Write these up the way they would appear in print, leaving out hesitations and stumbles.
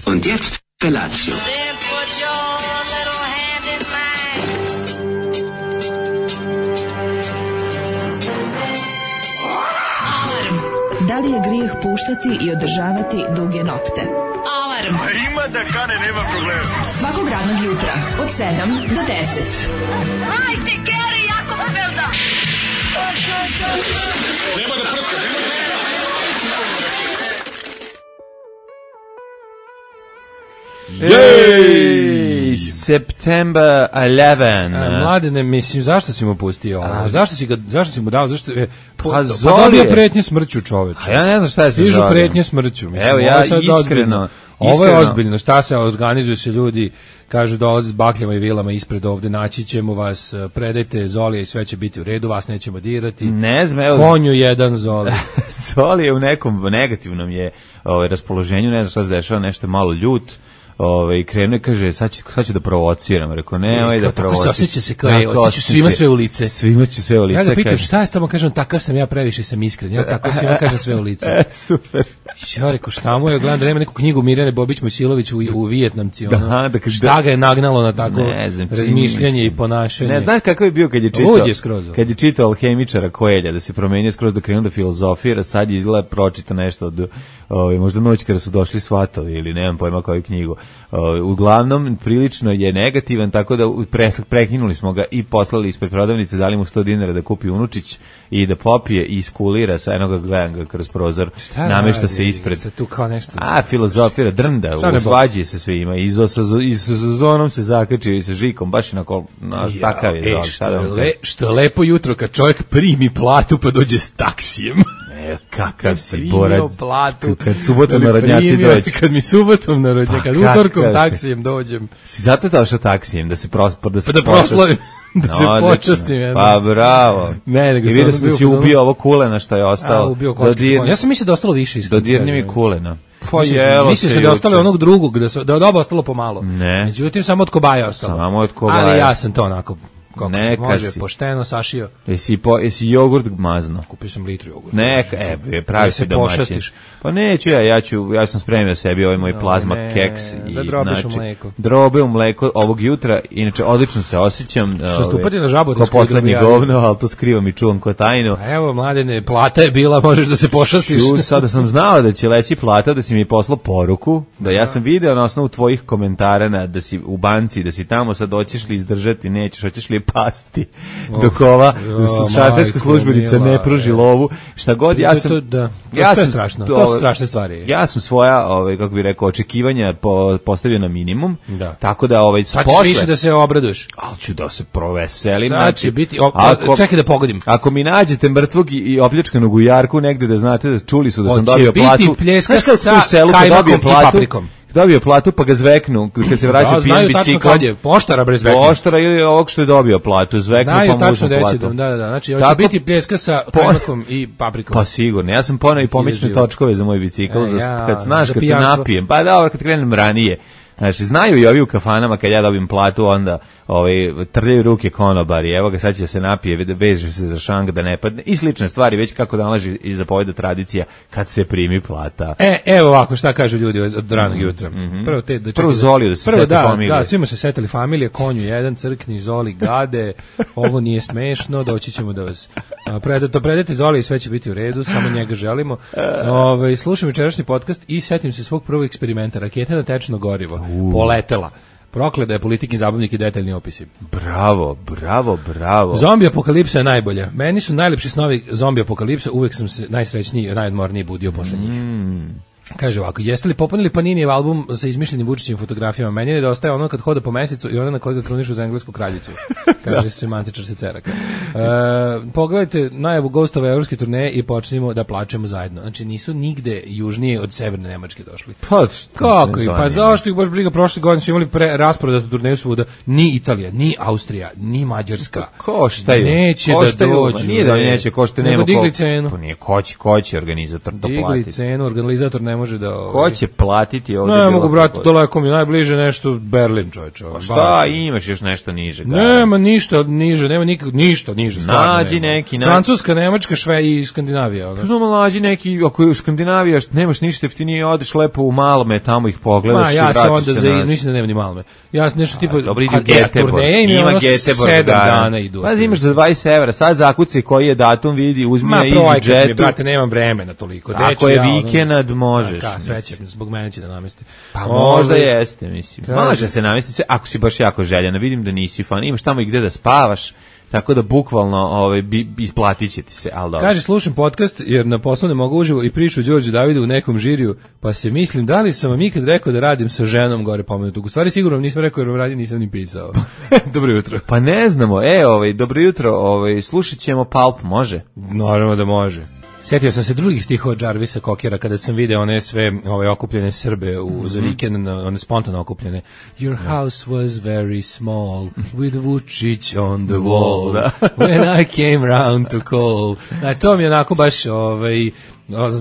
Und jetzt Felatio. Da li je grijeh puštati i održavati duge nokte? Alarm! A ima da kane, nema problema. Svakog radnog jutra, od 7 do 10. Hajde, Geri, jako se velda! Nema da prska, nema da prska. Yay! September 11. Mladene, mislim, zašto si mu pustio ovo? Zašto si mu dao? Zašto je Pa dobio pretnje smrću, čoveče. A ja ne znam šta je sa Stižu Zolijom. pretnje smrću. Mislim, Evo, ja ovo je sad iskreno. Ovo je ozbiljno. Šta se organizuju se ljudi, kažu dolaze s bakljama i vilama ispred ovde, naći ćemo vas, predajte Zolija i sve će biti u redu, vas nećemo dirati. Ne znam, evo. Konju jedan Zoli. Zoli je u nekom negativnom je raspoloženju, ne znam šta se dešava, nešto malo ljut. Krenuo i kaže, sad ću da provociram. Rekao, nemoj da provociram. Tako se osjeća se kao, osjeću svima sve u lice. Svima ću sve u lice. Ja ga pitam, šta je s tamo, kažem, takav sam ja, previše sam iskren. Ja tako svima kažem sve u lice. Super. Ja rekao, šta mu je, gledam da nema neku knjigu Mirjane Bobić-Mojsilović u Vijetnamci. Šta ga je nagnalo na tako razmišljanje i ponašanje. Ne, znaš kakav je bio kad je čitao Alhemičara Koelja, da se promenio skroz, da krenuo da filozofira, sad je izgleda pročita nešto od, možda noć kada su došli svatovi ili nemam pojma koju knjigu. Uglavnom, prilično je negativan, tako da prekinuli smo ga i poslali ispred prodavnice, dali mu 100 dinara da kupi unučić i da popije i iskulira, sa enoga gledam ga kroz prozor, namešta se ispred. Tu kao nešto. Filozofira, drnda, uzvađi se svima, i sa zonom se zakačio i sa žikom, baš onako, takav je. Što je lepo jutro kad čovjek primi platu pa dođe s taksijem. Kakav si borac. Kad subotom narodnjaci dođe. Kad mi subotom narodnjaci, kad utorkom taksijem dođem. Si zato došao taksijem, da se proslavim. Da se počastim. Pa bravo. Ne, nego i vidio sam da si ubio ovo kulena što je ostalo. Ubio kočkić. Ja sam mislio da je ostalo više. Dodirni mi kulena. Mislio sam da je ostalo onog drugog, da je od oba ostalo pomalo. Ne. Međutim, samo od kobaja ostalo. Ali ja sam to onako, kako se može, pošteno sašio. Jesi jogurt mazno? Kupio sam litru jogurta. Pravi si domaćin. Pa neću ja sam spremio sebi ovaj moj plazma keks. Da drobiš u mleko. Drobe u mleko ovog jutra, inače odlično se osjećam. Što stupati na žabu? Ko poslednji govno, ali to skrivam i čuvam ko tajnu. A evo, mladene, plata je bila, možeš da se pošastiš. Sada sam znao da će leći plata, da si mi poslao poruku, da ja sam video na osnovu tvojih komentara da si u banci, da si tamo, sad hoćeš li izdržati, nećeš, hoćeš li pasti dok ova šalterska službenica ne pruži lovu, šta god. To su strašne stvari. Ja sam svoja, kako bih rekao, očekivanja postavio na minimum, tako da sad ćeš više da se obraduješ. Ali ću da se proveselim. Sad će biti, čekaj da pogodim. Ako mi nađete mrtvog i opljačkanog u jarku negde, da znate da čuli su da sam dobio platu. Hoće biti pljeska sa kajmakom i paprikom. Dobio platu pa ga zveknu kad se vraća pijan biciklom. Poštara bre zveknu. Poštara ili ovog što je dobio platu, zveknu pa mu uzmu platu. Da, znači hoće biti pljeska sa kajmakom i paprikom. Pa sigurno, ja sam poneo i pomične točkove za moj bicikl, kad se napijem, pa dobro, kad krenem ranije. Znači, znaju i ovi u kafanama kad ja dobijem platu, onda trljaju ruke konobari, evo ga sad će se napije, veže se za šang da ne padne i slične stvari, već kako nalaži i zapoveda tradicija kad se primi plata. Evo ovako šta kažu ljudi od ranog jutra. Prvo Zoliju da se sete familije. Da, svima se setili familije, konju jedan, crkni, Zoli, gade, ovo nije smešno, doći ćemo da vas predate Zoli i sve će biti u redu, samo njega želimo. Slušam večerašnji podcast i setim se svog prvog eksperimenta, raketa na tečno gorivo, poletela. Prokleda je politikin zabavnik i detaljni opisi. Bravo. Zombi apokalipsa je najbolja. Meni su najlepši snovi zombi apokalipsa, uvek sam se najsrećniji i najodmorniji budio posle njih. Kaže ovako, jeste li popunili Paninijev album sa izmišljenim Vučićevim fotografijama? Meni je nedostaje ono kad hoda po mesecu i ono na koji ga krunišu za englesku kraljicu. Kaže se semantičar se ceraka. Pogledajte najavu Ghostove evropske turneje i počnemo da plačemo zajedno. Znači nisu nigde južnije od severne Nemačke došli. Kako? Pa zašto ih baš briga, prošle godine su imali rasprodatu turneju svuda. Ni Italija, ni Austrija, ni Mađarska. Koštaju. Neće da dođu. Nije da neće, košte nema. Digli cenu. Pa nije, ko će organizator to platiti? Digli cenu, organizator ne može da... Ko će platiti ovdje? Ne mogu, brate, daleko mi najbliže nešto Berlin, čovječe. Pa šta, imaš još nešto niže? Nema ništa niže, nema nikak ništa niže stvarno. Nađi neki, Francuska, Nemačka, i Skandinavija. Znamo, nađi neki, ako je u Skandinaviji nemaš ništa jeftinije, odeš lepo u Malome, tamo ih pogledaš i vratiš se nazad. Mislim da nema ni Malome. Ja nešto tipa dobro, idi u Göteborg. Ima Göteborg 7 dana idu. Pazi, imaš za 20 evra, sad zakuci koji je datum, vidi, uzmi na EasyJetu. Brate, nemam vremena toliko. Ako je vikend, možeš. Sve će, zbog mene će da namesti. Pa možda jeste, mislim. Može se namesti sve, ako si baš jako željan. Vidim da nisi fan, imaš tamo i gde da spavaš, tako da bukvalno isplatit će ti se, ali dobro. Kaže, slušam podcast jer na poslu ne mogu uživo i priču o Đorđu Davidu u nekom žiriju, pa se mislim, da li sam vam ikad rekao da radim sa ženom gore pomenutog. U stvari sigurno nisam rekao jer vam radim, nisam ni pisao. Dobro jutro. Pa ne znamo, dobro jutro, slušat ćemo Pulp, može? Naravno da može. Sjetio sam se drugih stihova Jarvisa Cockera kada sam video one sve okupljene Srbe za vikend, one spontano okupljene. Your house was very small with Vučić on the wall when I came round to call. To mi je onako baš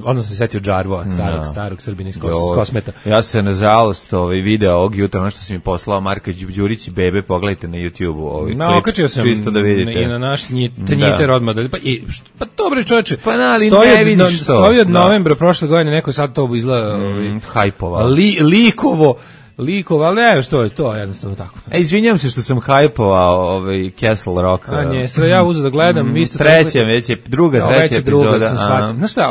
onda sam setio Džarvoa, starog Srbina iz Kosmeta. Ja se nažalost video ovog jutra, ono što sam mi poslao Marka Đurić i Bebe, pogledajte na YouTube-u klip, okačio sam čisto da vidite. I na naš Tanjiter odmah. Pa dobro čoveče, stoji od novembra prošle godine, neko sad to izgleda hajpovao. Likova, ali ne, što je to, jednostavno tako. Izvinjam se što sam hajpovao Castle Rock. Nije, sve ja uzeo da gledam. Treća epizoda. Znaš šta,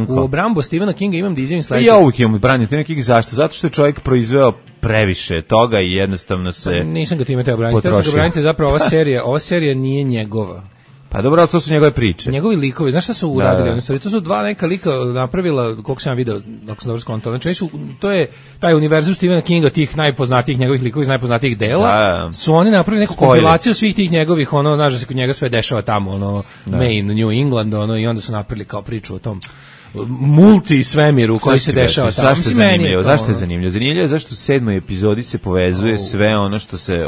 u obrambu Stephena Kinga imam da izjavim sledeće. Ja uvijek imam branio Stephena Kinga, zašto? Zato što je čovjek proizveo previše toga i jednostavno se nisam ga time teo braniti. Teo sam ga braniti, zapravo ova serija nije njegova. Pa dobro, to su njegove priče. Njegovi likovi, znaš šta su uradili? To su dva neka lika napravila, koliko sam video, ako sam dobro skontao. Znači, to je taj univerzum Stephena Kinga, tih najpoznatijih njegovih likova iz najpoznatijih dela, su oni napravili neku kompilaciju svih tih njegovih, znaš da se kod njega sve dešava tamo, Maine, New England, i onda su napravili kao priču o tom multi svemiru koji se dešava tamo. Zašto je zanimljivo? Zašto je zanimljivo? Zanimljivo je zašto u 7. epizodi se povezuje sve ono što se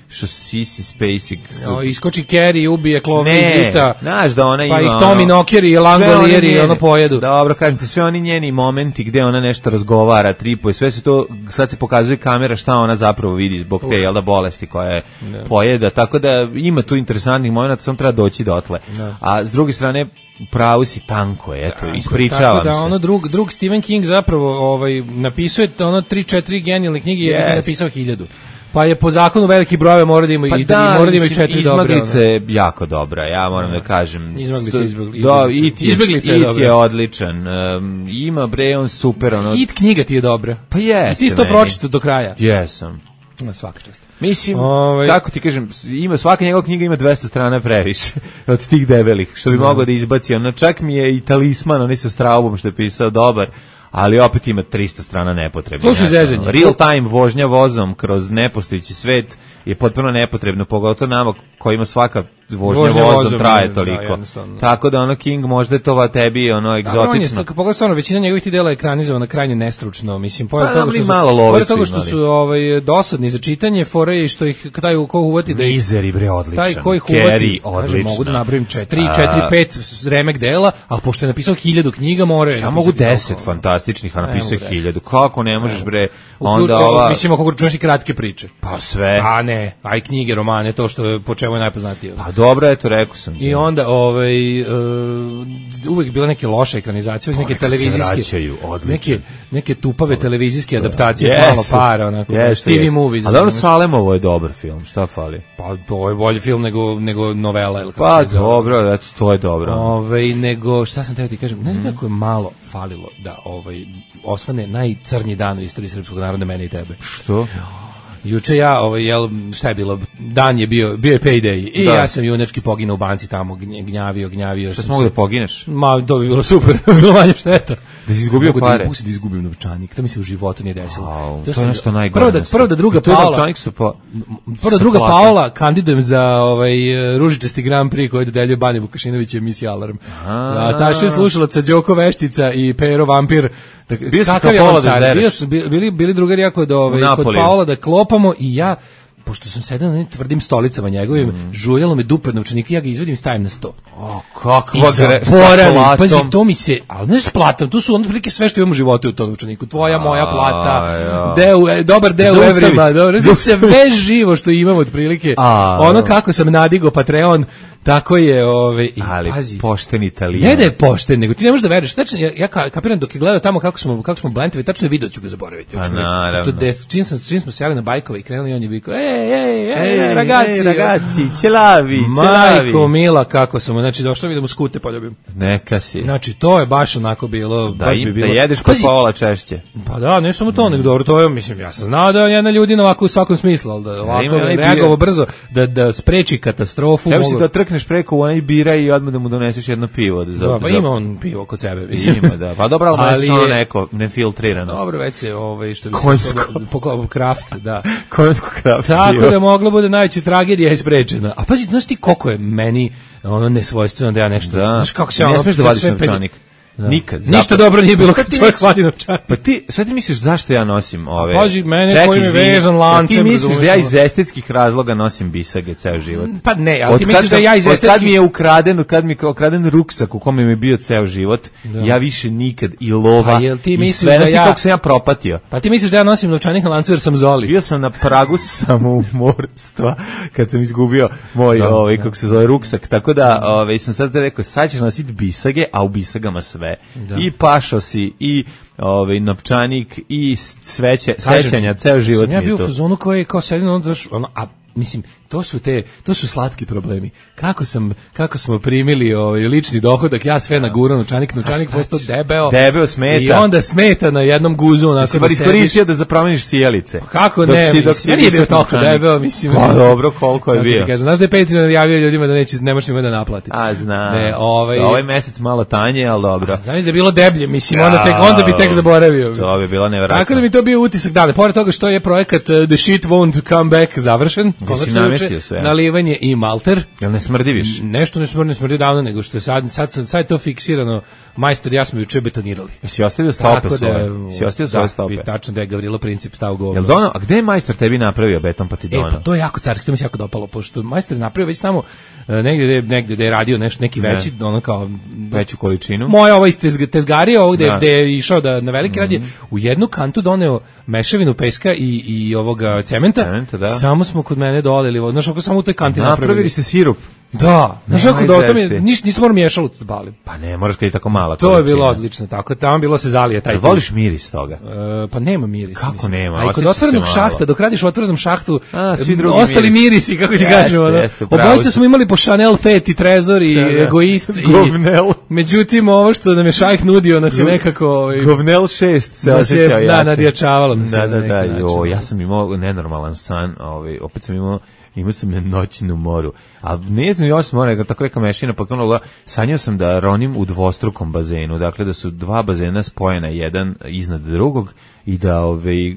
što Sissy Spacek iskoči Carrie, ubije Chloe Zita. Znaš da ona ima, pa ih Tommy Knocker i Langolier i pojedu. Dobro, kažem ti, sve oni njeni momenti gde ona nešto razgovara, tripuje, sve se to, sad se pokazuje kamera šta ona zapravo vidi zbog te bolesti koja je pojeda, tako da ima tu interesantnih momenata, samo treba doći dotle. A s druge strane, pravu si, tanko je, eto, ispričavam se. Tako da drug Stephen King zapravo napisuje 3-4 genijalne knjige, jer je napisao 1000. Pa je po zakonu veliki brojeve mora da ima i 4 dobre. Izmaglica je jako dobra, ja moram da kažem. Izmaglica je odličan. Ima on super. It knjiga ti je dobra. Pa jeste. I ti si to pročitao do kraja. Jesam. Svaka čast. Mislim, kako ti kažem, svaka njegova knjiga ima 200 strana previše od tih debelih, što bi mogao da izbaci. Čak mi je i Talisman, onaj sa Straubom što je pisao, dobar, ali opet ima 300 strana nepotrebno. Slušaj zezanje. Real time vožnja vozom kroz nepostojeći svet je potpuno nepotrebno, pogotovo nama kojima svaka vožnja vozom traje toliko. Tako da King možda je to tebi egzotično. Pogledaj, većina njegovih ti dela je ekranizovana krajnje nestručno, mislim, pored toga što su dosadni za čitanje, fore i što ih daju ko uvati da Mizeri bre odličan. Taj koji ih uvati, mogu da napravim 4-5 remek dela, ali pošto je napisao 1000 knjiga, more. Ja mogu 10 fantastičnih, a napisao 1000. Kako ne možeš bre? Onda mislim, ako čuješ i kratke priče. Pa sve. A ne, aj knjige, romane, to što je po čemu je najpoznatije. Pa dobro, eto, rekao sam. I onda uvek bila neke loše ekranizacije, neke televizijske, neke tupave televizijske adaptacije s malo para, onako, TV movies. A dobro, Salemovo je dobar film, šta fali? Pa to je bolji film nego novela, ili kako pa se zove. Pa dobro, eto, to je dobro. Nego, šta sam teo ti kažem, ne znam kako je malo falilo da osvane najcrnji dan u istoriji srpskog naroda, mene i tebe. Što? Juče ja, šta je bilo, dan je bio je payday i ja sam junački poginuo u banci tamo, gnjavio. Šta mogu da pogineš? Ma, to bi bilo super, bilo manje šteta. Da si izgubio pare? Mogu da izgubim novčanik, to mi se u životu nije desilo. To je nešto najgore. Prvo da druga Paola kandidujem za ružičasti Grand Prix koji dodeljuje Banja Vukašinović emisija Alarm. Taše slušalaca Đoko Veštica i Pero Vampir. Bio si kao Paola da ždereš? Bili drugari jako kod Paola da klopamo i ja pošto sam sedao na nekim tvrdim stolicama njegovim, žuljalo me dupe novčanika, ja ga izvedim i stavim na sto. O, kakva pazi, to mi se, ali ne s platom, tu su ono prilike sve što imamo u životu u tom novčaniku, tvoja, moja plata, dobar deo u evrima, sve živo što imamo od prilike, ono kako sam nadigo Patreon, tako je, ali pazi, pošten Italijan. Ne da je pošten, nego ti ne možeš da veruješ. Tačno, ja kapiram dok je gledao tamo kako smo blentovi, tačno je video ću ga zaboraviti. Pa naravno. Čim smo sjeli na bajkove i krenuli, on je vikao, ragazzi, ćelavi. Majko mila, kako sam, znači došlo mi da mu skute poljubim. Neka si. Znači, to je baš onako bilo, da jedeš kod Paola češće. Pa da, ne samo to, nego dobro, to je, mislim, ja sam znao da je jedna ljudina ovako u svakom smislu, ali da ovako reagovao brzo, da spreči katastrofu. Trkneš preko u onaj bira i odmah da mu doneseš jedno pivo. Da, pa ima on pivo kod sebe. Ima, da. Pa dobro, ali je ono neko nefiltrirano. Dobro, već je što bi konjsko. Kraft, da. Konjsko kraft. Tako da moglo bude najveća tragedija isprečena. A pazi, znaš ti koliko je meni ono nesvojstveno da ja nešto... Da. Znaš kako se ne smiješ da vadiš novčanik. Da. Nikad. Ništa dobro nije bilo kad čovjek hvati novčanik. Pa ti, sad ti misliš zašto ja nosim ove... Pazi, mene koji mi vezan lancem. Ti misliš da ja iz estetskih razloga nosim bisage ceo život? Pa ne, ali ti misliš da ja iz estetskih... Kad mi je ukraden ruksak u kome mi je bio ceo život, ja više nikad i lova i sve, znaš ti kako sam ja propatio. Pa ti misliš da ja nosim novčanik na lancu jer sam Zoli? Bio sam na pragu samoumorstva kad sam izgubio moj, kako se zove, ruksak, tako da sam sad rekao, sad ćeš nositi bisage, a u bisagama sve. Da. I pašosi, i novčanik, i sećanja, ceo život mi je to. Ja bio u fazonu koji je kao sedino, a mislim, to su slatki problemi. Kako smo primili lični dohodak, ja sve nagurao novčanik postao debeo smeta. I onda smeta na jednom guzu onako da sediš. Iskoristio da zapromeniš sjelice. Kako ne, ja nije bio toliko debeo, mislim. Pa dobro, koliko je bio. Znaš da je Patreon javio ljudima da ne možeš njima da naplati. A znam, ovaj mesec malo tanje, ali dobro. Znaš da je bilo deblje, mislim, onda bi tek zaboravio. To bi bilo nevjerojatno. Tako da mi to bio utisak, da, pored toga što je projekat The Shit Won't Come Back završen, nalivanje i malter. Jel ne smrdi više? Nešto ne smrdi davno, nego što je sad je to fiksirano. Majstor, ja smo juče betonirali. Si ostavio stope svoje? Si ostavio svoje stope? Tačno da je Gavrilo Princip stao govno. Jel dono, a gde je majstor tebi napravio beton pa ti dono? Pa to je jako carski, to mi se jako dopalo, pošto majstor je napravio već tamo negdje da je radio neki veći, ono kao... Veću količinu? Moja ovo iz tezgarija, ovo gde je išao da na veliki radi, u jednu kantu doneo mešavinu peska i ovoga cementa, samo smo kod mene dolili, znaš, ako samo u toj kanti napravili ste sirup. Da, znaš kako da o tome nisam morao miješalo da balim. Pa ne, moraš kad je tako mala količina. To je bilo odlično, tako, tamo bilo se zalije taj. Voliš miris toga? Pa nema miris. Kako mislim. Nema? A i kod otvorenog šahta, dok radiš u otvorenom šahtu, ostali mirisi, kako ti kažemo. Obojica smo imali po Chanel Fet i Trezor i Egoist. Govnel. Međutim, ovo što nam je šajh nudio nas je nekako... Govnel 6 se osjećao jače. Da, nadjačavalo nas. Da, ja sam imao nenormalan san, opet sam imao sam noćnu moru. A nije to još mora, tako neka mešina potpuno, sanjao sam da ronim u dvostrukom bazenu, dakle da su dva bazena spojena jedan iznad drugog i da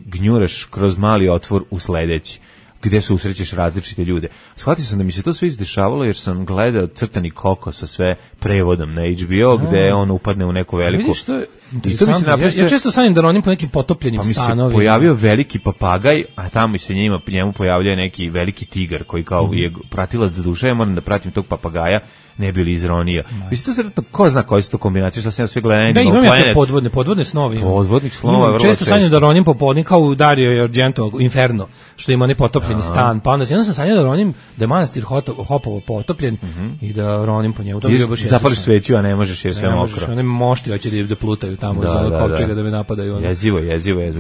gnjuraš kroz mali otvor u sledeći, gde se usrećeš različite ljude. Shvatio sam da mi se to sve izdešavalo jer sam gledao Crtani Koko sa sve prevodom na HBO, gde on upadne u neku veliku... Vidiš, ja često sanjam da ronim po nekim potopljenim stanovima. Pa mi se pojavio veliki papagaj, a tamo se njemu pojavljaju neki veliki tigar koji kao je pratilac za duša, ja moram da pratim tog papagaja, ne bi li izronio. Mislim, to sretno, ko zna koje su to kombinacije, što sam ja sve gledao. Da, imam ja podvodne snovi. Podvodnih snova je vrlo često sanjam da ronim po podni kao u Dario Argento Inferno, što ima onaj potopljeni stan, pa onda sam sanjao da ronim, da je manastir Hopovo potopljen i da ronim po njemu. To bi baš zapališ sveću, a ne možeš jer sve mokro. One mošti hoće da plutaju tamo za kopčega da me napadaju. Jezivo.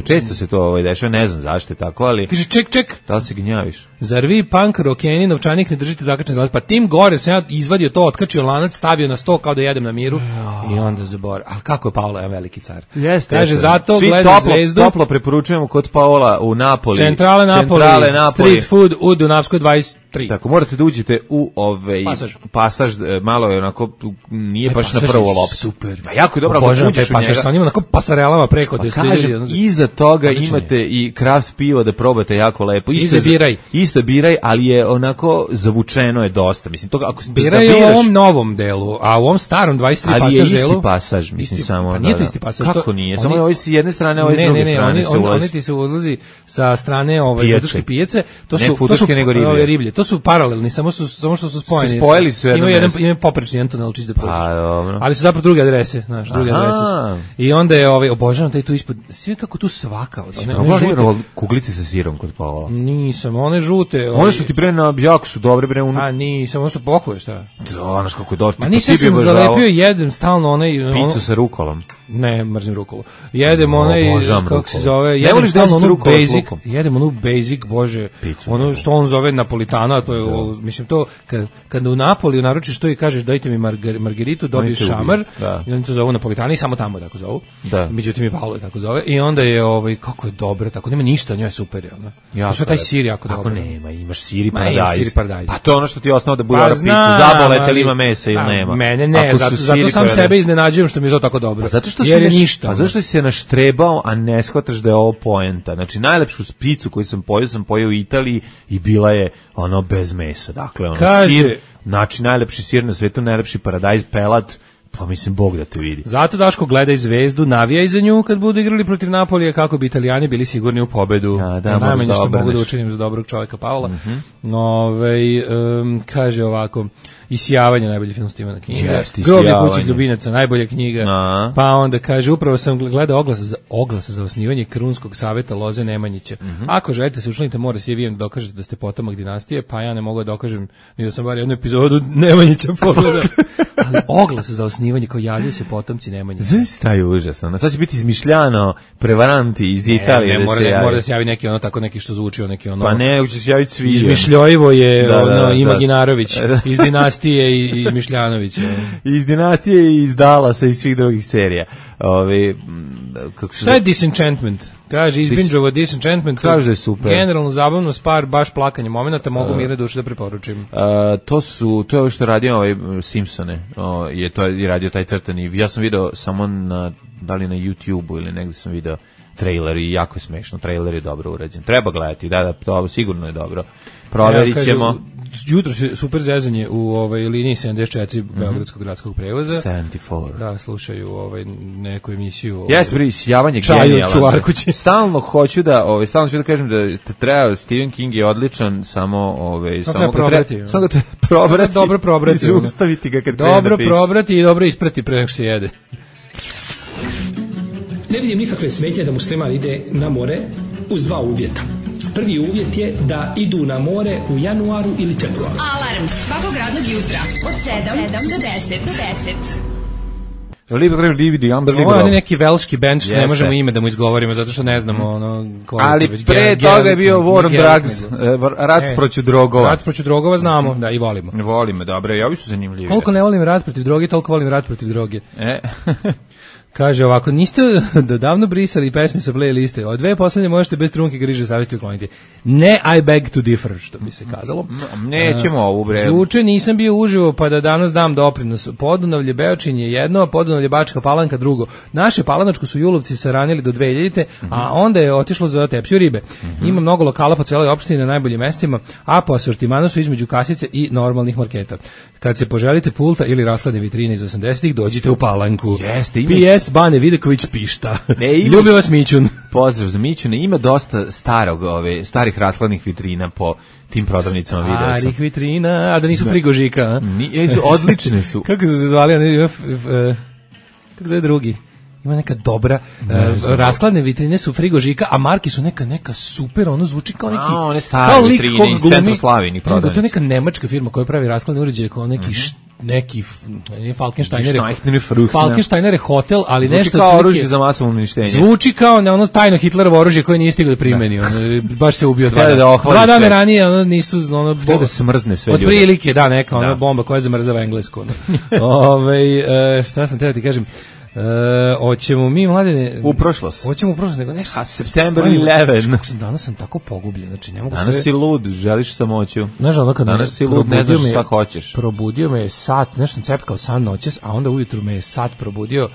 Često se to dešava, ne znam zašto je tako, ali... Kaže, ček. Da li se gnjaviš? Zar vi punk rokeni novčanik ne držite zakačen za lanac? Pa tim gore sam ja izvadio to, otkačio lanac, stavio na sto kao da jedem na miru i onda zaboravio. Ali kako je Paola, jedan veliki car. Kaže, zato gledaj Zvezdu. Toplo preporučujemo kod Paola u Napoli. Centrale Napoli. Street food u Dunavskoj 25 3. Tako, morate da uđete u pasaž, malo je onako, nije baš na prvu loptu. Super. A jako je dobro, ako uđeš u njega. Sa njima onako pasarelama preko. Pa kažem, iza toga imate i kraft pivo da probate jako lepo. Isto biraj, ali je onako zavučeno je dosta. Mislim, toga, ako biraj u ovom novom delu, a u ovom starom 23 pasaž delu... Ali je isti pasaž, mislim, samo... Nije to isti pasaž. Kako nije? Samo je ovaj s jedne strane, ovaj s druge strane se ulazi. Oni ti se ulazi sa strane futuške pijace. Ne futuške, nego riblje. To su paralelni, samo što su spojeni. Spojili su jedno mesto. Imaju poprečni jedan tunel čisto da prođeš. Ali su zapravo druge adrese, znaš, druge adrese su. I onda je obožavam taj tu ispod, sve kako tu svaka. Kuglice sa sirom kod pola. Nisam, one žute. One što ti bre na jako su dobre bre. Nisam, ono što pohuje, šta? Znaš kako je dobro. Ma nisam zalepio, jedem stalno onaj... Picu sa rukolom. Ne, mrzim rukolu. Jedem onaj, kako se zove, jedem stalno onu basic, jedem onu basic, bože, ono što on zove napolitano, a to je, mislim, to, kad u Napoliju naručiš to i kažeš dajte mi margeritu, dobiješ šamar, i oni to zovu napolitano i samo tamo tako zovu. Međutim i Paolo je tako zove. I onda je, kako je dobro, tako, nema ništa, njoj je super, ono. Što taj sir jako dobro. Kako nema, imaš sir i paradajz. Pa to je ono što ti je osnovno da bude ora pizza, zabolete ili ima mesa ili nema. Mene ne, zato sam sebe iznenađujem što mi je to tako dobro. A zašto si se naštrebao, a ne shvataš da je ovo poenta? Znači, najlepšu picu koju sam pojeo u Italiji i bila je ono bez mesa. Dakle, ono sir, znači najlepši sir na svetu, najlepši paradajz, pelat, pa mislim, Bog da te vidi. Zato Daško gledaj Zvezdu, navijaj za nju kad budu igrali protiv Napolija kako bi Italijani bili sigurni u pobedu. Najmanje što mogu da učinim za dobrog čovjeka Pavla. Kaže ovako, Isijavanje, najbolji film Stephena Kinga. Groblje kućih ljubinaca, najbolja knjiga. Pa onda kaže, upravo sam gledao oglas za osnivanje Krunskog saveta Loze Nemanjića. Ako želite se učlanite, mora se da dokažete da ste potomak dinastije, pa ja ne mogu da dokažem, ni da sam bar jednu epizodu Nemanjića pogledao. Ali oglas za osnivanje, kao javljaju se potomci Nemanjića. Znaš taj užasno, sad će biti izmišljano prevaranti iz Italije da se javi. Mora da se javi neki ono tako, neki što zvuči, neki ono... Pa ne, će se javiti svi. Izmišljojivo je Imaginarović, iz dinastije i Mišljanović. Iz dinastije i iz Dallasa i svih drugih serija. Šta je Disenchantment? Kaže, izbinđovo Disenchantment. Kaže da je super. Generalno zabavno, spar, baš plakanje momenta, mogu mirne duše da preporučim. To je ovo što radio Simpsone. To je radio taj crtani. Ja sam video samo da li na YouTube-u ili negdje sam video trailer i jako je smešno. Trailer je dobro urađen. Treba gledati, da, to sigurno je dobro. Proverit ćemo. Jutro se super zezanje u liniji 74 Beogradskog gradskog prevoza. 74. Da, slušaju neku emisiju. Jeste, bre, Isijavanje genijalan. Stalno hoću da kažem da treba, Stephen King je odličan, samo ga treba probrati. Dobro probrati. I zaustaviti ga kad krene da piše. Dobro probrati i dobro isprati pre nego se jede. Ne vidim nikakve smetnje da musliman ide na more uz dva uvjeta. Prvi uvjet je da idu na more u januaru ili februaru. Alarm svakog radnog jutra od 7 do 10. Ovo je neki velški band što ne možemo ime da mu izgovorimo zato što ne znamo ali pre toga je bio War on Drugs, rat protiv drogova. Rat protiv drogova znamo, da, i volimo. Volimo, dobro, i ovi su zanimljivi. Koliko ne volim rat protiv droge, toliko volim rat protiv droge. Kaže ovako, niste da davno brisali pesme sa playliste, od dve poslednje možete bez trunke griže savjesti ukloniti. Ne, I beg to differ, što bi se kazalo. Nećemo ovu bre. Juče nisam bio uživo, pa da danas dam doprinos. Podunavlje Beočin je jedno, a Podunavlje Bačka Palanka drugo. Naše Palanačko su julovci saranili do 2000-te, a onda je otišlo za tepsiju ribe. Ima mnogo lokala po celoj opštini na najboljim mestima, a po asortimanu su između kasice i normalnih marketa. Kad se poželite pulta ili rashladne vitrine iz 80-ih, dođite u Palanku. PS Bane Videković pišta. Ljubi vas Mićun. Pozdrav za Mićuna. Ima dosta starih rashladnih vitrina po tim prodavnicama, video sam. Starih vitrina, a da nisu frigožika. Odlične su. Kako su se zvali? Kako zove drugi? Ima neka dobra, raskladne vitrine su frigožika, a marki su neka super, ono zvuči kao neki... one stare vitrine iz Centroslavini prodavnice. To je neka nemačka firma koja pravi raskladne uređaje kao neki Falkensteiner hotel, ali zvuči nešto... Zvuči kao oružje za masovno uništenje. Zvuči kao ono tajno Hitlerovo oružje koje nije stigao da primeni. Baš se ubio 2 dana. Dva dana ranije nisu... Htio da smrzne sve ljude. Od prilike, da, neka bomba koja zamrzava Englesku. Šta sam teo ti kažem... Hoćemo mi, Mladene... U prošlost. Hoćemo u prošlost, nego nešto... A September 11. Danas sam tako pogubljen, znači ne mogu sve... Danas si lud, želiš samoću. Znaš, ono kad danas si lud, ne znaš šta hoćeš. Probudio me je sat, nešto sam cepkao san noćas, a onda ujutru me je sat probudio.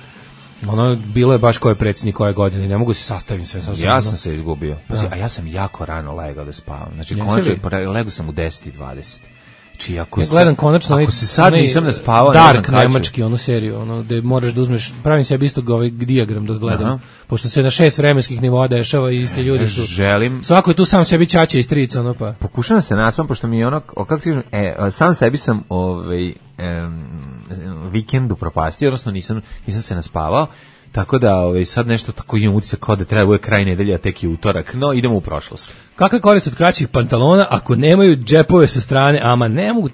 Ono, bilo je baš ko je predsjednik koje godine i ne mogu se sastavim sve. Ja sam se izgubio. A ja sam jako rano legao da spavam. Znači, konačno, legao sam u 10:20. Či ako ja gledam konačno ako se sad nisam naspavao, Dark nemački onu seriju, ono gde moraš da uzmeš, pravim sebi isto ovaj dijagram da gledam. Pošto se na 6 vremenskih nivoa dešava i iste ljudi su. Želim. Svako je tu sam sebi ćaća i strica, ono pa. Pokušavam se naspam pošto mi je ono, kako ti sam sebi sam vikend upropastio, odnosno nisam se naspavao. Tako da sad nešto tako imam utisak kao da treba bude kraj nedelje, a tek je utorak, no idemo u prošlost. Kakva korist od kraćih pantalona ako nemaju džepove sa strane, ama ne mogu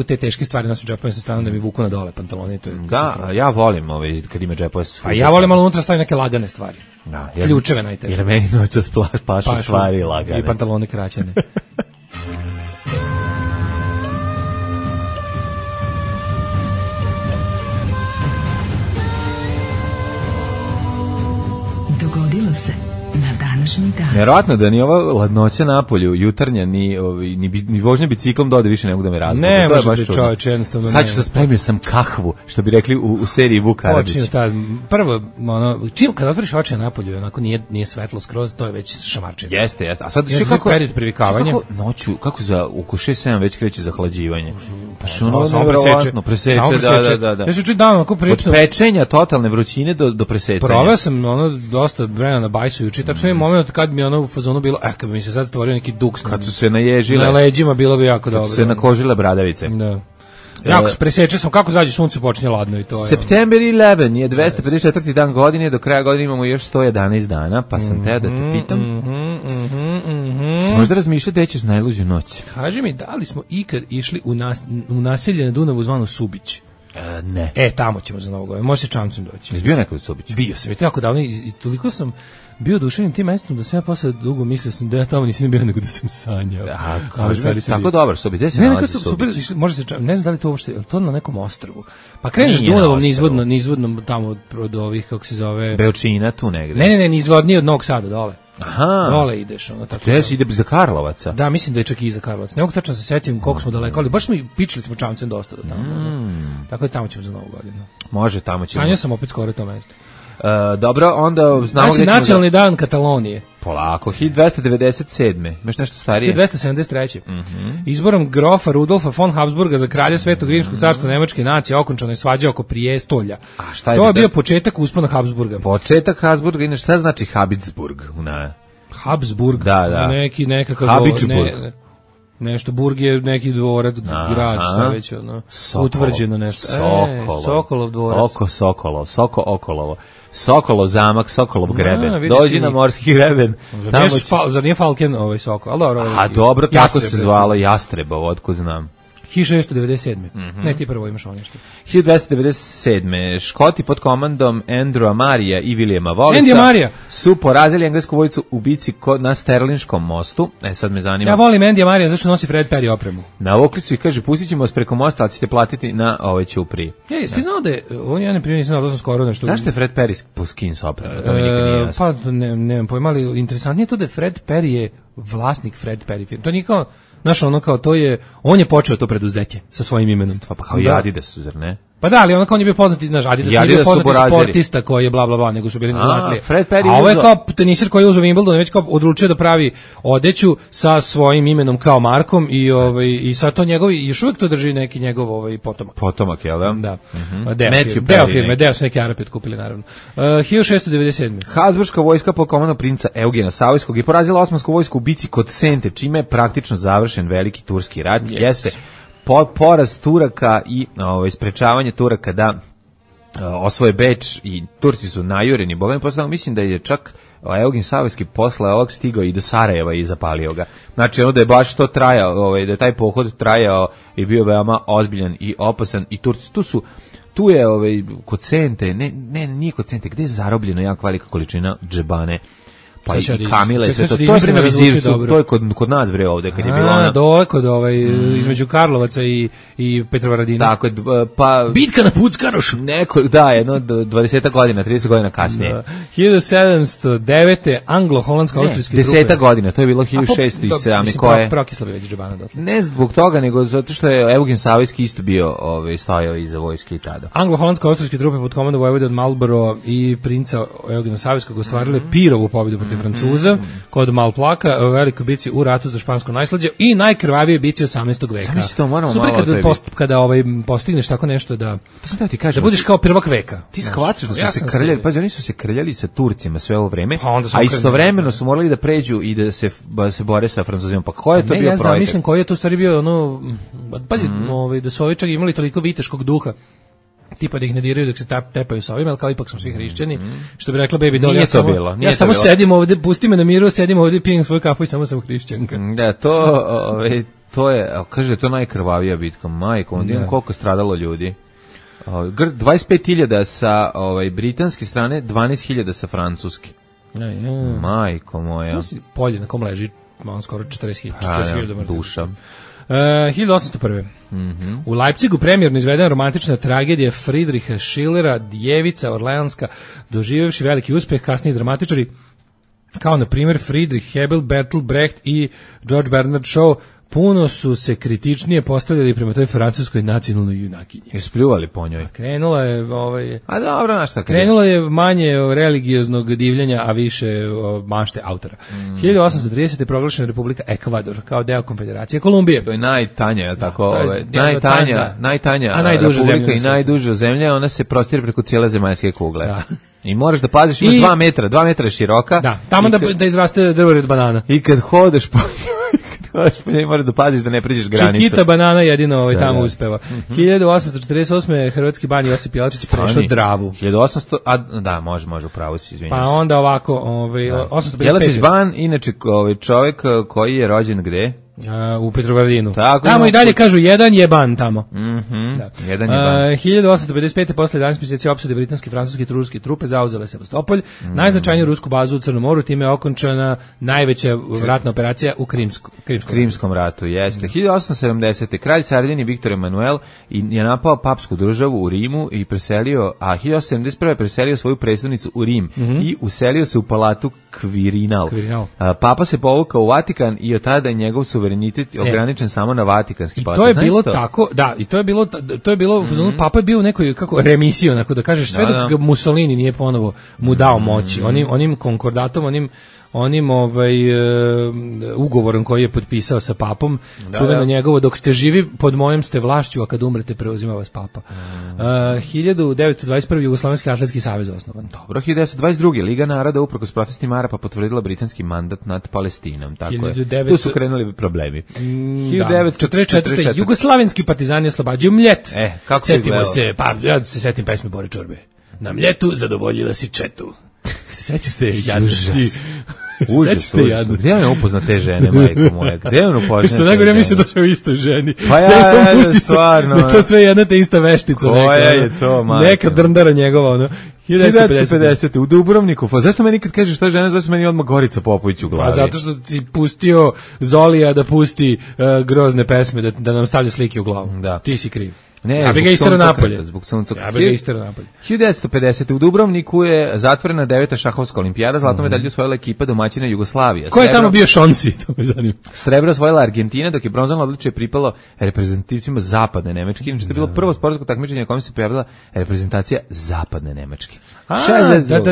te teške stvari nositi džepove sa strane da mi vuku na dole pantalone. To je da, ja volim kad ima džepove sa strane. A ja volim malo unutra staviti neke lagane stvari. Da, ključeve najteže. Jer meni noćas pašu stvari lagane. I pantalone kraćene. Dogodilo se na današnji dan. Vjerovatno da ni ova ladnoća napolju, jutarnja, ni vožnja biciklom dode više ne mogu da me razbude. Ne, to je baš čovječ, jednostavno. Sad ću da spremio sam kahvu, što bi rekli u seriji Vuk Karadžić. Prvo, kad otvoriš oči na napolju, onako nije svetlo skroz, to je već šamarčenje. Jeste. A sad kako period privikavanja. Kako za oko 6-7 već kreće zahlađivanje. Pa ono nevjerovatno preseče, da. Ja se čuti dan onako prilično. Od pečenja totalne vrućine do presecanja. Proveo sam dosta vremena na bajsu juče, tačno je moment kad mi u fazonu bilo, kad bi mi se sad stvorio neki duks. Kad su se naježile. Na leđima bilo bi jako dobro. Kad su se nakožile bradavice. Da. Jako se presečeo sam, kako zađe sunce počinje ladno i to je. September 11 je 254. dan godine, do kraja godine imamo još 111 dana, pa sam teo da te pitam. Možda razmišljati gde ćeš najluđu noć. Kaži mi, da li smo ikad išli u naselje na Dunavu zvano Subić? Ne. Tamo ćemo za Novu godinu. Može se čamcem doći. Jesi bio nekad u Subiću? Bio sam, i to jako davno i toliko sam bio oduševljen tim mestom da sam ja posle dugo mislio sam da ja tamo nisam bio nego da sam sanjao. Tako dobar Subić, gde se nalazi Subić? Može se, ne znam da li to uopšte, je to na nekom ostrvu? Pa kreneš Dunavom nizvodno tamo od ovih, kako se zove... Beočina tu negde. Ne, nizvodnije od Novog Sada dole. Aha. Dole ideš, ono tako. Gde ide za Karlovaca? Da, mislim da je čak i za Karlovac. Ne mogu tačno se setim koliko smo daleko, ali baš smo pičili smo čamcem dosta do tamo. Tako da tamo ćemo za Novu godinu. Može, tamo ćemo. Sanjao sam opet skoro to mesto. Dobro, onda znamo gdje ćemo... Nacionalni dan Katalonije. Polako, 1297. Imaš nešto starije? 1273. Izborom grofa Rudolfa von Habsburga za kralja Svetog Rimskog carstva Nemačke nacije okončana je svađa oko prijestolja. To je bio početak uspona Habsburga. Početak Habsburga, inače šta znači Habsburg? Habsburg? Da. Nekakav... Habsburg. Nešto, Burg je neki dvorac, grad, šta već, utvrđeno nešto. Sokolov dvorac. Sokolov zamak, Sokolov greben. Dođi na morski greben. Zar nije Falken ovaj Sokol? Dobro, tako se zvalo Jastrebovo, otkud znam. 1697. Ne, ti prvo imaš ovo nešto. 1297. Škoti pod komandom Andrewa Marija i Williama Wallisa su porazili englesku vojsku u bici na Sterlinskom mostu. Sad me zanima. Ja volim Andy Marija, zašto nosi Fred Perry opremu? Navukli su i kaže, pustit ćemo vas preko mosta, ali ćete platiti na ove ćupriji. Ti znao da je, ja ne prije nisam znao, da sam skoro nešto... Zašto je Fred Perry po skins opremu? Pa, nemam pojma, ali interesantnije to da je Fred Perry je vlasnik Fred Perry firme. To nije kao... Znaš, ono kao to je, on je počeo to preduzeće sa svojim imenom. Pa kao i Adidas, zar ne? Pa da, ali ono kao on je bio poznati, znaš, Adidas nije bio poznati sportista koji je bla bla bla, nego su bili zanatlije. A ovo je kao teniser koji je uzeo Wimbledon, već kao odlučio da pravi odeću sa svojim imenom kao markom i sad to njegovi, još uvijek to drži neki njegov potomak. Potomak, jel da? Da. Deo firme, deo su neki Arapi otkupili, naravno. 1697. Habsburška vojska pod komandom princa Eugena Savojskog je porazila osmansku vojsku u bici kod Sente, čime je praktično završen veliki turski rat. Jeste poraz Turaka i sprečavanje Turaka da osvoje Beč i Turci su najureni. Bogami posle, mislim da je čak Eugen Savojski posle ovog stigao i do Sarajeva i zapalio ga. Znači ono da je baš to trajao, da je taj pohod trajao i bio veoma ozbiljan i opasan i Turci tu je kod Sente, nije kod Sente, gde je zarobljeno jako velika količina džebane. Pa i Kamila i sve to. To je vreme Vizircu, to je kod nas bre ovde kad je bilo ona. Dole kod između Karlovaca i Petrovaradina. Tako, pa bitka na Puckarošu. Neko, da, jedno 20 godina, 30 godina kasnije. Da. 1709. anglo-holandsko-austrijski trupe. 10 godina, to je bilo 1607. koje. Prokisla bi već džabana dotle. Ne zbog toga, nego zato što je Eugen Savojski isto bio stojao iza vojske i tada. Anglo-holandsko-austrijske trupe pod komandom vojvode od Marlborough i princa Eugena Savojskog ostvarile Pirovu pobjedu protiv Francuza kod Malplaka u velikoj bici u ratu za špansko najslađe i najkrvavije bici 18. veka. Super kada postigneš tako nešto da budeš kao prvak veka. Ti shvataš da su se krljali, pa oni su se krljali sa Turcima sve ovo vreme, a istovremeno su morali da pređu i da se bore sa Francuzima. Pa ko je to bio projekat? Ja zamišljam koji je to stvari bio pazi, da su ovi čak imali toliko viteškog duha, tipa da ih ne diraju dok se tepaju sa ovim, ali kao ipak smo svi hrišćani, što bi rekla Baby Doll, ja samo sedim ovde, pusti me na miru, sedim ovde, pijem svoju kafu i samo sam hrišćanka. Da, to je, kaže, to najkrvavija bitka, majko, onda imam koliko stradalo ljudi. 25.000 sa britanske strane, 12.000 sa francuske. Majko moja. To si polje na kom leži, skoro 40.000 duša. 1801. U Leipzigu premijerno izvedena romantična tragedija Friedricha Schillera, Djevica Orleanska, doživevši veliki uspeh, kasniji dramatičari kao na primjer Friedrich Hebel, Bertolt Brecht i George Bernard Shaw puno su se kritičnije postavljali prema toj francuskoj nacionalnoj junakinji. I spljuvali po njoj. Krenula je a dobro, znaš šta. Krenula je manje religioznog divljenja, a više mašte autora. 1830. je proglašena Republika Ekvador kao deo Konfederacije Kolumbije. To je najtanja, je tako, najtanja republika i najduža zemlja, ona se prostire preko cijele zemaljske kugle. Da. I moraš da paziš, ima 2 metra je široka. Da, tamo da izraste drvo od banana. I kad hodeš po moraš da paziš da ne pređeš granicu. Čikita banana jedino tamo uspeva. 1848. hrvatski ban Josip Jelačić prešao Dravu. 1800, da, može, upravo si, izvinjam se. Pa onda ovako, 855. Jelačić ban, inače čovjek koji je rođen gde? U Petrovaradinu. Tamo i dalje kažu jedan je ban tamo. Jedan je ban. 1855. posle 11 mjeseci opsade britanske, francuske i turske trupe zauzele Sevastopolj, najznačajniju rusku bazu u Crnom moru, time je okončana najveća ratna operacija u Krimskom ratu. Jeste. 1870. kralj Sardinije Viktor Emanuel je napao papsku državu u Rimu i preselio, a 1871. preselio svoju predstavnicu u Rim i uselio se u palatu Quirinal. Papa se povukao u Vatikan i od tada je njegov suverenitet ograničen samo na Vatikanski palat. I to je bilo tako, da, i to je bilo Papa je bio u nekoj remisiji, onako da kažeš, sve dok Mussolini nije ponovo mu dao moći. Onim konkordatom, onim ugovorom koji je potpisao sa papom, čuveno njegovo, dok ste živi pod mojom ste vlašću, a kad umrete preuzima vas papa. 1921. Jugoslovenski atletski savez osnovan. Dobro, 1922. Liga naroda uprkos protestima Arapa potvrdila britanski mandat nad Palestinom. Tako je. Tu su krenuli problemi. 1944. Jugoslavenski partizani oslobađaju Mljet. Kako se izgledalo? Ja se setim pesme Bore Čorbe. Na Mljetu zadovoljila si četu. Sećaš te jadnosti? Užas. Gde je on upoznat te žene, majko moja? Gde je on upoznat? Što nego, ja mislim da je u istoj ženi. Pa stvarno. Da to sve jedna te ista veštica. Koja je to, majko? Neka drndara njegova, ono. 1950. u Dubrovniku. Zašto meni kad kažeš šta žena, zašto meni odmah Gorica Popović u glavi? Pa zato što ti pustio Zolija da pusti grozne pesme, da nam stavlja slike u glavu. Da. Ti si kriv. Ne, ja bih ga istero napolje. Zbog sunca. Ja bih ga istero napolje. 1950. u Dubrovniku je zatvorena 9. šahovska olimpijada, zlatnu medalju osvojila ekipa domaćina Jugoslavija. Ko je tamo bio Šonsi, to me zanima. Srebro osvojila Argentina, dok je bronzano odličje pripalo reprezentativcima zapadne Nemačke. Inače, to je bilo prvo sportsko takmičenje na kojem se pojavila reprezentacija zapadne Nemačke.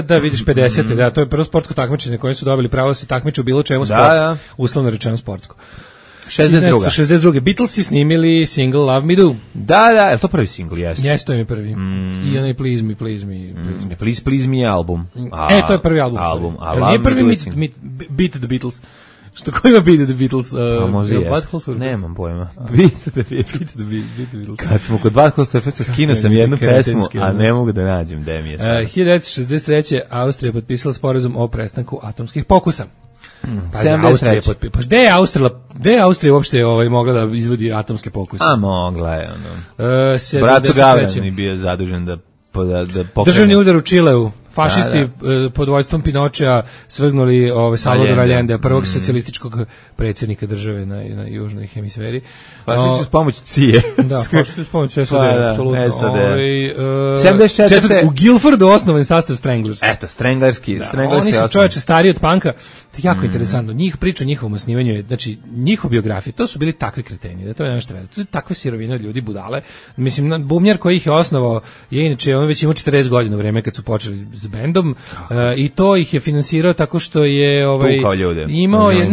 Da, vidiš 50. Da, to je prvo sportsko takmičenje koje su dobili pravo da se takmiče u bilo čemu sport, uslovno rečeno sportsko. 62. Beatlesi snimili single Love Me Do. Da, je to prvi single? Jeste, to je prvi. I onaj Please Me. Please Me album. To je prvi album. Nije prvi Beat the Beatles. Što ko ima Beat the Beatles? Možda jest. Nemam pojma. Beat the Beatles. Kad smo kod Butthole Surfers, skinuo sam jednu pesmu, a ne mogu da nađem gde mi je sad. 1963. Austrija potpisala sporazum o prestanku atomskih pokusa. Gde je Austrija uopšte mogla da izvodi atomske pokuse? A mogla je. Brat Gavran je bio zadužen da pokrene. Državni udar u Čileu. fašisti pod vojstvom Pinočea svrgnuli Salvadora Allendea, prvog socijalističkog predsjednika države na južnoj hemisferi. Fašisti s pomoć CIA. Da, fašisti s pomoć SAD, apsolutno. 74. U Guilfordu osnovan sastav Stranglers. Eto, Stranglerski. Oni su čoveče stariji od panka. To je jako interesantno. Njih priča o njihovom osnivanju je, znači, njihov biografije, to su bili takvi kreteni, da to je nešto veriti. To je takve sirovine od ljudi, budale. Mislim, bubnjar koji ih je osnovao je inače, on već imao 40 godina u vreme kad su počeli s bendom i to ih je finansirao tako što je tukao ljude. Imao je,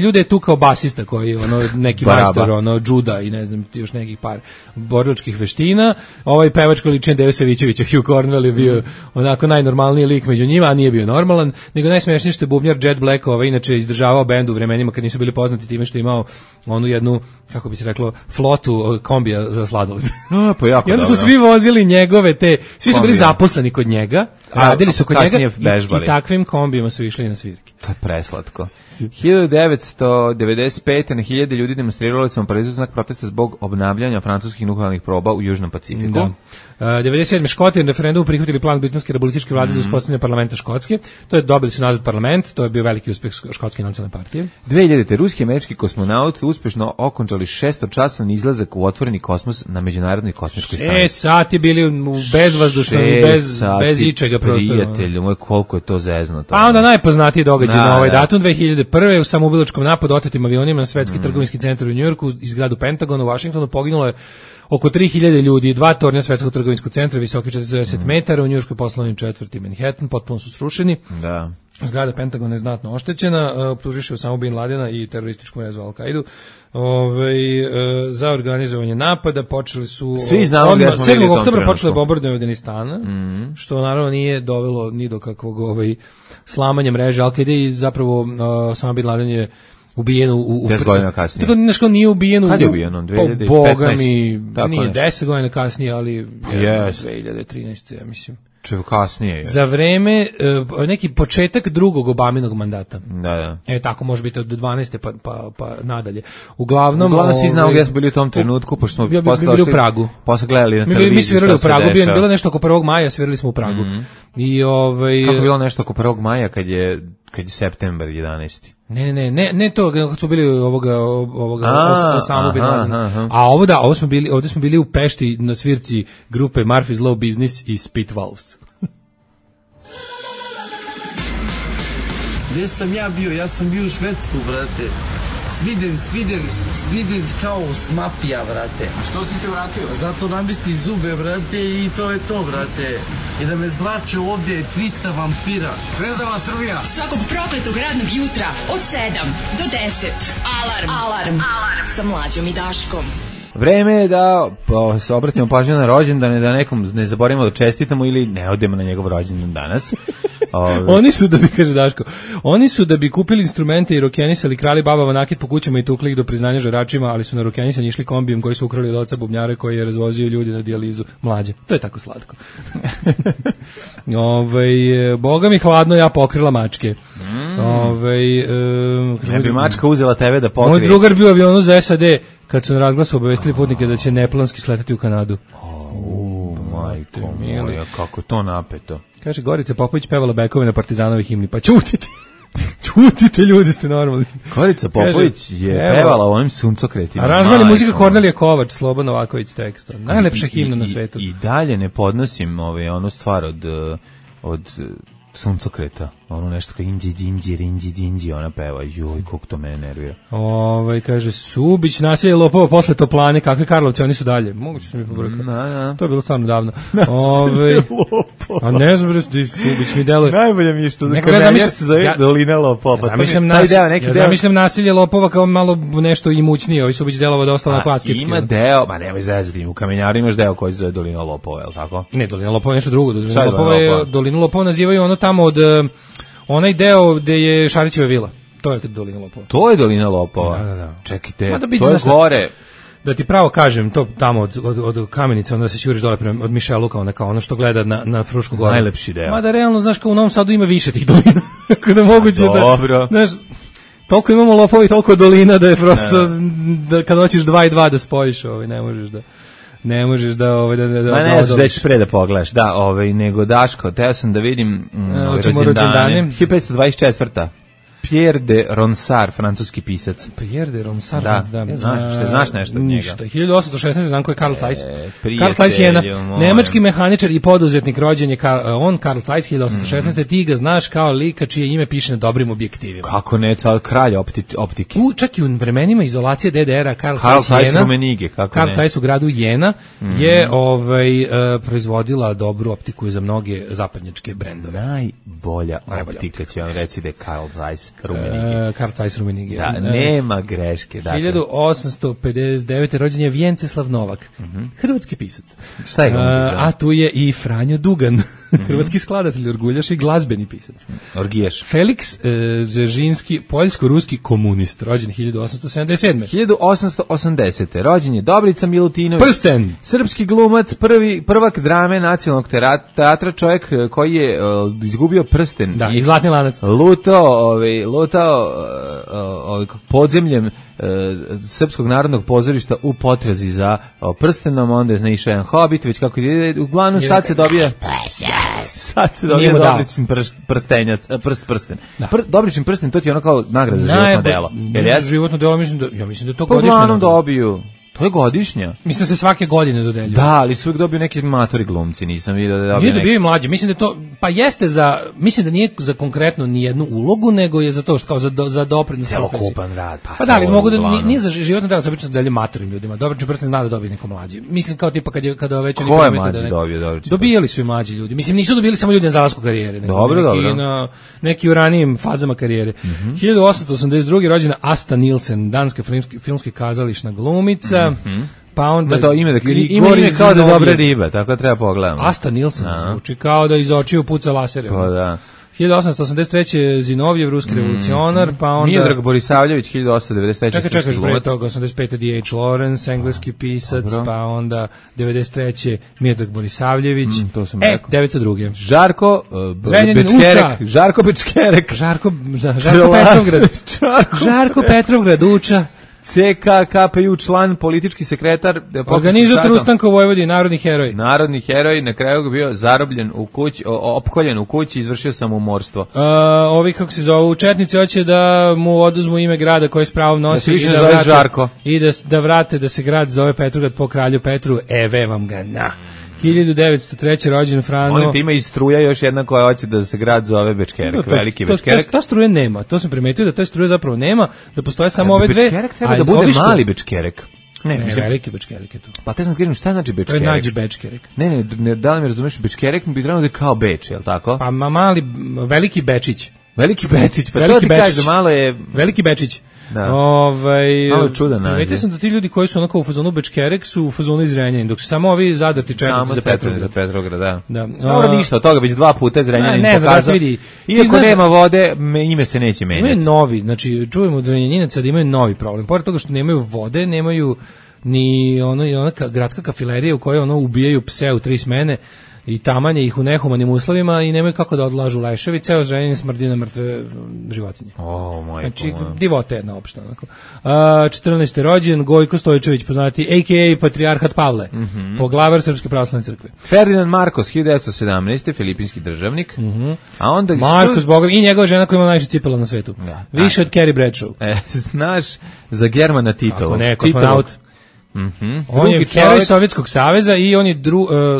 ljude je tukao basista koji neki majstor, džuda i ne znam, još nekih par borilačkih veština. Pevač koji liči na Deve Savićevića, Hugh Cornwell je bio onako najnormalniji lik među njima, a nije bio normalan, nego najsmešnije što je bubnjar Jet Black, inače izdržavao bend u vremenima kad nisu bili poznati time što je imao onu jednu, kako bi se reklo, flotu kombija za sladoled. I onda su svi vozili njegove svi su bili zaposleni kod njega, radili su kod njega i takvim kombijima su išli na svirke. To je preslatko. 1995. na 1000 ljudi demonstrirali su Parizu znak protesta zbog obnavljanja francuskih nuklearnih proba u Južnom Pacifiku. Da. 97. Škoti na referendumu prihvatili plan britanske republičke vlade za uspostavljanje parlamenta Škotske. To je dobili su nazad parlament, to je bio veliki uspeh Škotske nacionalne partije. 2000. ruski i američki kosmonauti uspešno okončali 600-časan izlazak u otvoreni kosmos na međunarodnoj kosmičkoj stanici. 6 sati bili u bezvazdušnom, bez ičega prostoru. Prijatelju moj, koliko je to zeznuto. Pa onda najpoznatiji događaj na ovaj datum, 2001. u samoubilačkom napadu otetim avionima na svetski trgovinski centar u Njujorku i zgradu Pentagona u Vašingtonu poginulo je oko 3000 ljudi, 2 tornja svetskog trgovinskog centra visoki 40 metara, u njujorškoj poslovnoj četvrti Manhattan, potpuno su srušeni. Da. Zgrada Pentagona je znatno oštećena, optužiše Osama bin Ladena i terorističku mrežu Al-Kaidu. Za organizovanje napada počeli su svi znamo gdje smo 7. oktobra počeli bombardovanje Afganistana, što naravno nije dovelo ni do kakvog slamanja mreže Al-Kaide i zapravo Osama bin Laden je ubijen u 10 godina kasnije. Tako nešto nije ubijen Kad je ubijen? 2015? Boga mi, nije 10 godina kasnije, ali 2013. ja mislim. Kasnije. Za vreme neki početak drugog Obaminog mandata. Da. Tako može biti od 12. pa nadalje. Uglavnom svi znamo gdje smo bili u tom trenutku, pošto smo bili u Pragu. Posle gledali na televiziji. Mi svirali u Pragu, bilo nešto oko 1. maja, svirali smo u Pragu. I kako bilo nešto oko 1. maja kad je septembar 11. Ne to, kad smo bili Osama bin Ladena. A ovdje smo bili u Pešti na svirci grupe Murphy's Law Business i Spitwalves. Gdje sam ja bio? Ja sam bio u Švedsku, brate. Sviden kao smapija, brate. A što si se vratio? Zato namisti zube, brate, i to je to, brate. I da me zlače ovdje 300 vampira. Zvezdava Srbija. Svakog prokletog radnog jutra od 7 do 10. Alarm. Sa Mlađom i Daškom. Vreme je da se obratimo pažnju na rođendane, da nekom ne zaboravimo da čestitamo ili ne odemo na njegov rođendan danas. Oni su, da bi, kaže Daško, oni su da bi kupili instrumente i rokenisali, krali babama nakit po kućama i tukli ih do priznanja žaračima, ali su na rokenisanje išli kombijem koji su ukrali od oca bubnjare koji je razvozio ljudi na dijalizu. Mlađe. To je tako slatko. Boga mi hladno, ja pokrila mačke. Ne bi mačka uzela tebe da pokrije. Moj drugar bio u avionu za SAD kad su na razglasu obavestili putnike da će neplanski sletati u Kanadu. Majko moja, kako to napeto. Kaže, Gorica Popović pevala bekove na Partizanovi himni, pa ćutite. Ćutite, ljudi, ste normalni. Gorica Popović je pevala o ovim suncokretima. Aranžman je muzika Kornelije Kovač, Slobodan Novaković tekst. Najlepša himna na svetu. I dalje ne podnosim onu stvar od suncokreta, ono nešto kao inđi, ona peva, joj, koliko to mene nervira. Kaže, Subić, nasilje lopova posle Toplane, kakve Karlovci, oni su dalje. Moguće se mi pobrkati. To je bilo stvarno davno. Nasilje lopova. A ne znam, Subić mi deluje. Najbolje mi je što kamenjar se zove Dolina lopova. Ja zamišljam nasilje lopova kao malo nešto imućnije, ovi Subić delova dosta na klaskitski. Ima deo, ma nemoj zezati, u Kamenjaru imaš deo koji se zove Dolina lopova, je li tako? Ne, Dolina lopova je nešto drugo. Dolinu lopova nazivaju ono tamo od onaj deo gde je Šarićeva vila. To je Dolina lopova. To je Dolina lopova? Da. Čekajte, to je gore. Da ti pravo kažem, to tamo od Kamenica, onda se šuriš dole prema, od Mišeluka, ono što gleda na Frušku goru. Najlepši deo. Mada realno, znaš, kao u Novom Sadu ima više tih dolina. Kada moguće dobro. Znaš, toliko imamo lopova i toliko dolina da je prosto, da kad hoćeš 2 i 2 da spojiš, ne možeš da... ne možeš da Ma ne znaš da ćeš pre da pogledaš. Da, nego Daško, teo sam da vidim rođendane. 1524. Pierre de Ronsard, francuski pisac. Pierre de Ronsard, da. Znaš nešto od njega? Ništa. 1816. znam ko je Karl Zeiss. Karl Zeiss je jedna nemački mehaničar i poduzetnik, rođen je Karl Zeiss 1816. Ti ga znaš kao lika čije ime piše na dobrim objektivima. Kako ne, kralj optike. Čak i u vremenima izolacije DDR-a Karl Zeiss Rumenige, Karl Zeiss u gradu Jena je proizvodila dobru optiku za mnoge zapadnjačke brendove. Najbolja optika će vam reći da je Karl Zeiss Karl Zeiss Rumenige. Da, nema greške. 1859. rođen je Vjenceslav Novak, hrvatski pisac. Šta je a tu je i Franjo Dugan, hrvatski skladatelj, orguljaš i glazbeni pisac. Orgijaš. Felix Dzeržinski, poljsko-ruski komunist, rođen 1877. 1880. rođen je Dobrica Milutinović. Prsten. Srpski glumac, prvak drame nacionalnog teatra, čovjek koji je izgubio prsten. Da, i zlatni lanac. Lutao podzemljem Srpskog narodnog pozorišta u potrazi za prstenom, onda je naišao jedan hobit, već kako ide, uglavnom sad se dobija Dobričin prsten. Dobričin prsten, to ti je ono kao nagrada za životno delo. Životno delo, mislim da to godišnje. Uglavnom dobiju. To je godišnja. Mislim da se svake godine dodeljuje. Da, ali su uvijek dobiju neki matori glumci, nisam vidio da dobiju. Nije dobio i mlađi, mislim da to, pa jeste mislim da nije za konkretno ni jednu ulogu, nego je za to što kao za doprinos profesiji. Celokupan rad. Pa da, ali mogu da nije za životno delo, se obično delje matorim ljudima. Dobričin prsten zna da dobije neko mlađi. Mislim kao tipa kada već oni dobijali su i mlađi ljudi. Mislim nisu dobili samo ljudi na zalasku karijere, nego na neki u ranijim fazama karijere. 1882. rođena Asta Nielsen, danska filmski kazališna glumica. Pa onda to ime kao da je dobra riba, tako treba pogledamo. Asta Nielsen zvuči kao da iz očiju puca lasere. Pa da. 1883. Zinovjev, ruski revolucionar, pa onda Miodrag Borisavljević, 1893. Čekaj, pre toga 85. D.H. Lawrence, engleski pisac, pa onda 93. Miodrag Borisavljević, to sam rekao. 902. Žarko Bečkerek. Žarko Petrovgrad uča. CKKPU član, politički sekretar, organizator ustanka u Vojvodini, narodni heroj, na kraju ga bio zarobljen u kući, opkoljen u kući, izvršio samomorstvo. Ovi kako se zovu četnici hoće da mu oduzmu ime grada koji s pravom nosi i da vrate da se grad zove Petrograd po kralju Petru. Eve vam ga na. 1903. rođen Frano. Molim te, ima i struja još jedna koja hoće da se grad zove Bečkerek, veliki Bečkerek. Ta struje nema, to sam primetio da ta struje zapravo nema, da postoje samo ove dve. Bečkerek treba da bude mali Bečkerek. Ne, veliki Bečkerek je tu. Pa te sam kažem, šta znači Bečkerek? To je nađi Bečkerek. Ne, da li mi razumeš, Bečkerek bi trebalo da je kao Beč, je li tako? Pa veliki Bečić. Veliki Bečić, pa to ti kažeš da malo je... Veliki Bečić. Da. Malo čudan naziv. Vidite sam da ti ljudi koji su onako u fazonu Bečkerek su u fazonu iz Zrenjanina, dok su samo ovi zadrti četnici za Petrograd. Da. Dobro, ništa od toga, već 2 puta Zrenjanin pokazao. Iako nema vode, ime se neće menjati. Imaju novi, znači čujemo od Zrenjaninaca da imaju novi problem. Pored toga što nemaju vode, nemaju ni ona gradska kafilerija u kojoj ubijaju pse u 3 smene i tamanje ih u nehumanim uslovima i nemaju kako da odlažu leševi, ceo Zrenjanin smrdi na mrtve životinje. Znači, divota jedna opšta. 14. rođen, Gojko Stojčević, poznati a.k.a. Patrijarhat Pavle, poglavar Srpske pravoslavne crkve. Ferdinand Marcos, 1917. filipinski državnik. A onda Marcos, Bogom, i njegova žena koja ima najviše cipela na svetu. Više od Carrie Bradshaw. Znaš za Germana Titova. Ako ne, kosmonaut. On je heroj Sovjetskog saveza i on je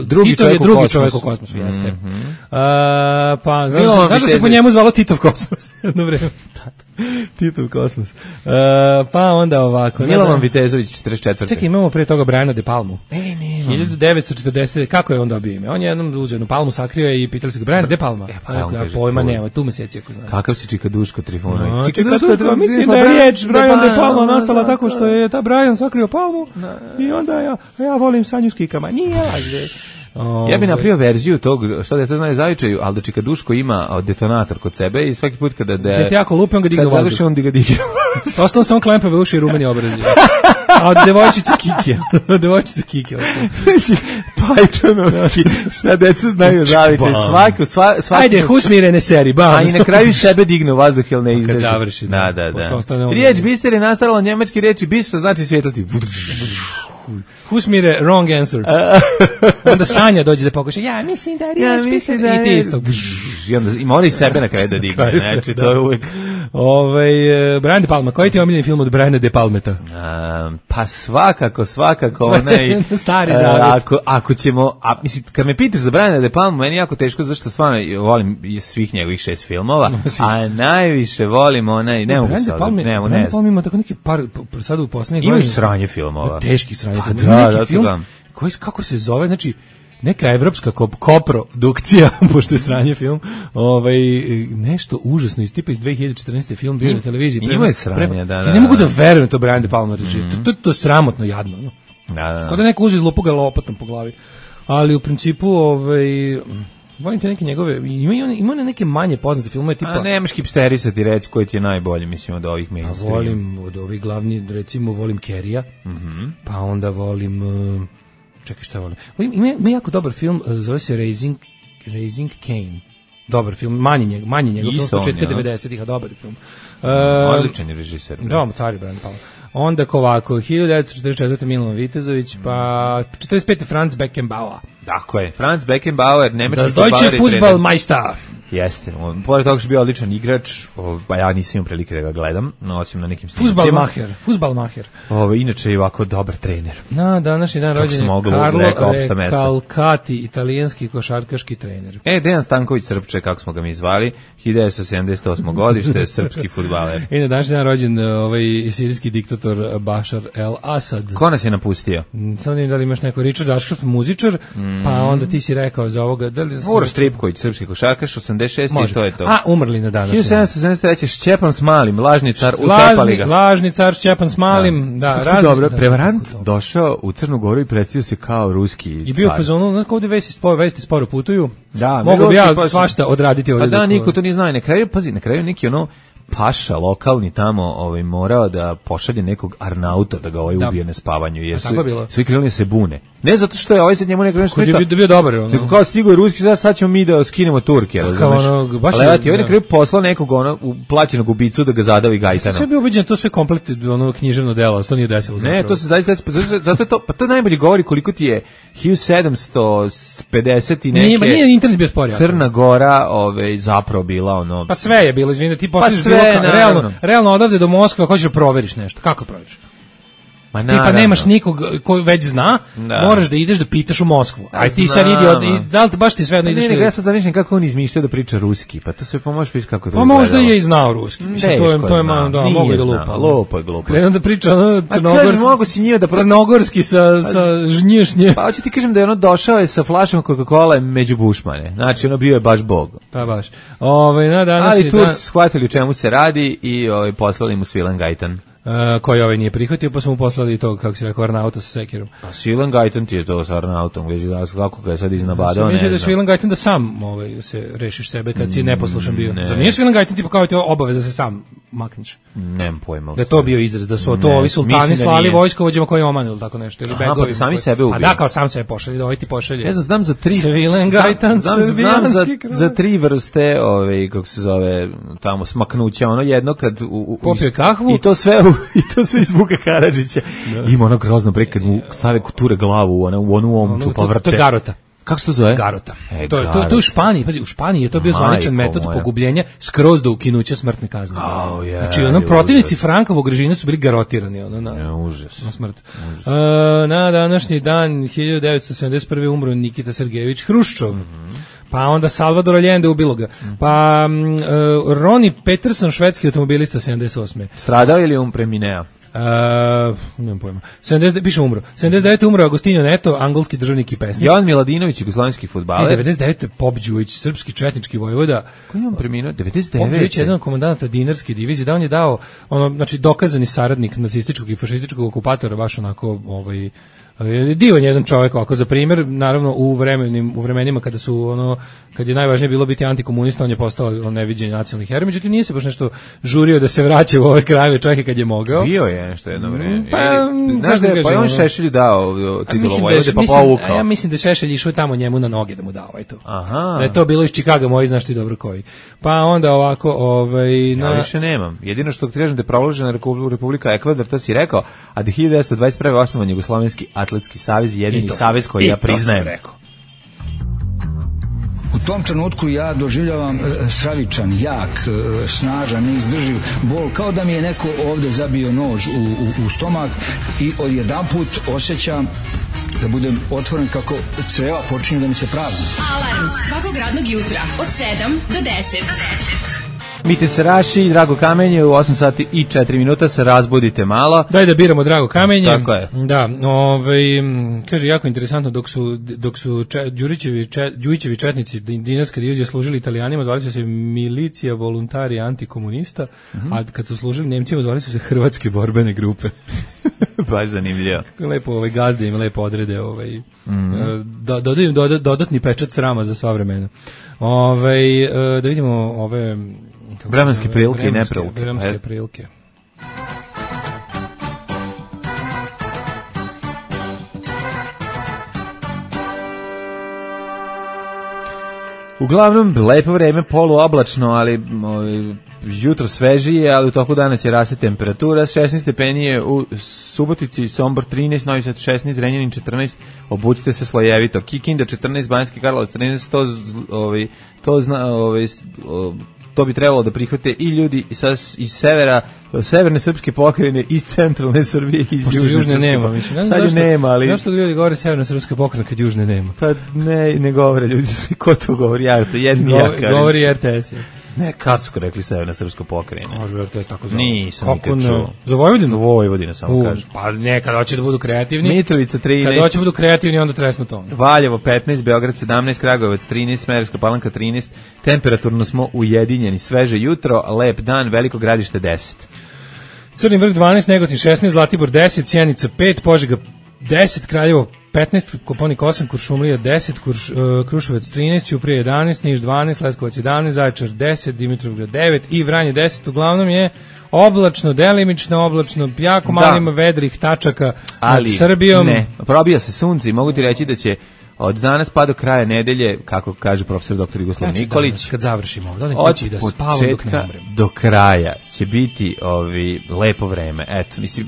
drugi čovjek u kosmosu, jeste. Pa, znaš da se po njemu zvalo Titov kosmos? Jedno vreme. Titov kosmos. Pa onda ovako. Milovan Vitezović, 44. Čekaj, imamo pre toga Briana De Palmu. 1940. Kako je on dobio ime? On je jednom uzeo jednu palmu, sakrio je i pitali se ga, Brian De Palma. Pojma nema, tu meseci ako znaš. Kakav si Čikaduško Trifunović? Čikaduško, mislim da je riječ Brian De Palma nastala tako što je ta Brian sakrio palmu i onda ja volim sanju s kikama. Nije lažde. Ja bih napravio verziju tog, što da je to znaju zavičaju, ali da Čikaduško ima detonator kod sebe i svaki put kada te jako lupi, on ga digne u vazduh. On ga digne. Ostalo samo klempave uši i rumeni obrazi. A od devojčice Kike. Pajčanovski, šta deca znaju zavičaj, svaki. Ajde, husmirene seri, bam. A i na kraju sebe digne u vazduh, jel ne izdrži. Kad završi. Da. Riječ biser je nastarala njemački reči bis, što znači svjetlati. Husmire, wrong answer. Onda Sanja dođe da pokuša, ja mislim da je riječ i ti isto. I onda ima oni sebe na kraju da digne, znači to je uvijek. Brian De Palma, koji ti je omiljeni film od Briana De Palmeta? Pa svakako onaj Stari zavet. Ako ćemo, mislim, kad me pitaš za Briana De Palma, meni je jako teško, zašto stvarno volim svih njegovih 6 filmova, a najviše volim onaj, ne mogu sad, ne mogu, ne znam. Ima tako neki par, sad u poslednjih godina. Imaju sranje filmova. Teški sranje filmova. Neki film, koji, kako se zove, znači, neka evropska koprodukcija, pošto je sranje film, nešto užasno iz tipa iz 2014. film bio na televiziji. Ima je sranje, da. Ja ne mogu da verujem to Brian De Palma reži. To je sramotno jadno. No? Da. Kao da neko uzi lupu ga lopatom po glavi. Ali u principu, volim te neke njegove, ima neke manje poznate filmove tipa... A nemaš hipsterisati reći koji ti je najbolji, mislim, od ovih mainstream. Volim od ovih glavni, recimo volim Kerija, pa onda volim... Čekaj, šta volim? Ima jako dobar film, zove se Raising Cain. Dobar film, manje njegov film, s početka 90-ih, a dobar film. Odličan je režiser. Da, car Brian Palma. Onda ovako, 1944. Milan Vitezović, pa 45. Franz Beckenbauer. Tako je, Franz Beckenbauer, nemački futbaler. Das Deutsche Fußballmeister. Jeste, pored toga što je bio odličan igrač, pa ja nisam imao prilike da ga gledam, no osim na nekim snimcima. Fuzbalmaher. Inače je ovako dobar trener. Na današnji dan rođen je Carlo Recalcati, italijanski košarkaški trener. Dejan Stanković Srpče, kako smo ga mi zvali, 1978. godište, srpski fudbaler. I na današnji dan rođen sirijski diktator Bashar el-Assad. Ko nas je napustio? Samo da li imaš neko Richard Ashcroft, muzičar, pa onda ti si rekao za ovoga... Uroš Tripković, srpski košarkaš, 86. i to je to. A, umrli na današnji. 1773. Šćepan Smalim, lažni car, utepali ga. Lažni car Šćepan Smalim, da. Dobro, prevarant došao u Crnu Goru i predstavio se kao ruski car. I bio u fazonu, znači ovdje vesti sporo putuju. Da, mogu bi ja svašta odraditi ovdje. A da, niko to nije znao. Na kraju neki paša lokalni tamo morao da pošalje nekog Arnauta da ga ubije na spavanju, jer svi krenuli se bune. Ne zato što je sad njemu neko nešto je bio dobar. Nego kao stigo je ruski, sad ćemo mi da skinemo Turke, razumeš? Ali na kraju poslao nekog plaćenog ubicu da ga zadavi gajtanom. Sve bi ubeđen, to sve komplet književno delo, to nije desilo zapravo. Ne, to se zaista, zato je to, pa to najbolje govori koliko ti je 1750 i neke... Nije internet bio spor. Crna Gora zapravo bila Pa sve je bilo, izvini, ti posliš realno odavde do Moskve, ako hoćeš da proveriš nešto, kako proveriš? Ti pa nemaš nikog koji već zna, moraš da ideš da pitaš u Moskvu. Aj ti sad idi, da li baš ti sve jedno ideš... Ne, ja sad zamišljam kako on izmišljao da priča ruski, pa to sve pomožeš pisati kako to izgledalo. Pa možda je i znao ruski, mislim, to je mogu da lupa. Lupo je glupo. Krenuo da priča crnogorski sa žnješnje. Pa hoću ti kažem da je došao sa flašom Coca-Cola među bušmane, znači bio je baš bog. Pa baš. Ali tu shvatili u čemu se radi i poslali mu Svilan Gajtan. Koji nije prihvatio, pa smo mu poslali to, kako si rekao, Arnauta sa sekirom. A Svilan Gajtan ti je to sa Arnautom, kako ga je sad iznabadao, ne znam. Mislim da je Svilan Gajtan da sam se rešiš sebe kad si neposlušan bio. Zar nije Svilan Gajtan tipa kao ti obaveza da se sam makneš? Nemam pojma. Da je to bio izraz, da su to ovi sultani slali vojskovođama koji omanu ili tako nešto, ili begovi. Pa sami sebe ubiju. A da, kao sam sebe pošalje, da ovaj ti pošalje. Ne znam, znam za 3... Svilan Gajtan, srbijanski kraj. Za 3 vrste, kako se zove, tamo, smaknuća, jedno kad... Popio kahvu. I to sve iz Vuka Karadžića. Ima ono grozno bre kad mu stave kuture glavu u onu omču pa vrte. To je garota. Kako se to zove? Garota. To u Španiji, pazi, u Španiji je to bio zvaničan metod pogubljenja skroz do ukinuća smrtne kazne. Znači, protivnici Frankovog režima su bili garotirani na smrt. Na današnji dan 1971. umro Nikita Sergejević Hruščov. Pa onda Salvador Allende ubilo ga. Pa Ronnie Peterson, švedski automobilista 78. Stradao ili premineo? Nemam pojma. Piše umro. 79. umro Agostinho Neto, angolski državnik i pesnik. Jovan Miladinović, jugoslovenski fudbaler. 99. Pop Đujić, srpski četnički vojvoda. Koji je on preminuo? 99. Pop Đujić je jedan komandanta dinarske divizije, da on je dao, znači dokazani saradnik nacističkog i fašističkog okupatora, baš onako, Divan jedan čovjek ovako za primjer, naravno u vremenima kad je najvažnije bilo biti antikomunista, on je postao neviđeni nacionalni heroj, međutim nije se baš nešto žurio da se vraća u ove krajeve čak i kad je mogao. Bio je nešto jedno vreme. Znaš da je on Šešelju dao titulu Vojvode pa povukao. Ja mislim da Šešelj išao tamo njemu na noge da mu dao to. Da je to bilo iz Čikaga, moji znaš ti dobro koji. Pa onda ovako ja više nemam. Jedino što ti kažem da je proglašena Republika Ekvador, to si rekao, a da 1921. osnovan Jugoslovenski atletski savez, jedini savez koji ja priznajem. U tom trenutku ja doživljavam stravičan, jak, snažan, neizdrživ bol, kao da mi je neko ovde zabio nož u stomak i odjedanput osjećam da budem otvoren kako creva počinju da mi se prazni. Alarm svakog radnog jutra od 7 do 10. Mite se Raši, Drago Kamenje, u 8 sati i 4 minuta se razbudite malo. Daj da biramo Drago Kamenje. Tako je. Da, kaže, jako interesantno, dok su Đujićevi četnici dinarske divizije služili Italijanima, zvali su se milicija voluntari antikomunista, a kad su služili Nemcima, zvali su se hrvatske borbene grupe. Baš zanimljivo. Lepo gazde im lepo odrede dodaju dodatni pečat srama za sva vremena. Da vidimo ove vremenske prilike i neprilike. Vremenske prilike. Uglavnom, lepo vreme, poluoblačno, ali jutro svežije, ali u toku dana će rasti temperatura. 16 stepeni je u Subotici, Sombor 13, Novi Sad 16, Zrenjanin 14, obucite se slojevito. Kikinda 14, Banjski Karlovac 13, to bi trebalo da prihvate i ljudi iz severne srpske pokrajine, iz centralne Srbije, iz južne nema. Sad je nema, ali... Zašto ljudi govore severna srpska pokrajina kad južne nema? Pa ne govore ljudi, ko to govori? Govori RTS. Ne, kad su rekli severna srpska pokrajina? Kažu RTS tako zove. Nisam nikad čuo. Za Vojvodinu? Vojvodina samo kaže. Pa ne, kad hoće da budu kreativni. Mitrovica 13. Kad hoće da budu kreativni, onda tresnu to. Valjevo 15, Beograd 17, Kragujevac 13, Smederevska Palanka 13. Temperaturno smo ujedinjeni, sveže jutro, lep dan, Veliko Gradište 10. Crni vrh 12, Negotin 16, Zlatibor 10, Sjenica 5, Požega 10, Kraljevo 15, Koponik 8, Kuršumlija 10, Kruševac 13, Ćuprija 11, Niš 12, Leskovac 11, Zaječar 10, Dimitrovgrad 9 i Vranje 10. Uglavnom je oblačno, delimično oblačno, jako malo ima vedrih tačaka nad Srbijom. Ne, probija se sunce i mogu ti reći da će od danas pa do kraja nedelje, kako kaže profesor dr. Jugoslav Nikolić, danas, kad završimo, od početka do kraja će biti lepo vreme. Eto, mislim,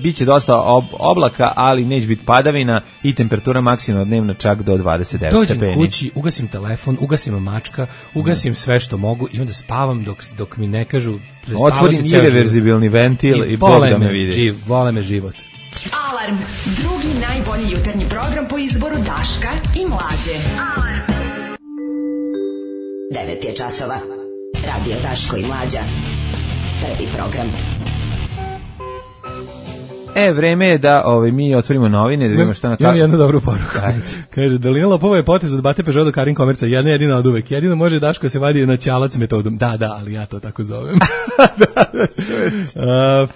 biće dosta oblaka, ali neće biti padavina i temperatura maksimalna dnevna čak do 29 stepeni. Dođem kući, ugasim telefon, ugasim mačka, ugasim sve što mogu i onda spavam dok mi ne kažu otvorim irreverzibilni ventil i Bog da me vidi. Vole me život. Alarm, drugi najbolji jutarnji program po izboru Daška i Mlađe. Alarm. 9 je časova. Radio Daško i Mlađa. Prvi program. Vreme je da mi otvorimo novine, da vidimo šta na Imam jednu dobru poruku. Kaže, Dolina Lopova je potez od Bate Peugeot do Karin Komerca, jedina od uvek. Jedino može Daško se vadi na ćalac metodom. Da, ali ja to tako zovem.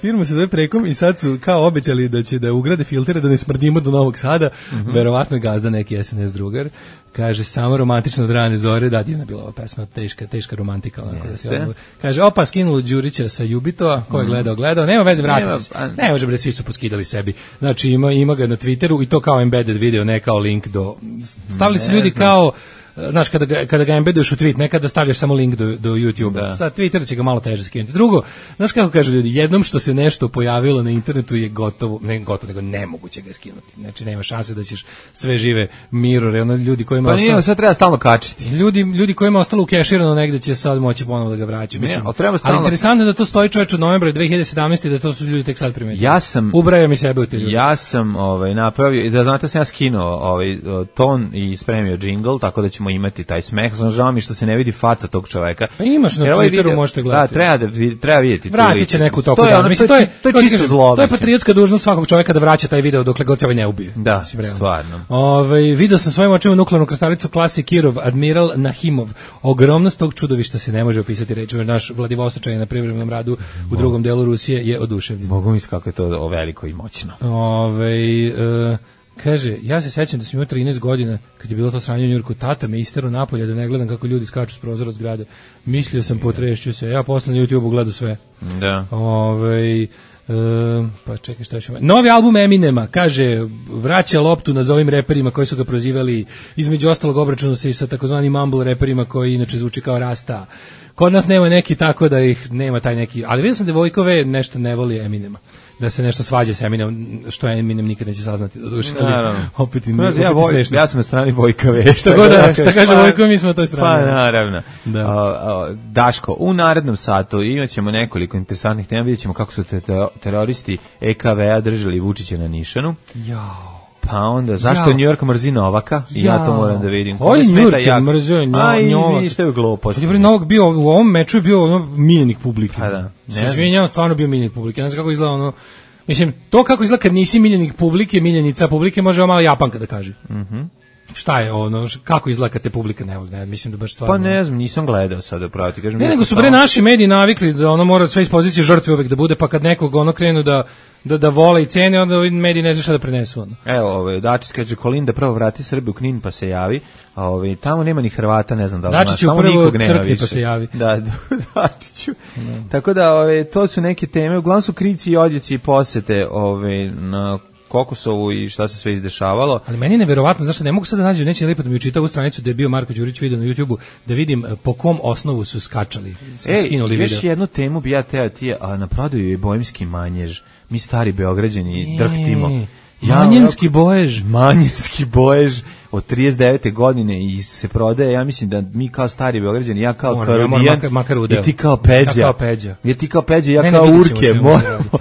Firma se zove Prekom i sad su kao obećali da će da ugrade filtere da ne smrdimo do Novog Sada. Verovatno je gazda neki SNS drugar. Kaže, samo romantično od rane zore, da, divna bila ova pesma, teška romantika. Kaže, skinulo Đurića sa Jubitova, ko je gledao, nema veze, vratiti se. Ne može bre, svi su poskidali sebi. Znači, ima ga na Twitteru i to kao embedded video, ne kao link do... Stavili su ljudi kao... Znaš, kada ga embeduješ u tweet, nekada stavljaš samo link do YouTube-a. Sa Twittera će ga malo teže skinuti. Drugo, znaš kako kažu ljudi, jednom što se nešto pojavilo na internetu je gotovo, nego nemoguće ga skinuti. Znači, nema šanse da ćeš sve žive mirore, ljudi kojima ostalo... Pa nije, sad treba stalno kačiti. Ljudi kojima ostalo ukeširano negde će sad moći ponovo da ga vraća. Mislim, ali interesantno da to stoji čoveč od novembra 2017. da to su ljudi tek sad primetili. Ubrajam mi sebe u te ljudi. Ja sam napravio, da znate sam ja skinuo ton i spremio džingl, tako da ćemo imati taj smeh. Žao mi što se ne vidi faca tog čoveka. Pa imaš na Twitteru, možete gledati. Da, treba vidjeti. Vratit će neku toku dana. Mislim, to je čisto zlo. To je patriotska dužnost svakog čoveka da vraća taj video dokle god se ovaj ne ubije. Da, stvarno. Video sam svojim očima nuklearnu krstaricu klase Kirov, Admiral Nahimov. Ogromnost tog čudovišta se ne može opisati rečima. Naš Vladivostočanin na privremenom radu u drugom delu Rusije je oduševljen. Mogu misliti kako je to veliko i moćno. Kaže, ja se sećam da sam imao 13 godina, kad je bilo to sranje u Njujorku, tata me isterao napolje da ne gledam kako ljudi skaču s prozora zgrade. Mislio sam, potrešću se. Ja posle na YouTube-u gledao sve. Da. Pa čekaj, šta još ima? Novi album Eminema, kaže, vraća loptu nazovim reperima koji su ga prozivali, između ostalog obračunu se i sa takozvanim mumble reperima koji inače zvuči kao Rasta. Kod nas nema neki tako da ih nema taj neki, ali vidio sam da Vojkove nešto ne voli Eminema, da se nešto svađa sa Eminem, što Eminem nikad neće saznati. Opet ja sam na strani Vojka V. Šta kaže Vojko, mi smo na toj strani. Pa naravno. Daško, u narednom satu imaćemo nekoliko interesantnih tema, vidjet ćemo kako su teroristi EKV-a držali Vučića na nišanu. Jao. Pa onda, zašto New York mrzi Novaka? I ja to moram da vidim. Koji New York mrzio Novaka? Izvini, što je glupost. Kad je Novak bio u ovom meču, je bio miljenik publike. Pa da. Se izvinjavam, stvarno bio miljenik publike. Ne znam kako izgleda ono... Mislim, to kako izgleda kad nisi miljenik publike, miljenica publike, može malo Japanka da kaže. Šta je ono, kako izgleda kad te publika ne voli, ne, mislim da baš stvarno... Pa ne znam, nisam gledao sada, pravo ti kažem. Ne, nego su naši mediji navikli da ono mora sve iz pozicije žrtve uvek da bude, pa kad nekog ono krenu da vole i cene, onda mediji ne zna šta da prenesu. Ono. Evo, Dačić kaže, Kolinda prvo vrati Srbiju u Knin pa se javi, a tamo nema ni Hrvata, ne znam da li znaš. Dačiću prvo crkvi pa se javi. Da, Dačiću. Tako da, to su neke teme, uglavnom su krici i odjeci i posete na Kokosovu i šta se sve izdešavalo. Ali meni je neverovatno, zašto ne mogu sad da nađem, neće lepo da mi učita ovu stranicu da je bio Marko Đurić video na YouTubeu, da vidim po kom osnovu su skačali, skinuli video. Još jednu temu bi ja teo ti, a na prodaju je Bojemski manjež. Mi stari Beograđani drhtimo. Manjinski bojež. Manjinski bojež od 39. godine i se prodaje, ja mislim da mi kao stari Beograđani, ja kao Karodijan, i ti kao Peđa. I ti kao Peđa, ja kao Urke.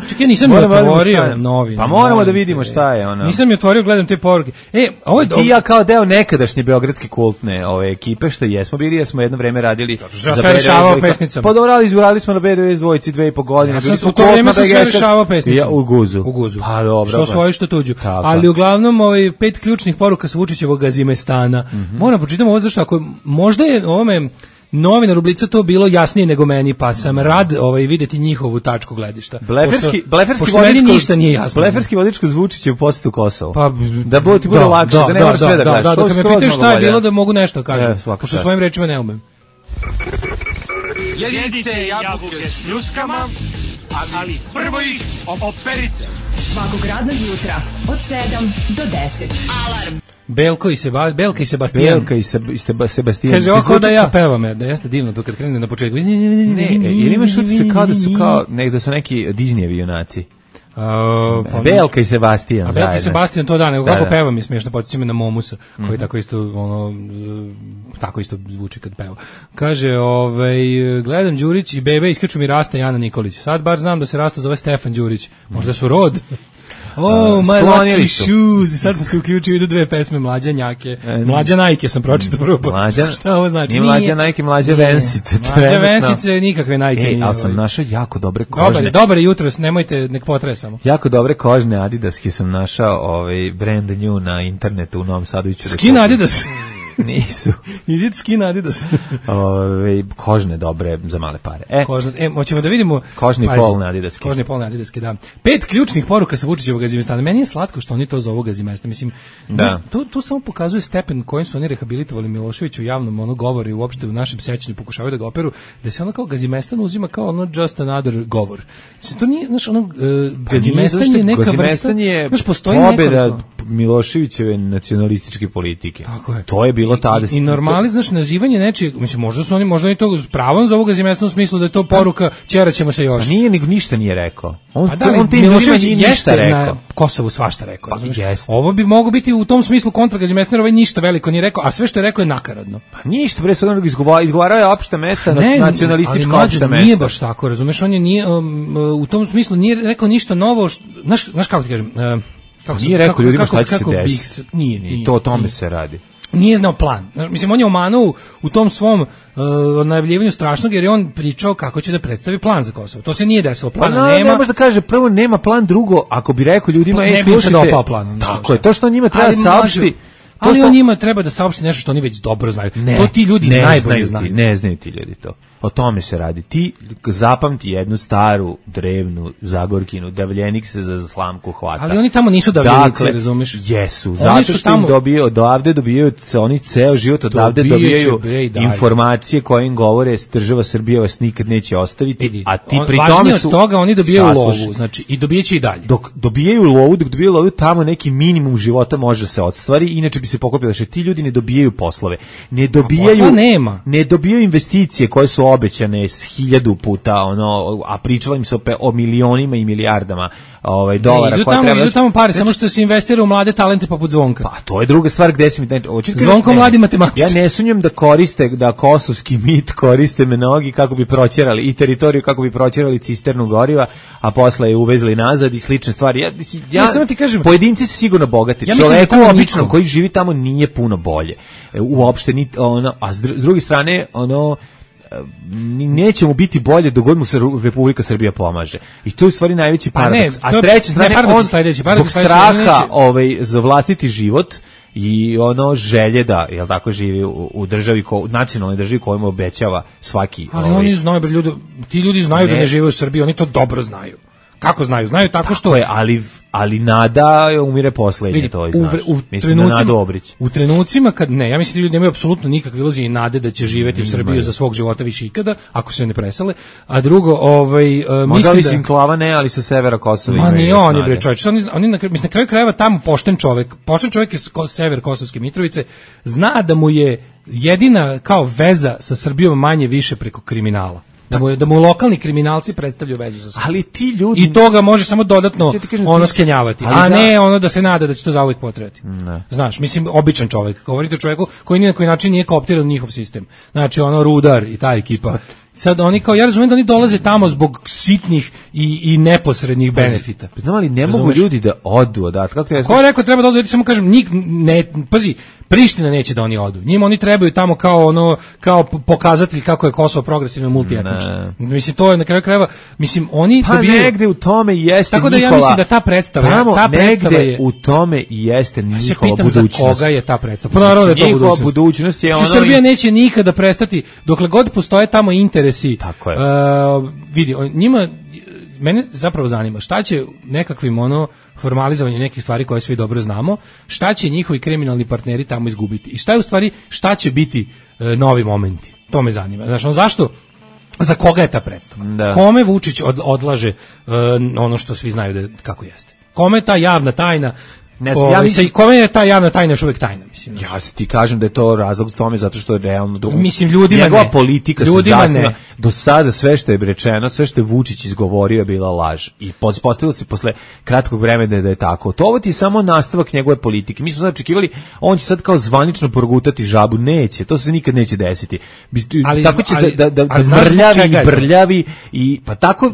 Čekaj, nisam je otvorio novine. Pa moramo da vidimo šta je ono. Nisam je otvorio, gledam te poruke. Ti ja kao deo nekadašnje beogradske kultne ekipe, što jesmo bili, ja smo jedno vreme radili za sve rešavao pesnicama. Pa dobro, izgledali smo na BDS dvojici 2,5 godine. Ja sam u to vreme sa sve rešavao pesnicama. U Guzu. Pa dobro. Što svoje, što tuđu. Ali uglavnom 5 ključnih poruka sa Vučićevog Gazimestana. Moram pročitam ovo zašto ako možda je ovome novinar Ublica to bilo jasnije nego meni, pa sam rad videti njihovu tačku gledišta. Bleferski vodičko Vučićev posjet u Kosovo. Pa da bude lakše, da ne moraš sve da kažeš. Da, kad me pitaju šta je bilo da mogu nešto kažem, pošto svojim rečima ne umem. Jedite jabuke s ljuskama, ali prvo ih operite. Svakog radnog jutra od 7 do 10. Alarm. Belka i Sebastijan. Belka i Sebastijan. Kaže, ovo da ja pevam, da jeste divno to kad krene na početku. Ne, jer imaš utisak kao da su neki Disneyevi junaci. Belka i Sebastijan. A Belka i Sebastijan to da, nego kako pevam je smiješno, podsjeća me na Momusa, koji tako isto zvuči kad peva. Kaže, gledam Đurić i bebe, iskaču mi Rasta i Ana Nikolić. Sad bar znam da se Rasta zove Stefan Đurić. Možda su rod. My lucky shoes. Sad sam se uključio, idu 2 pesme Mlađa Njake. Mlađa Najke sam pročitao prvo. Šta ovo znači? Nije Mlađa Najke, Mlađa Vensice. Mlađa Vensice, nikakve Najke nije. Ali sam našao jako dobre kožne. Dobar jutros, nemojte, nek potresamo. Jako dobre kožne Adidaske sam našao, brand new na internetu u Novom Sadu. Skin Adidas. Nisu. Is it skin Adidas? Kožne dobre za male pare. Hoćemo da vidimo kožni polne Adidaske. Kožni polne Adidaske, da. 5 ključnih poruka sa Vučićevog Gazimestana. Meni je slatko što oni to zovu Gazimesta. Mislim, to samo pokazuje stepen kojim su oni rehabilitovali Miloševića u javnom govoru i uopšte u našem sećanju pokušavaju da ga operu, da se ono kao Gazimestan uzima kao ono just another govor. Mislim, to nije, znaš, ono Gazimestan je neka vrsta, znaš, postoji pobeda Miloševićeve nacionalističke politike. Tako je. To je bilo tada. I normali, znaš, nazivanje nečijeg, mislim, možda oni to s pravom zovu Gazimestan u smislu da je to poruka ćeraćemo se još. Pa nije, nego ništa nije rekao. On Milošević jeste na Kosovu svašta rekao. Ovo bi moglo biti u tom smislu kontra Gazimestana, ništa veliko nije rekao, a sve što je rekao je nakaradno. Pa ništa, bre, sad on izgovarao je opšta mesta, nacionalistička opšta mesta. Nije baš tako, razumeš, on je nije, u tom smislu nije rekao ništa novo, znaš kako ti kažem, nije rekao ljudima šta će se desiti. Nije. To o tome se radi. Nije znao plan. Mislim, on je omanuo u tom svom najavljivanju strašnog, jer je on pričao kako će da predstavi plan za Kosovo. To se nije desilo. Plana nema. Ne može da kaže, prvo nema plan, drugo, ako bi rekao ljudima, slušajte. Ne bi dopao plan. Tako je, to što on njima treba saopšti. Ali on njima treba da saopšti nešto što oni već dobro znaju. To ti ljudi najbolje znaju. Ne znaju ti ljudi to. O tome se radi. Ti zapamti jednu staru, drevnu Zagorkinu, davljenik se za slamku hvata. Ali oni tamo nisu davljenici, razumeš? Jesu, zato što tamo... im dobiju, odavde dobijaju, oni ceo život odavde dobijaju informacije koje im govore, država Srbija vas nikad neće ostaviti, a ti pri tome su... od toga oni dobijaju lovu, znači, i dobijeće i dalje. Dok dobijaju lovu, tamo neki minimum života može se ostvari, inače bi se pokopilo, što ti ljudi ne dobijaju poslove, ne dobijaju investicije koje su obećane 1000 puta, a pričala im se o milionima i milijardama dolara. Idu tamo pare, samo što se investira u mlade talente poput Zvonka. Pa to je druga stvar gde se mi... Zvonko mladi matematičar. Ja ne sumnjam da kosovski mit koriste mnogi kako bi proćerali i teritoriju, kako bi proćerali cisternu goriva, a posle je uvezli nazad i slične stvari. Ja samo ti kažem, pojedinci se sigurno bogati. Čoveku običnom koji živi tamo nije puno bolje. Uopšte a s druge strane, neće mu biti bolje dok god mu se Republika Srbija pomaže. I to je u stvari najveći paradoks. A s treće strane, on zbog straha za vlastiti život i želje da, jel tako, živi u državi, u nacionalnoj državi koju mu obećava svaki... Ali oni znaju, ti ljudi znaju da ne žive u Srbiji, oni to dobro znaju. Kako znaju? Znaju tako što... Ali nada umire poslednje, to je, znaš. Mislim na Nadu Obrić. U trenucima kad ne, ja mislim da ljudi nemaju apsolutno nikakve iluzije i nade da će živeti u Srbiji za svog života više ikada, ako se ne presele. A drugo, možda li Sinklava ne, ali sa severa Kosova imaju. Ma nije oni, bre, čovječ. Oni na kraju krajeva tamo pošten čovjek iz sever Kosovske Mitrovice, zna da mu je jedina kao veza sa Srbijom manje više preko kriminala. Da mu lokalni kriminalci predstavljaju vezu sa sobom. Ali ti ljudi... I toga može samo dodatno skenjavati, a ne da se nada da će to zauvijek potrebati. Znaš, mislim, običan čovjek. Govorite o čovjeku koji ni na koji način nije kooptiran u njihov sistem. Znači, Rudar i ta ekipa. Sad oni kao, ja razumijem da oni dolaze tamo zbog sitnih i neposrednih benefita. Znam, ali ne mogu ljudi da odu odatle. Ko je rekao treba da odu, ja ti samo kažem, pazi, Priština neće da oni odu. Njima oni trebaju tamo kao pokazatelj kako je Kosovo progresivno multietnično. Mislim, to je na kraju krajeva, mislim, oni dobijaju... negde u tome jeste Nikola... Tako da ja mislim da ta predstava negde u tome jeste njihova budućnost. Za koga je ta predstava? Pa naravno da je to budućnost. Srbija neće nikada prestati, dokle god postoje tamo interesi. Tako je. Vidi, njima... Mene zapravo zanima šta će nekakvim formalizovanje nekih stvari koje svi dobro znamo, šta će njihovi kriminalni partneri tamo izgubiti i šta je u stvari, šta će biti novi momenti. To me zanima. Znači, zašto, za koga je ta predstava? Da. Kome Vučić odlaže ono što svi znaju da kako jeste? Kome je ta javna tajna? Kome je ta javna tajna još uvijek tajna? Mislim, ja se ti kažem da je to razlog s tome zato što je realno drugo. Mislim, ljudima njegova politika se zasniva. Do sada sve što je rečeno, sve što je Vučić izgovorio je bila laž. I postavilo se posle kratkog vremena da je tako. To ovo ti je samo nastavak njegove politike. Mi smo sad očekivali, on će sad kao zvanično progutati žabu. Neće, to se nikad neće desiti. Tako će da brljavi i pa tako...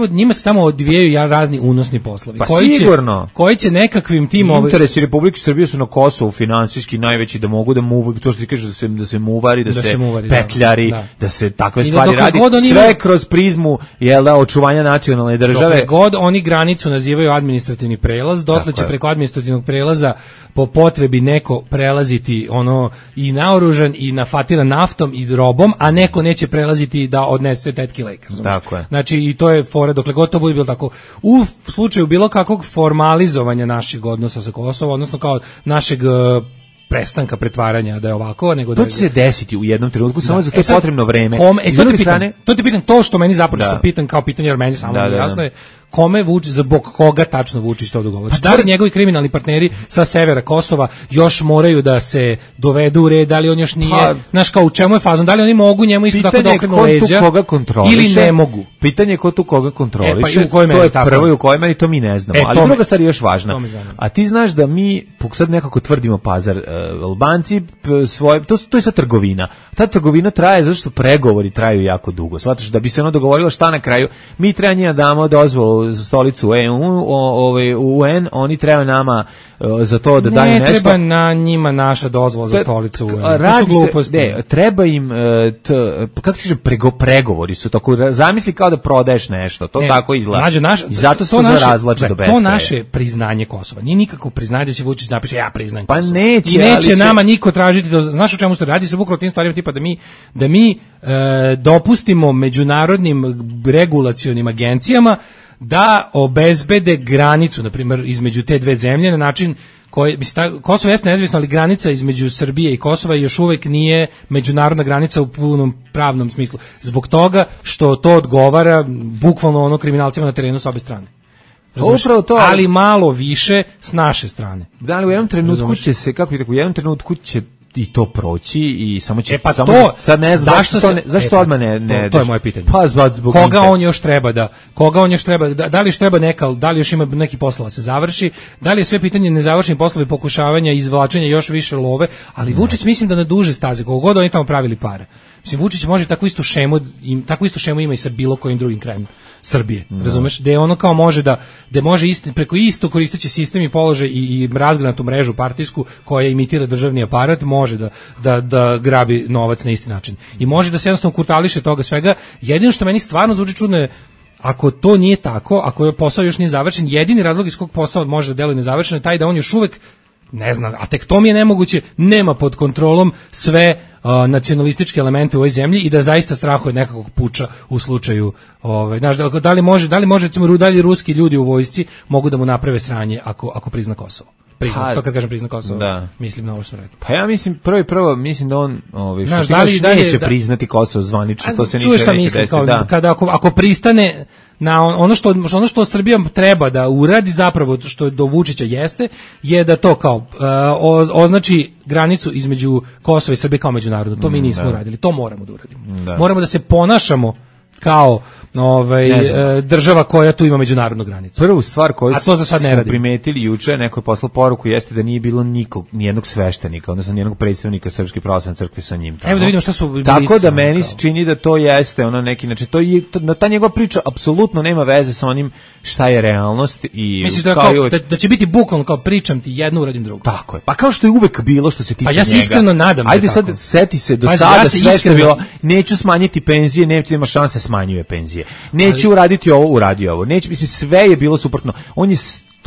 Njima se tamo odvijaju razni unosni poslovi. Pa sigurno. Koji će nekakvim tim... Interesi Republike Srbije su na Kosovu finansijski najveći, da mogu da muvaju, to što ti kažeš da se muvari, da se petljari, da se takve stvari radi, sve kroz prizmu očuvanja nacionalne države. Dokle god oni granicu nazivaju administrativni prelaz, dotle će preko administrativnog prelaza po potrebi neko prelaziti i naoružan i nafatiran naftom i robom, a neko neće prelaziti da odnese tetki lek. Znači, i to je fora, dokle god to bude bilo tako. U slučaju bilo kakvog formalizovanja našeg odnosa sa Kosovom, odnosno kao našeg prestanka pretvaranja da je ovako, nego to će se desiti u jednom trenutku, samo za to potrebno vreme. To ti pitam, to što meni započeo pitam kao pitanje, jer meni samo jasno je kome Vučić, zbog koga tačno Vučić to dogovori. Da li njegovi kriminalni partneri sa severa Kosova još moraju da se dovedu u red, da li on još nije, znaš kao u čemu je fazon, da li oni mogu njemu isto tako da okrenu leđa ili ne mogu. Pitanje je ko tu koga kontroliše, to je prvo i u kojoj meri, to mi ne znamo. Ali druga stvar je još važna. A ti znaš da mi sad nekako tvrdimo pazar, Albanci svoje, to je sad trgovina. Ta trgovina traje zato što pregovori traju jako dugo. Shvataš, da bi se dogovorilo šta na kraju, mi treba njima damo dozvolu stolicu UN, oni treba nama za to da daju nešto. Ne treba na njima naša dozvola za stolicu UN. To su gluposti. Ne, treba im, kako ti kažem, pregovori su tako, zamisli kao da prodaješ nešto, to tako izgleda. I zato se to razvlače do beskraja. To naše priznanje Kosova. Nije nikako priznanje da će Vučić napiše ja priznajem Kosovo. Pa neće, i neće nama niko tražiti, znaš o čemu se radi, se bukvalno tim stvarima tipa da mi dopustimo međunarodnim regulacionim agencijama da obezbede granicu, na primjer, između te dve zemlje na način koji, Kosovo jeste nezavisno, ali granica između Srbije i Kosova još uvek nije međunarodna granica u punom pravnom smislu. Zbog toga što to odgovara bukvalno kriminalcima na terenu s obe strane. Upravo to, ali malo više s naše strane. Da, ali u jednom trenutku će se, kako bih rekao, u jednom trenutku će i to proći i samo će sad ne znam zašto odmah ne to je moje pitanje. Pa zbog koga on još treba da li još treba da li još ima neki poslova se završi, da li je sve pitanje nezavršeni poslovi pokušavanja izvlačenja još više love, ali Vučić mislim da na duže staze koliko god oni tamo pravili pare. Mislim Vučić može takvu istu šemu ima i sa bilo kojim drugim krajem Srbije, razumeš, da je ono kao može da može preko isto koristeći sistem i položaj i razgranatu mrežu partijsku koja imitira državni aparat, može da grabi novac na isti način. I može da se jednostavno kurtališe toga svega. Jedino što meni stvarno zvuči čudno je, ako to nije tako, ako je posao još nije završen, jedini razlog iz kog posao može da deluje nezavršen je taj da on još uvek ne znam, a tek to mi je nemoguće, nema pod kontrolom sve nacionalističke elemente u ovoj zemlji i da zaista strahuje nekakvog puča u slučaju, znaš, da li može recimo, da li ruski ljudi u vojsci mogu da mu naprave sranje ako prizna Kosovo. To kad kažem prizna Kosovo, mislim na ovo što rekao. Pa ja mislim, prvo mislim da on neće priznati Kosovo zvanično, to se ništa neće desiti. Kada ako pristane na ono što Srbija treba da uradi zapravo, što do Vučića jeste, je da to kao označi granicu između Kosova i Srbije kao međunarodno. To mi nismo uradili, to moramo da uradimo. Moramo da se ponašamo kao država koja tu ima međunarodnu granicu. Prvu stvar koju smo primetili juče, neko je poslao poruku, jeste da nije bilo nijednog sveštenika, odnosno nijednog predstavnika Srpske pravoslavne crkve sa njim. Evo da vidimo šta su bili. Tako da meni se čini da to jeste neki, znači ta njegova priča apsolutno nema veze sa onim šta je realnost i misliš da će biti bukvalno kao pričam ti jedno, uradim drugo. Tako je. Pa kao što je uvek bilo što se tiče njega. Pa ja se iskreno nadam. Ajde sad seti se do sada sve što je bilo. Neću smanjiti penzije, nema šanse smanjuje penzije. Neću uraditi ovo, uradio ovo. Neću, mislim, sve je bilo suprotno. On je,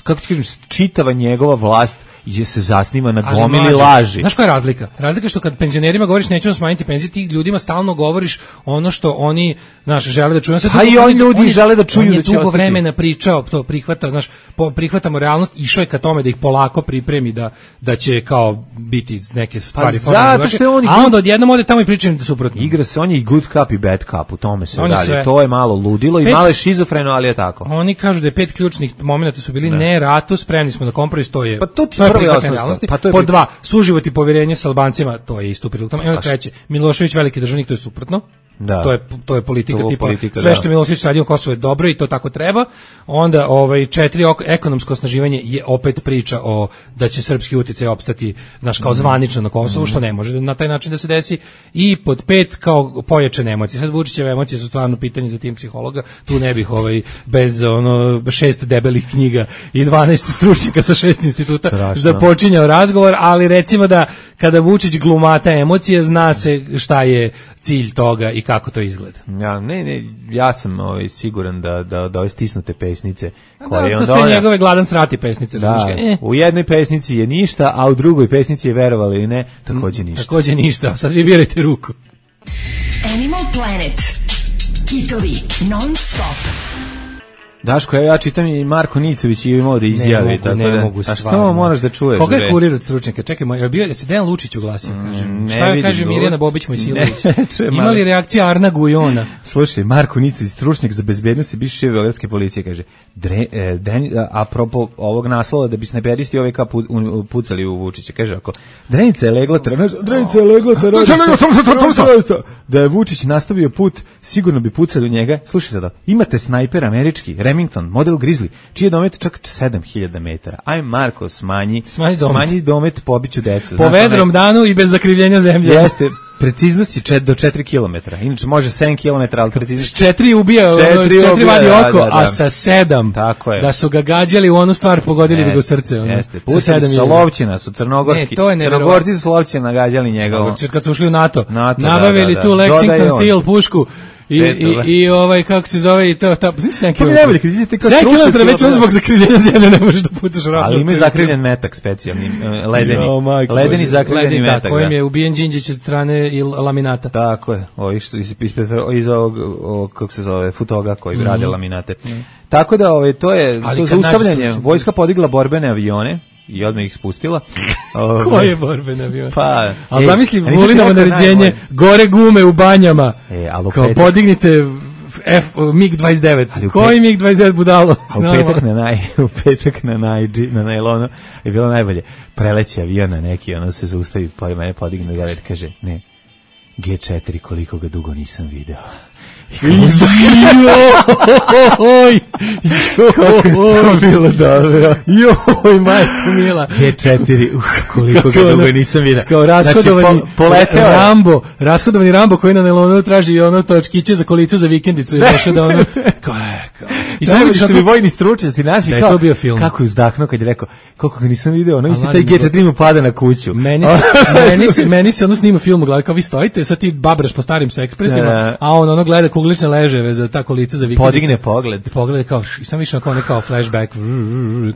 kako ti kažem, čitava njegova vlast se zasniva na gomili laži. Znaš koja je razlika? Razlika je što kad penzionerima govoriš nećemo smanjiti penzije, ti ljudima stalno govoriš ono što oni, znaš, žele da čuju. A i oni ljudi žele da čuju da će ostati. On je dugo vremena pričao, to prihvata, znaš, prihvatamo realnost, išao je ka tome da ih polako pripremi da će kao biti neke stvari. Zato što je on a onda odjednom ode tamo i priča da suprotno. Igra se, on je i good cup i bad cup, u tome se dalje. To je malo ludilo i malo je šizofreno, ali je tako. Oni kažu da je 5 ključnih momenata su bili ne ratu, spremni smo da kompromis, to je. Pa to je realnosti. Pod 2, suživot i povjerenje sa Albancima, to je isto prilog tome. I onda 3, Milošević veliki državnik, to je suprotno. Da. To je politika tipa sve što Milošević radi u Kosovu je dobro i to tako treba. Onda 4, ekonomsko osnaživanje je opet priča o da će srpski uticaj opstati kao zvanično na Kosovu, što ne može na taj način da se desi. I pod 5 kao pojačane emocije. Sad Vučićeve emocije su stvarno pitanje za tim psihologa. Tu ne bih bez 6 debelih knjiga i 12 stručnjaka sa 6 instituta započinjao razgovor, ali recimo da kada Vučić glumata emocije, zna se šta je cilj toga i kako to izgleda. Ja sam siguran da ove stisnute pesnice koje to ste njegove gladan srati pesnice. U jednoj pesnici je ništa, a u drugoj pesnici je, verovali ili ne, takođe ništa. Sad vi birajte ruku. Animal Planet. Kitovi non stop. Daško, ja čitam i Marko Nicović je imao da izjavi. Ne mogu a što moraš da čuješ? Koga je kurir od stručnjaka? Čekaj, je se Dejan Lučić uglasio, kažem. Šta kaže Mirjana Bobić Mojsilović? Ima li reakcija Arna Gujona? Slušaj, Marko Nicović, stručnjak za bezbednost i bivši šef beogradske policije, kaže, apropo ovog naslova da bi snajperisti pucali u Vučića, kaže ako Drenica je legla da je Vučić nastavio put, sigurno bi pucali u njega. Slušaj sada, imate snajper američki, Remington, model Grizzly, čiji je domet čak 7000 metara. Aj Marko, smanji domet, pobiću decu. Po vedrom danu i bez zakrivljenja zemlje. Jeste, preciznost je do 4 km. Inače može 7 km, ali preciznost... S 4 ubija, s 4 vadi oko, a sa 7 tako je. Da su ga gađali u onu stvar, pogodili bi ga u srce. Jeste, pustili su Solovćina, su crnogorski. Crnogorci su Solovćina gađali njegovo. Kad su ušli u NATO nabavili tu Lexington Steel pušku. I ovaj kako se zove i to 7 km. 7 km već zbog zakrivljenja zemlje ne možeš da pucaš ravno. Ali ima zakrivljen metak specijalni, ledeni zakrivljeni metak. Da, kojim je ubijen Đinđić od strane i laminata. Tako je, iz ovog kako se zove, Futoga koji rade laminate. Tako da to je to zaustavljanje. Vojska podigla borbene avione i odmah ih spustila. Koje borbene avione? Pa, ali zamisli Vulinovo naređenje, gore gume u banjama. Kao podignite MiG-29. Koji MiG-29 budalo? U petak na najlonu je bilo najbolje. Preleće avion na neki, ono se zaustavi, pa mene podigne gore i kaže, ne, G4 koliko ga dugo nisam video. Joj, kako je to bilo dobro. Joj, majko mila. G4, koliko ga dugo nisam vidio. Kao rashodovani Rambo koji na nelonu traži ono točkiće za kolica za vikendicu i došao da ono... I samo su mi vojni stručnjaci naši, kao, kako je uzdahnuo kad je rekao, koliko ga nisam video, ono isti taj G4 mu pada na kuću. Meni se ono snima film u glavi, kao vi stojite, sad ti babraš po starim sekspresima, a on ono gleda kuglične leževe za ta kolica za vikendicu. Podigne pogled. Pogled kao, i sam više kao nekao flashback,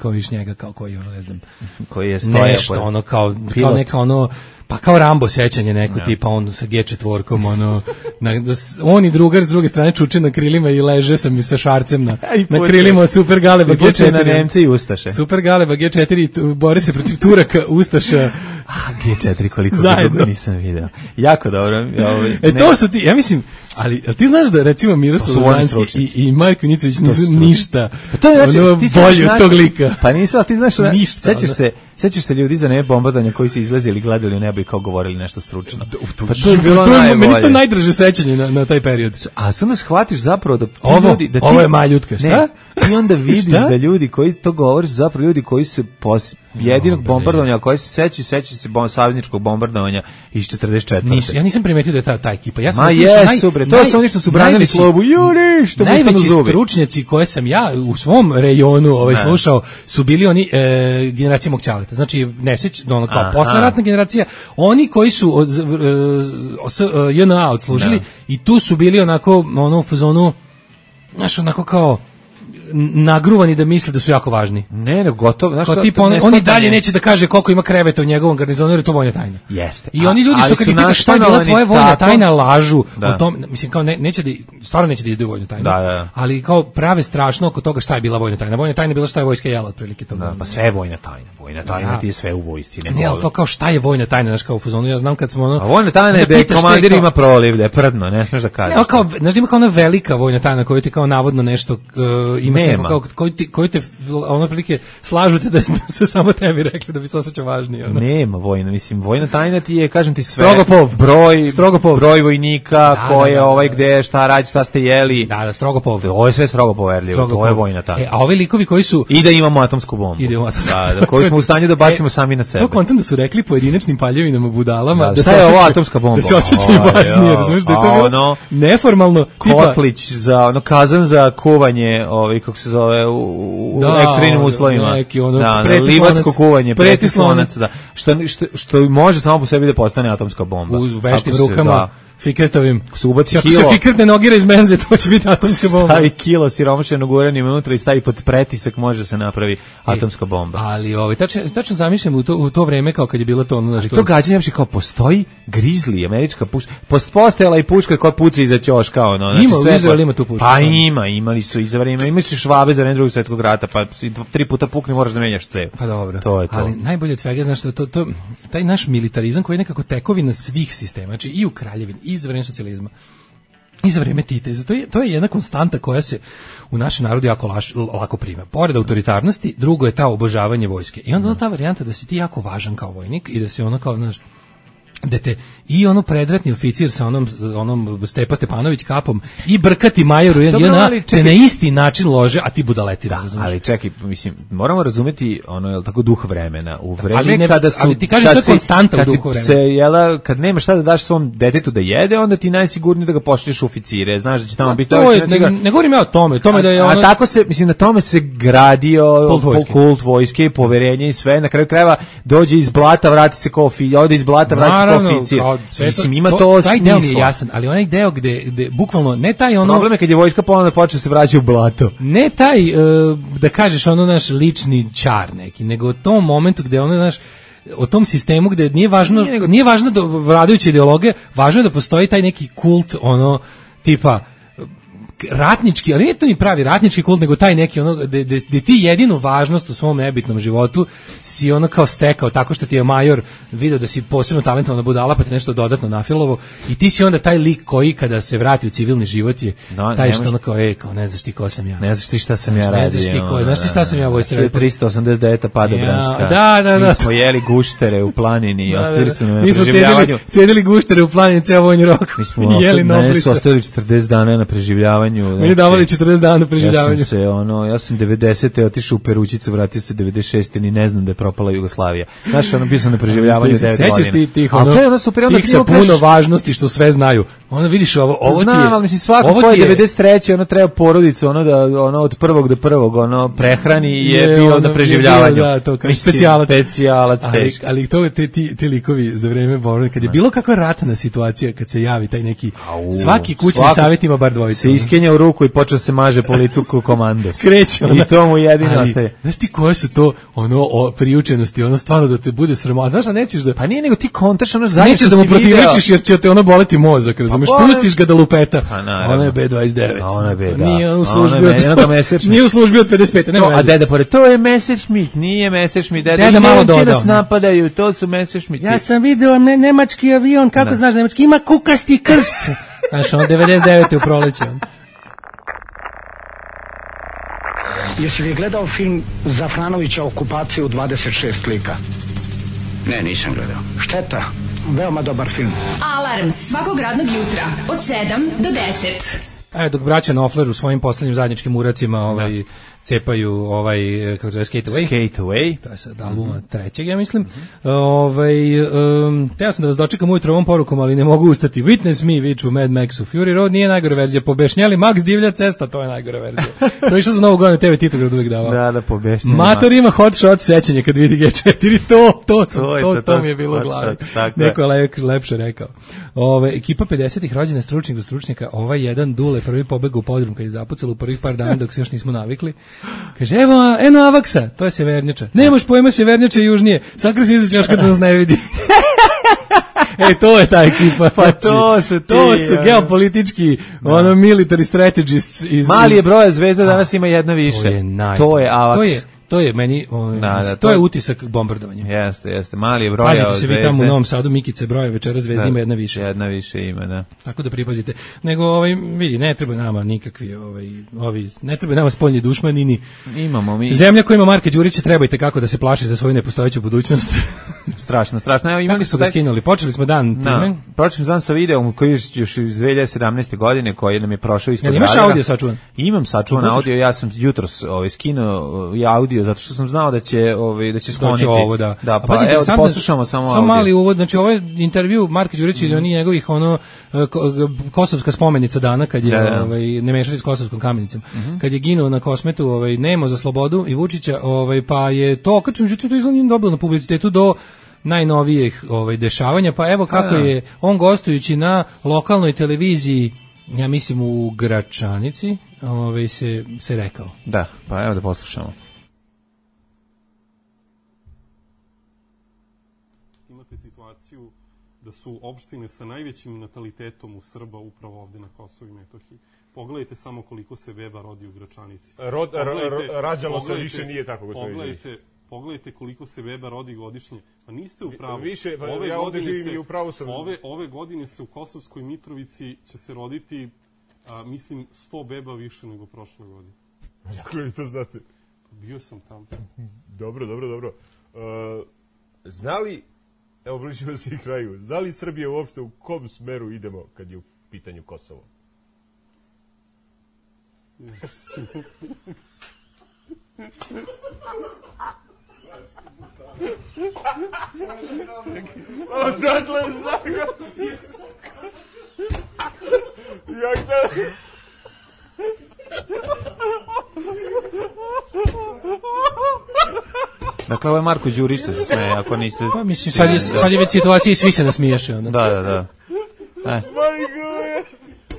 kao viš njega, kao koji ono, ne znam, koji je stoja. Nešto, ono, kao neka ono, pa kao Rambo sećanje neko tipa on sa G4-kom ono on i drugar s druge strane čuče na krilima i leže sa šarcem na krilima od Super Galeba G4 na Nemce i Ustaše. Super Galeba G4 bori se protiv Turaka, Ustaša. G4 koliko dugo nisam video. Jako dobro. To su ti, ja mislim, ali ti znaš da recimo Miroslav Zanjski i Majko Nicović nisu ništa. To je bolje od tog lika. Pa nisu, ali ti znaš, sećaš se ljudi za nebe bombardovanja koji su izlazili, gledali u nebo i kao govorili nešto stručno. Pa to je bilo najbolje. Meni to najdraže sećanje na taj period. A sad ne shvatiš zapravo da ovo je maljutka, šta? I onda vidiš da ljudi koji to govore su zapravo ljudi koji se jedinog bombardovanja koji se sećaju se savezničkog bombardovanja iz 44. Ja nisam primetio da je ta ekipa. Ja sam to su oni što su branili slobu. Najveći stručnjaci koje sam ja u svom rejonu slušao su bili oni generacija mog ćaleta. Znači ono kao posleratna generacija, oni koji su JNA odslužili i tu su bili onako ono u fazonu, znaš, onako kao nagruvani da misle da su jako važni. Ne, gotovo. Znaš, oni dalje neće da kaže koliko ima kreveta u njegovom garnizonu, jer je to vojna tajna. Jeste. I oni ljudi što kad ih pitaš šta je bila tvoja vojna tajna, lažu o tom, mislim kao stvarno neće da izdaju vojnu tajnu. Ali kao prave strašno oko toga šta je bila vojna tajna. Vojna tajna je bila šta je vojska jela otprilike toga. Pa sve je vojna tajna. Vojna tajna ti je sve u vojsci. Ne, ali to kao šta je vojna tajna, znaš, kao u fazonu, ja znam kad smo ono... A vojna tajna je da je komandir ima proliv, da je prdno, ne smiješ da kažeš. Ne, kao, znaš, ima kao ona velika vojna tajna koju ti kao navodno nešto imaš neko kao koji te ono prilike slažute da su samo tebi rekli da bi se osjećao važniji. Ono. Nema vojna, mislim, vojna tajna ti je, kažem ti sve, broj vojnika, ko je gde, šta radi, šta ste jeli. Da, strogo pov. Ovo je sve strogo poverljivo, to je vojna tajna. A ovi likovi koji su... I da imamo atomsku bombu. Da, koju smo u stanju da bacimo sami na sebe. To kontam da su rekli pojedinačnim paljevinama budalama da se ovo atomska bomba. Da se osjećaju važnije, razumiješ, da je to bilo neformalno. Kotlić za, kazan za kuvanje, kako se zove, u ekstremnim uslovima. Livatsko kuvanje, pretislonac, što može samo po sebi da postane atomska bomba. U veštim rukama, fikretovim. Ako se ubaci kilo... Ako se fikretne nogire iz menze, to će biti atomska bomba. Stavi kilo siromašenog uranijuma unutra i stavi pod pretisak, može se napravi atomska bomba. Ali tačno zamišljam u to vreme kao kad je bilo to... Ali to gađanje, kao postoji Grizzly, američka puška, postojala i puška koja puca iza ćoška. Ima, u Izraelu ima tu puška. Pa imali su i za vreme, imali su Švabe za vreme Drugog svjetskog rata, pa 3 puta pukne, moraš da menjaš cev. Pa dobro, to je to. Ali najbolje od svega, znaš, taj naš militarizam koji je nekako tekovina svih sistema, znači i u kraljevini, i za vreme socijalizma, i za vreme Tita. To je jedna konstanta koja se u našem narodu jako lako prima. Pored autoritarnosti, drugo je ta obožavanje vojske. I onda ta varijanta da si ti jako važan kao vojnik i da si ono kao, znaš, dete i ono predratni oficir sa onom Stepa Stepanović kapom i brkati majoru i ona te na isti način lože, a ti budaleti, razumiješ? Ali čekaj, mislim, moramo razumeti ono, je li tako, duh vremena. U vreme kada su... Ali ti kažeš to je konstanta u duhu vremena. Kad nema šta da daš svom detetu da jede, onda ti najsigurnije da ga pošliš u oficire. Znaš da će tamo biti... Ne govorim ja o tome da je ono... A tako se, mislim, na tome se gradio kult vojske, poverenje i sve. Na kraju krajeva dođe iz blata, vrati se kao ode iz blata, vrati se kao oficir. Mislim, ima to taj deo mi je jasan, ali onaj deo gde bukvalno ne taj ono... Problem je kad je vojska ponovno počne se vraća u blato. Ne taj, da kažeš, ono naš lični čar neki, nego u tom momentu gde ono naš, o tom sistemu gde nije važno da vladajuće ideologije, važno je da postoji taj neki kult, ono, tipa, ratnički, ali nije to ni pravi ratnički kult, nego taj neki ono gde ti jedinu važnost u svom nebitnom životu si ono kao stekao tako što ti je major video da si posebno talentovana budala pa ti nešto dodatno nafilovo i ti si onda taj lik koji kada se vrati u civilni život je taj što ono kao, kao ne znaš ti ko sam ja. Ne znaš ti šta sam ja radio. Znaš ti šta sam ja vojska. 389. Padobranska. Da. Mi smo jeli guštere u planini i ostavili su na preživljavanju. Mi smo cenili guštere u planini ceo vojni rok. Mi smo jeli noblice. Ostavili 40 dana na preživljavanju. Meni davali 40 dana na preživljavanju. Ja sam 90. otišao u Perućicu, vratio se 96. ni ne znam da je propala Jugoslavija. Znaš, bio sam na preživljavanju 9 godina. Sećaš ti tih sa puno važnosti što sve znaju. Ono vidiš ovo ti je. Znam, ali mislim svako ko je 93. ono treba porodicu, ono od prvog do prvog, ono prehrani i je bio na preživljavanju. Da, to kao specijalac teško. Ali to ti likovi za vreme borbe, kad je bilo kakva ratna situacija, kad se javi taj neki svaki kućni savjet ima bar dvojicu. U ruku i počeo se maže po licu komandos. Kreće. I to mu jedino ostaje. Znaš ti koje su to priučenosti, stvarno da te bude sramota. Znaš, a nećeš da... Pa nije nego ti kontaš, zajedno nećeš da mu protivrečiš jer će te boleti mozak, razumeš? Pustiš ga da lupeta. Ona je B29. Ona je B, da. Nije u službi od 55. A deda pored, to je Messerschmitt, nije Messerschmitt. Deda malo dodao. Nas napadaju, to su Messerschmitti. Ja sam video nemački avion, kako znaš nemački? Ima kukasti krst. Znaš, 99. u proleće. Jesi li gledao film Zafranovića Okupacija u 26 lika? Ne, nisam gledao. Šteta, veoma dobar film. Alarm svakog radnog jutra od 7 do 10. Dok braća Knopfler u svojim poslednjim zajedničkim uracima cepaju kako zove Skate Away. To je sad albuma trećeg, ja mislim. Ja sam da vas dočekam ujutro ovom porukom, ali ne mogu ustati. Witness me, viču Mad Maxu. Fury Road nije najgore verzija. Pobešnjali Max Divlja cesta, to je najgore verzija. To je išlo za Novu godinu, TV Titograd uvijek davao. Da, pobešnjali. Mator ima hot shot sećanje kad vidi G4. To mi je bilo u glavi. Neko je lepše rekao. Ekipa 50-ih rođena stručnik do stručnjaka. Jedan Dule prvi pobegao u podrum kad je zapucalo u prvih par dana dok se još nismo navikli. Kaže, eno Avaksa, to je Severnjača. Nemaš pojma, Severnjača je južnije. Sakra se izaći još kad nas ne vidi. To je ta ekipa. Pa to su geopolitički, military strategists. Mali je broja zvezda, danas ima jedna više. To je Avaks. To je meni, to je utisak bombardovanja. Jeste. Mali je broja zvezde. Pazite se vi tamo u Novom Sadu, Mikice broja, večera zvezda ima jedna više. Jedna više ima, da. Tako da pripazite. Nego, vidi, ne treba nama nikakvi, ne treba nama spoljni dušmanini. Imamo mi. Zemlja koja ima Marka Đurića treba kako da se plaši za svoju nepostojeću budućnost. Strašno. Evo, imali su ga skinuli. Počeli smo dan time. Počeli dan sa videom koji je još iz 2017. godine koji nam je prošao ispod radara. Imaš audio sačuvan? Imam sačuvan audio, ja sam jutros skinuo audio zato što sam znao da će skloniti. Ovo, da. Pa evo da poslušamo samo audio. Samo mali uvod, znači ovo je intervju Marka Đurića iz njegovih kosovska spomenica dana kad je ne mešali s kosovskom kamenicom. Kad je ginuo na Kosmetu, Nemo za slobodu i Vučića, pa je to okačeno, međutim to izgleda dobilo na publicitetu do najnovijih dešavanja, pa evo kako je on gostujući na lokalnoj televiziji, ja mislim u Gračanici, se rekao. Da, pa evo da poslušamo. Imate situaciju da su opštine sa najvećim natalitetom u Srba upravo ovde na Kosovu i Metohiji. Pogledajte samo koliko se beba rodi u Gračanici. Rađalo se više, nije tako, gospodin Đurić. Pogledajte koliko se beba rodi godišnje. Pa niste u pravu. Više, ja ovde živim i u pravu sam. Ove godine se u Kosovskoj Mitrovici će se roditi, mislim, 100 beba više nego prošle godine. Kako vi to znate? Bio sam tamo. Dobro. Zna li Evo, bližimo se i kraju. Da li Srbija uopšte u kom smeru idemo kad je u pitanju Kosovo? Odatle znam ga. Jak da... Dakle, ovo je Marko Đurić se smeje, ako niste... Pa mislim, sad je već situacija i svi se nasmiješe. Da.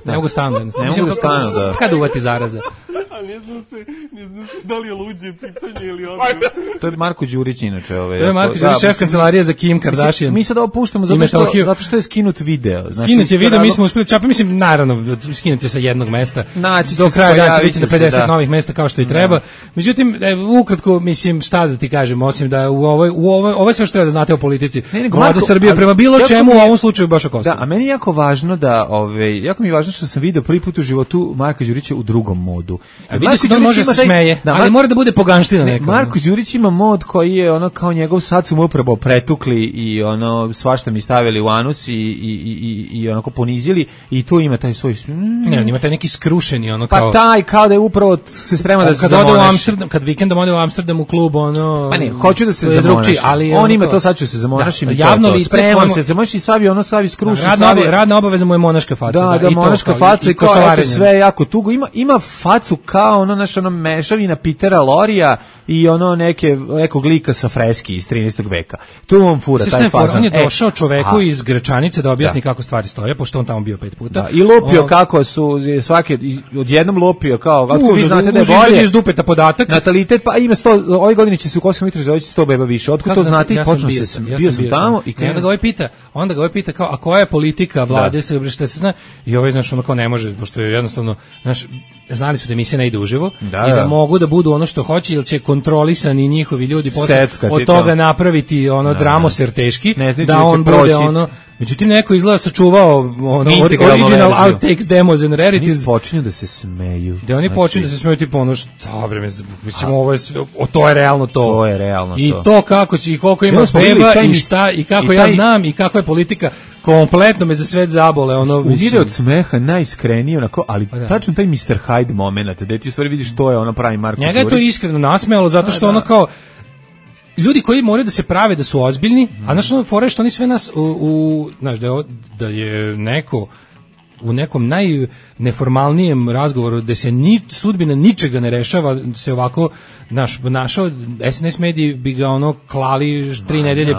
Ne mogu stanu. Ne mogu stanu, da. Kada uvati zaraza? A ne znam da li je luđe pitanje ili odgovor. To je Marko Đurić inače. To je Marko Đurić, šef kancelarije za Kim Kardashian. Mi sad ovo puštamo zato što je skinut video. Skinut je video, mi smo uspeli čapa, mislim, naravno, skinut je sa jednog mesta. Do kraja dana će biti na 50 novih mesta kao što i treba. Međutim, ukratko, mislim, šta da ti kažem, osim da u ovoj sve što treba da znate o politici, Vlada Srbije prema bilo čemu, u ovom slučaju baš o Kosovu. Da, a meni je jako važno da, jako mi je važno što sam video prvi put u životu Marka Đurića u drugom modu. Vidio se da on može se smeje, ali mora da bude poganština neka. Marko Đurić ima mod koji je ono kao njegov, sad su mu upravo pretukli i ono svašta mi stavili u anus i onako ponizili i tu ima taj svoj... Ne, on ima taj neki skrušeni ono kao... Pa taj kao da je upravo se sprema da se zamonaši. Kad vikendom ode u Amsterdam u klub, ono... Pa ne, hoću da se zamonaši. On ima to, sad ću se zamonašim i javno lice, spremam se, zamonaši i stavi skruši. Radna obaveza mu je monaška faca. Da, monaška faca i kao sve jako tugo. Ima facu kao ono mešavina Petera Lorija i ono nekog lika sa freski iz 13. veka. Tu on fura taj fazon. On je došao čoveku iz Gračanice da objasni kako stvari stoje, pošto on tamo bio 5 puta. Da, i lupio kako su svake odjednom lupio kao kako vi znate da je bolje iz dupeta podatak. Natalitet pa ima 100, ove godine će se u Kosovskoj Mitrovici doći 100 beba više. Otkud to znate? I počnu se bio sam tamo i onda ga ovaj pita kao a koja je politika vlade se šta se zna i ovaj znači ono kao ne može pošto je jednostavno znali su da emisija ne ide uživo i da mogu da budu ono što hoće ili će kontrolisani njihovi ljudi posle od toga napraviti ono dramoser teški da on bude ono. Međutim, neko izgleda sačuvao ono original outtakes, demos and rarities. Oni počinju da se smeju. Da oni počinju da se smeju tipa ono što bre, mislim ovo je to je realno to. To je realno to. I to kako će i koliko ima beba i šta i kako ja znam i kakva je politika kompletno me za svet zabole ono umire od smeha najiskrenije onako, ali tačno taj Mr. Hyde momenat, da ti u stvari vidiš to je ono pravi Marko Đurić. Njega je to iskreno nasmejalo zato što ono kao ljudi koji moraju da se prave da su ozbiljni, a znači ono fore što oni sve nas znaš da je neko u nekom najneformalnijem razgovoru gde se sudbina ničega ne rešava se ovako našao SNS mediji bi ga ono klali 3 nedelje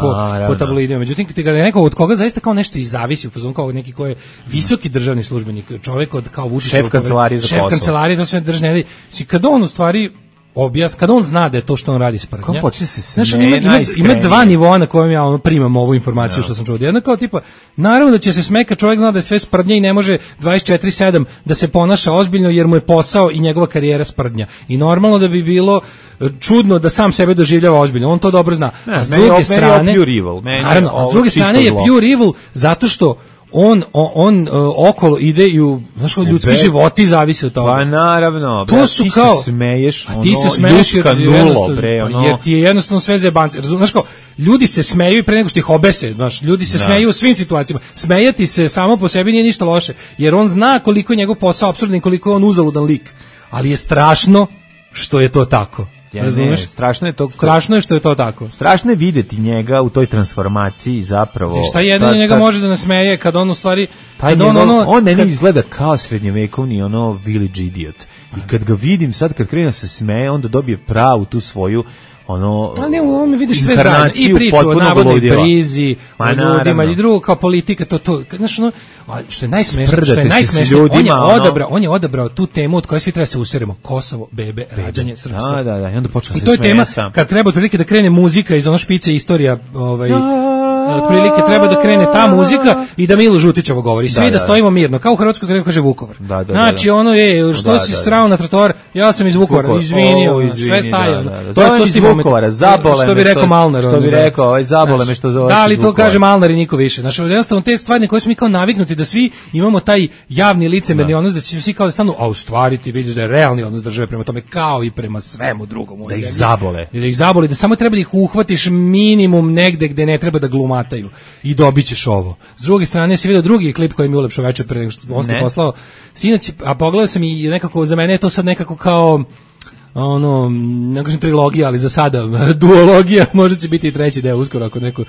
po tabloidima. Međutim, kad ga neko od koga zaista kao nešto i zavisi u fazonu kao neki ko je visoki državni službenik, čovjek od kao Vučićev šef kancelarije za Kosovo. Šef kancelarije to sve držne. Kad on u stvari kada on zna da je to što on radi sprdnja. Kako počne se ima dva nivoa na kojem ja primam ovu informaciju što sam čuo. Jedno kao tipa, naravno da će se smeka, čovjek zna da je sve sprdnja i ne može 24/7 da se ponaša ozbiljno jer mu je posao i njegova karijera sprdnja. I normalno da bi bilo čudno da sam sebe doživljava ozbiljno. On to dobro zna. A s druge strane, s druge strane je pure evil zato što on okolo ide i znaš, ljudski životi zavise od toga. Pa naravno, to su ti kao, se smeješ, ti se smeješ jer ti je jednostavno sve zajebance. Znaš kao, ljudi se smeju i pre nego što ih obese, znaš, ljudi se smeju u svim situacijama. Smejati se samo po sebi nije ništa loše, jer on zna koliko je njegov posao apsurdan i koliko je on uzaludan lik. Ali je strašno što je to tako. Razumeš? Strašno je što je to tako. Strašno je videti njega u toj transformaciji zapravo. Šta jedino njega može da nasmeje kad on u stvari on meni izgleda kao srednjovekovni ono village idiot. I kad ga vidim sad kad krene se smeje, onda dobije pravu tu svoju ono a ne, u ovome vidiš sve zajedno i priču o navodnoj brizi o ljudima i drugo kao politika to znaš ono što je najsmešnije on je odabrao tu temu od koje svi treba se useremo Kosovo, bebe, rađanje, srpstvo da i onda počne se to je tema kad treba otprilike da krene muzika iz ono špice istorija otprilike treba da krene ta muzika i da Milo Žutićevo govori. Svi da stojimo mirno, kao u Hrvatskoj kada kaže Vukovar. Znači ono je, što si srao na trotoar, ja sam iz Vukovara, izvinio, sve staje. To je iz Vukovara, zabole me. Što bi rekao Malnar. Što bi rekao, zabole me što zove. Da, ali to kaže Malnar i niko više. Znači, jednostavno te stvari na koje smo mi kao naviknuti da svi imamo taj javni licemerni odnos, da će svi kao da stanu, a u stvari ti vidiš da je realni odnos države prema tome kao i prema svemu drugom. Da ih zabole. Da ih zabole, da samo treba da ih uhvatiš minimum negde gde ne treba da gluma razmataju i dobićeš ovo. S druge strane si vidio drugi klip koji mi je ulepšao večer pre nego što on poslao sinoć, a pogledao sam i nekako za mene je to sad nekako kao ono, ne kažem trilogija, ali za sada duologija, možda će biti i treći deo uskoro ako neko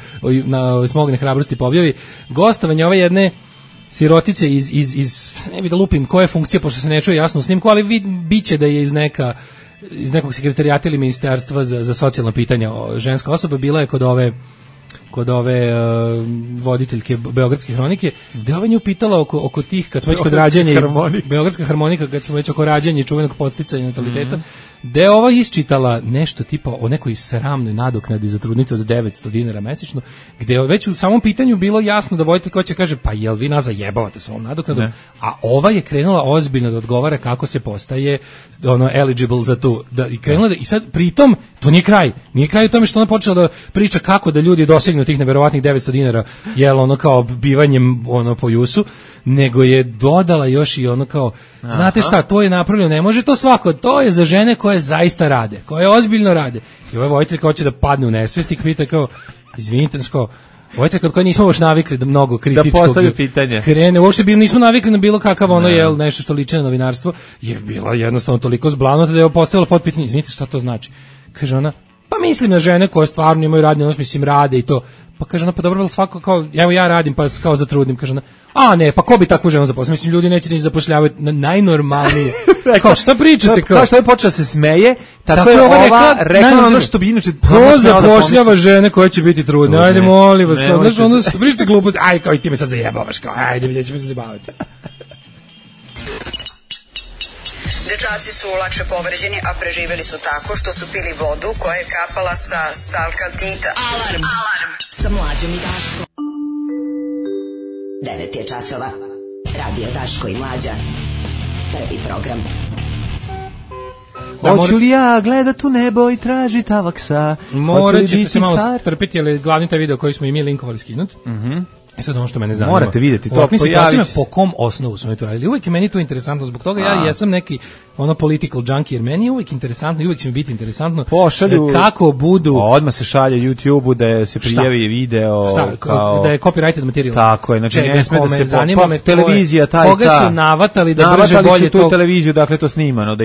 smogne hrabrosti pobjavi. Gostovanje ove jedne sirotice iz ne bi da lupim koja je funkcija, pošto se ne čuje jasno u snimku, ali biće da je iz nekog sekretarijata ili ministarstva za socijalna pitanja ženska osoba, bila je kod ove voditeljke Beogradske hronike, gde ova nju pitala oko tih, kad smo već kod rađanja, Beogradska harmonika, kad smo već oko rađanja i čuvenog podsticanja nataliteta, gde ova isčitala nešto tipa o nekoj sramnoj nadoknadi za trudnice od 900 dinara mesečno, gde je već u samom pitanju bilo jasno da voditeljka hoće kaže, pa jel vi nas zajebavate sa ovom nadoknadom, a ova je krenula ozbiljno da odgovara kako se postaje eligible za tu, i krenula i sad pritom, to nije kraj u tome što ona počela da priča kako da ljudi dosegnu tih neverovatnih 900 dinara, jel ono kao bivanjem po jusu, nego je dodala još i ono kao, znate šta, to je napravljeno, ne može to svako, to je za žene koje zaista rade, koje ozbiljno rade. I ovaj vojitelj hoće da padne u nesvest i pita kao, izvinite, vojitelj kod koje nismo baš navikli da mnogo kritičkog da postavlja pitanje. Krene, uopšte nismo navikli na bilo kakav jel, nešto što liči na novinarstvo, je bila jednostavno toliko zblanuta da je postavila potpitanje, izvinite šta to znači. Kaže ona, pa mislim na žene koje stvarno imaju radni odnos, mislim rade i to. Pa kaže ona, pa dobro, svako kao, evo ja radim, pa kao zatrudnim, kaže ona, a ne, pa ko bi takvu ženu zaposlio? Mislim, ljudi neće ni zapošljavati na najnormalnije. Kao, šta pričate? Kao što je počeo se smeje, tako je ova rekla ono što bi inače... Ko zapošljava žene koje će biti trudne? Ajde, molim vas, kao, znaš, ono, pričate glupost, aj, kao i ti me sad zajebavaš, kao, ajde, vidjet ćemo se zabaviti. Dečaci su lakše povređeni, a preživjeli su tako što su pili vodu koja je kapala sa stalkaltita. Alarm sa Mlađom i Daškom. 9 je časova. Radio Daško i Mlađa. Prvi program. Hoću li ja gledat u nebo i traži tavaksa? Morat ćete se malo strpiti, ali glavni taj video koji smo i mi linkovali skinuti. Sad ono što mene zanima. Morate vidjeti to. Situacijama po kom osnovu smo to radili. Uvijek je meni to interesantno, zbog toga ja jesam neki political junkie, jer meni je uvijek interesantno i uvijek će mi biti interesantno kako budu... Odmah se šalje YouTube-u da se prijavi video... Kao... Da je copyrighted materijal. Tako je, znači ne sme da se... Zanima me televizija koga su navatali da brže bolje to... tu televiziju, dakle to snimano,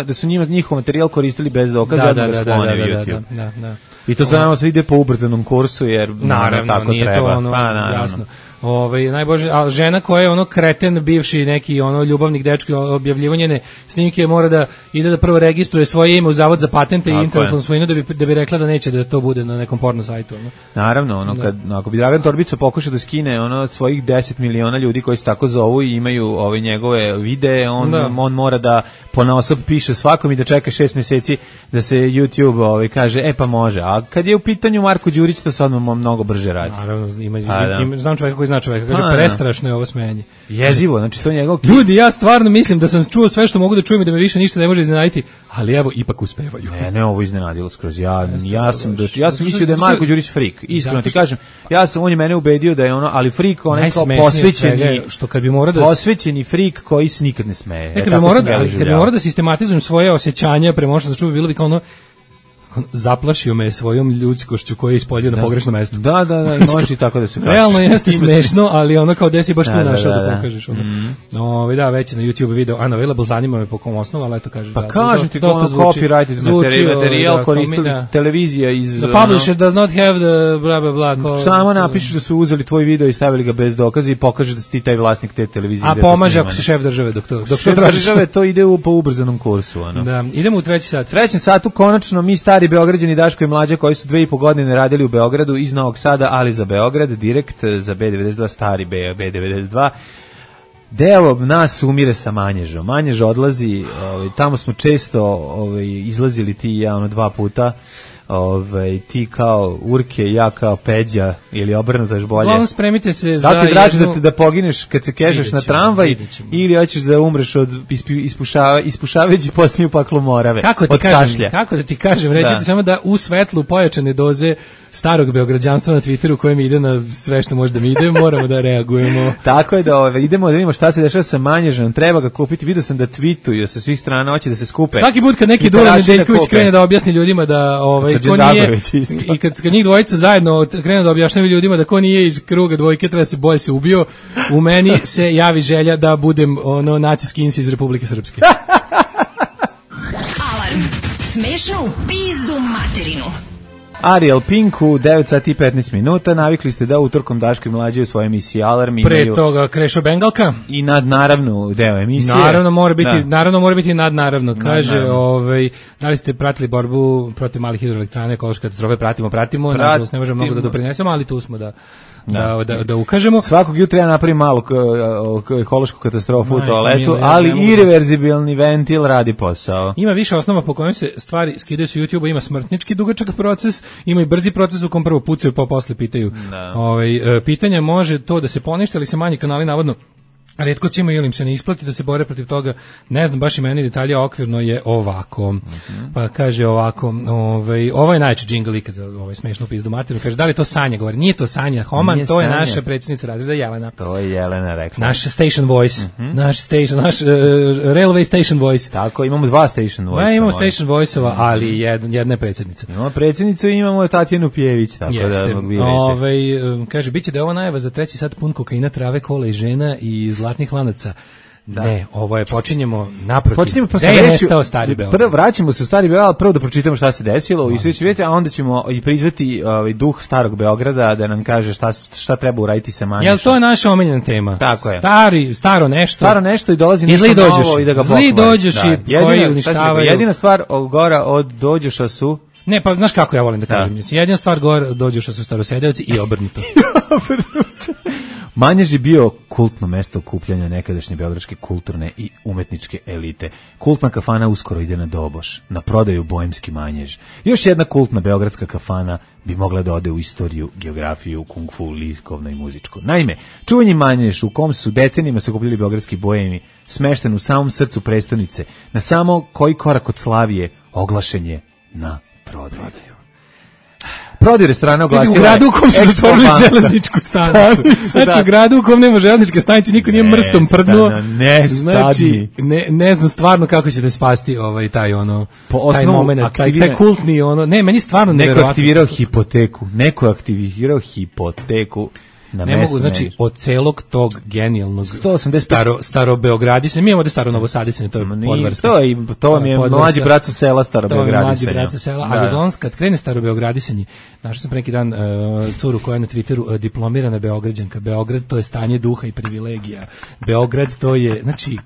da su njihov materijal koristili bez dokaza, da ga sklone YouTube. I to znamo se ide po ubrzanom kursu, jer naravno tako nije treba. To jasno. Najbože, a žena koja je kreten bivši neki ljubavnik dečki objavljivanje snimke mora da ide da prvo registruje svoje ime u Zavod za patente i intelektualnu svojinu da bi rekla da neće da to bude na nekom porno sajtu. Naravno, ako bi Dragan Torbica pokuša da skine svojih 10 miliona ljudi koji se tako zovu i imaju njegove videe, on mora da ponaosob piše svakom i da čeka 6 mjeseci da se YouTube kaže, pa može. A kad je u pitanju Marko Đurić, to se odmah mnogo brže radi. Naravno, znam čovjeka koji zna čovjeka, kaže prestrašno je ovo smenje. Jezivo, znači to njegov... Ljudi, ja stvarno mislim da sam čuo sve što mogu da čujem i da me više ništa ne može iznenaditi, ali evo, ipak uspevaju. Ne, ovo iznenadilo skroz. Ja sam mislio da je Marko Đurić freak. Iskreno ti kažem, on je mene ubedio da je ali freak, kao posvećeni freak koji se nikad ne smeje. Kad bi morao da sistematizujem svoje osjećanja prema što sam čuo, bilo bi kao zaplašio me svojom ljudskošću koja je ispoljio na pogrešnom mestu. Da, može i tako da se kaže. Realno jeste smešno, ali kao desi baš tu našao da pokažeš. Da, već na YouTube video unavailable, zanima me po kom osnovu, ali eto kaže. Pa kažem ti copyrighted materijal koristili televizija iz... The publisher does not have the bla bla bla. Samo napišeš da su uzeli tvoj video i stavili ga bez dokaza i pokaže da si ti taj vlasnik te televizije. A pomaže ako si šef države dok to šef države, to ide po ubrzanom kursu. Da, idemo u treći sat. Trećem satu konačno mi stari Beograđani Daško i Mlađa koji su 2,5 godine radili u Beogradu iz Novog Sada, ali za Beograd, direkt za B92, stari B92. Deo nas umire sa Manježom. Manjež odlazi, tamo smo često izlazili ti i ja 2 puta. Ti kao Urke, ja kao Peđa ili obrnuto još bolje. Uglavnom spremite se za jednu... Da ti draži da pogineš kad se kežeš na tramvaj ili hoćeš da umreš od ispušavajući posljednju paklu morave. Kako da ti kažem, reći ti samo da u svetlu pojačane doze starog beograđanstva na Twitteru koje mi ide na sve što može da mi ide, moramo da reagujemo. Tako je da idemo da vidimo šta se dešava sa Manježom, treba ga kupiti, vidio sam da tweetuju sa svih strana, hoće da se skupe. Svaki put kad neki Dule Nedeljković krene da objasni ljudima da ko nije, i kad njih dvojica zajedno krenu da objašnjavaju ljudima da ko nije iz kruga dvojke treba se bolje se ubio, u meni se javi želja da budem ono nacijski insi iz Republike Srpske. Alarm. Smešno u pizdu materinu. Ariel Pink u 9 sati i 15 minuta. Navikli ste da utorkom Daško i Mlađe u svojoj emisiji Alarm imaju... Pre toga Krešo Bengalka. I nadnaravnu deo emisije. Naravno mora biti nadnaravno. Kaže, da li ste pratili borbu protiv malih hidroelektrana, ekološke katastrofe? Pratimo. Nažalost, ne možemo mnogo da doprinesemo, ali tu smo da ukažemo. Svakog jutra ja napravim malu ekološku katastrofu u toaletu, ali irreverzibilni ventil radi posao. Ima više osnova po kojim se stvari skidaju sa YouTube-a, ima smrtnički dugačak proces, ima i brzi proces u kom prvo pucaju pa posle pitaju. Pitanja može to da se poništi, ali se manji kanali navodno retko cima ili im se ne isplati da se bore protiv toga, ne znam baš i meni detalja, okvirno je ovako. Pa kaže ovako, ovo je najče džingl ikad, smešno pizdu materinu, kaže da li to Sanja govori, nije to Sanja Homan, nije to je Sanja. Naša predsjednica razreda Jelena. To je Jelena rekla. Naš station voice, naš railway station voice. Tako, imamo dva station voice. Imamo station voice-ova, ali jedna je predsjednica. Imamo predsjednicu i imamo Tatjanu Pjević, tako da vidite. Kaže, biće da je ovo najava za 3. sat pun kokaina, trave, kola i žena i zlatnih lanaca. Da. Ne, ovo je, počinjemo naprotiv. Pa Stari Beograd. Prvo vraćamo se u Stari Beograd, prvo da pročitamo šta se desilo i sve će vidjeti, a onda ćemo i prizvati duh Starog Beograda da nam kaže šta treba uraditi sa Manješom. Jel to je naša omiljena tema? Tako je. Staro nešto i dolazi nešto novo i da ga pokvari. Zli dođoši koji uništavaju. Jedina stvar gora od dođoša su... Ne, pa znaš kako ja volim da kažem. Jedina stvar gore dođoša su starosedeoci i obrnuto. Manjež je bio kultno mesto okupljanja nekadašnje beogradske kulturne i umetničke elite. Kultna kafana uskoro ide na doboš, na prodaju Boemski Manjež. Još jedna kultna beogradska kafana bi mogla da ode u istoriju, geografiju, kung fu, likovno i muzičko. Naime, čuveni Manjež u kom su decenijima se okupljali beogradski boemi, smešten u samom srcu prestonice, na samo koji korak od Slavije, oglašen je na prodaju. Prodaj restorana oglasila. U gradu u kom su stvorili železničku stanicu. Znači, u gradu u kom nema železničke stanice, niko nije mrstom prdnuo. Znači, ne znam stvarno kako ćete spasti taj moment, taj kultni meni stvarno neverovatno. Neko aktivirao hipoteku. Ne mogu, znači, od celog tog genijalnog starobeogradisanja, mi imamo da staro-novosadisanje, to je podvrsta. To vam je mlađi brat sa sela starobeogradisanja. To je mlađi brat sa sela, ali kad krene starobeogradisanje, našao sam pre neki dan curu koja je na Twitteru diplomirana Beograđanka. Beograd to je stanje duha i privilegija. Beograd to je, znači,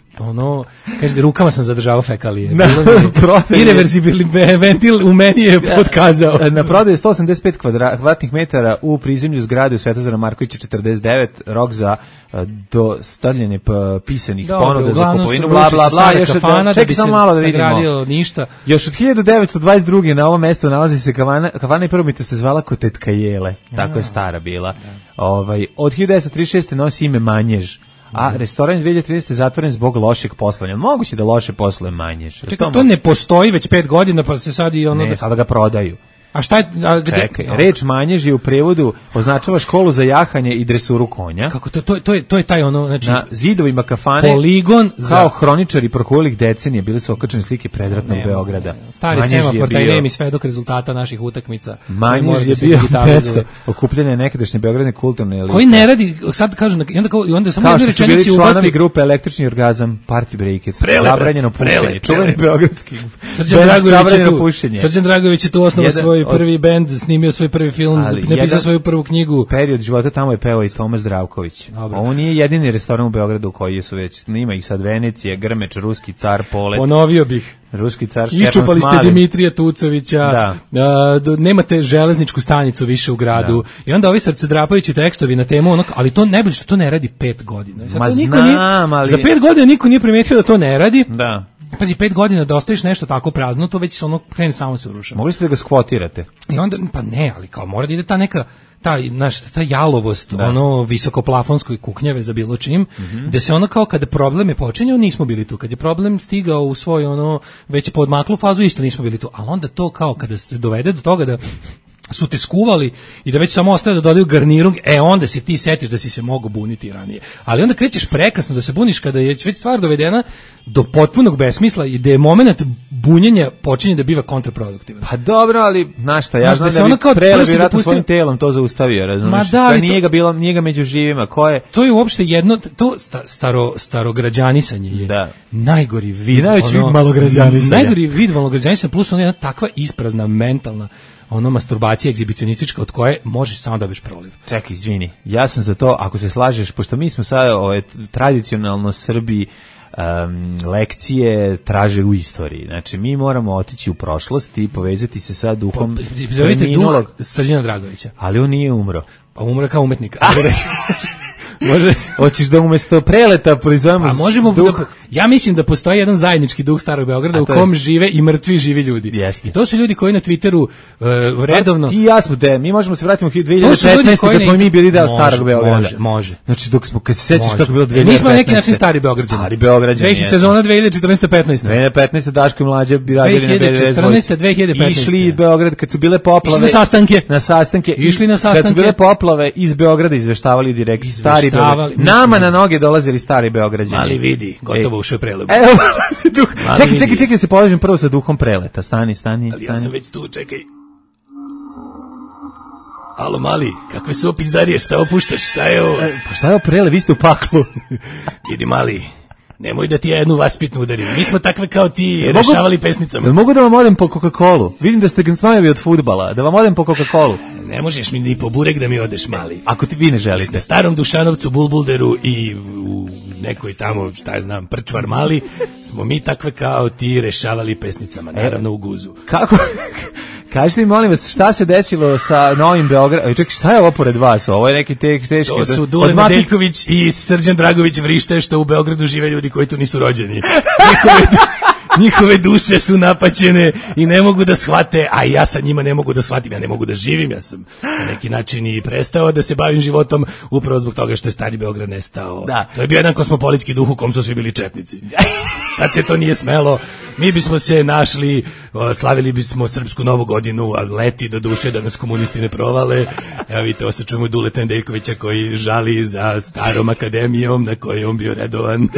kaže, rukama sam zadržavao fekalije. Irreverzibilni ventil u meni je podkazao. Na prodaju 185 kvadratnih metara u prizemlju zgrade u Svetozara Markovića 49, rok za dostavljanje pisanih ponuda za kupovinu, bla, bla, bla. Čekaj samo malo da vidimo. Ništa. Još od 1922. na ovom mjestu nalazi se kafana i prvobitno se zvala Kotetka Jele. Tako je stara bila. Od 1936. nosi ime Manjež. A restoran 2030. zatvoren zbog lošeg poslovanja. Moguće da loše posluje Manjež. Čekaj, to ne postoji već 5 godina, pa se sad i Ne, sada ga prodaju. A šta je... Čekaj, reč Manjež je u prevodu označava školu za jahanje i dresuru konja. Kako to je taj znači... Na zidovima kafane, poligon kao hroničari prokolih decenije, bili su okačene slike predratnog Beograda. Stari semafor, taj nemi svedok rezultata naših utakmica. Manjež je bio mesto okupljanja nekadašnje beogradne kulturne elite. Koji ne radi, sad kažu, i onda samo jednu rečenici ubati... članovi grupe Električni orgazam, Party Breakers, zabranjeno pušenje, čuveni beogradski, zabranjeno pušenje. Srđan Dragović je tu osnovao svoj prvi bend, snimio svoj prvi film, napisao svoju prvu knjigu. Period života tamo je pevao i Tomas Zdravković. Ovo nije jedini restoran u Beogradu koji su već, ima ih sad Venecija, Grmeč, Ruski car, Polet. Ponovio bih. Ruski car, iščupali ste Dimitrija Tucovića, nemate železničku stanicu više u gradu. I onda ovi srcedrapajući tekstovi na temu, ali to najbolje što to ne radi 5 godina. Za 5 godina niko nije primetio da to ne radi. Da. Pazi, 5 godina da ostaviš nešto tako prazno, to već krene samo se urušava. Mogli ste da ga skvotirate? I onda, pa ne, ali kao mora da ide ta neka, ta jalovost, visokoplafonskoj kuknjave za bilo čim, gde se kao kada problem je počinjao, nismo bili tu. Kad je problem stigao u svoj već podmaklu fazu, isto nismo bili tu. Ali onda to kao kada se dovede do toga da su te skuvali i da već samo ostaje da dodaju garnirung, onda se ti setiš da si se mogao buniti ranije. Ali onda krećeš prekasno da se buniš kada je već stvar dovedena do potpunog besmisla i da je moment bunjenja počinje da biva kontraproduktivan. Pa dobro, ali znaš šta, ja znam da bi Prele vjerojatno svojim telom to zaustavio, razumiješ? Da nije ga među živima, ko je? To je uopšte jedno, to starograđanisanje je najgori vid. I najveći vid malograđanisanja. Najgori vid malograđanisanja plus ona jedna takva isprazna mentalna masturbacija egzibicionistička od koje možeš samo da biš proliv. Čekaj, izvini, ja sam za to, ako se slažeš, pošto mi smo sad tradicionalno Srbi lekcije traže u istoriji. Znači, mi moramo otići u prošlost i povezati se sa duhom duh Srđana Dragovića. Ali on nije umro. Pa umro kao umetnik. Hoćeš da umesto Preleta proizvojimo duh? Ja mislim da postoji jedan zajednički duh Starog Beograda u kom žive i mrtvi živi ljudi. Jeste. I to su ljudi koji na Twitteru redovno... Ti i ja smo mi možemo se vratiti u 2015. kad smo mi bili deo Starog Beograda. Može. Znači, kad se sećaš kako je bilo 2015. Mi smo na neki način Stari Beograđani. Stari Beograđani. Sezona 2014-15. 2015. Daško i Mlađe bi radili na 2014-2015. Išli iz Beograda kad su bile poplave. Na sastanke. Išli na sastanke. Kad su bile poplave iz Beograda izveštavali direkt Stari Beograd. Nama na noge dolazili Stari Beograđani. Ali vidi, gotovo ušao Prelep. Evo, čekaj, da se povežem prvo sa duhom Preleta. Stani. Ali ja sam već tu, čekaj. Alo, mali, kakve su opizdarije, šta opuštaš, šta je ovo? Pa šta je ovo Prele, vi ste u paklu. Vidi, mali, nemoj da ti ja jednu vaspitnu udarim. Mi smo takve kao ti rešavali pesnicama. Mogu da vam odem po Coca-Colu? Vidim da ste gnsnojevi od fudbala. Da vam odem po Coca-Colu? Ne možeš mi ni po burek da mi odeš, mali. Ako vi ne želite. Na Starom Dušanovcu, Bulbulderu i u nekoj tamo, šta ja znam, Prčvar mali, smo mi takve kao ti rešavali pesnicama, naravno u guzu. Kako? Kažite mi, molim vas, šta se desilo sa Novim Beogradom? Čekaj, šta je ovo pored vas? Ovo je neki teški... To su Dule Nedeljković i Srđan Dragović vrište što u Beogradu žive ljudi koji tu nisu rođeni. Njihove duše su napaćene i ne mogu da shvate, a ja sa njima ne mogu da shvatim, ja ne mogu da živim, ja sam na neki način i prestao da se bavim životom upravo zbog toga što je Stari Beograd nestao. Da. To je bio jedan kosmopolitski duh u kom su svi bili četnici. Tad se to nije smelo, mi bismo se našli, slavili bismo Srpsku Novu godinu, a leti do duše da nas komunisti ne provale. Evo vidite, osjećamo Duleta Nedeljkovića koji žali za Starom akademijom na kojoj on bio redovan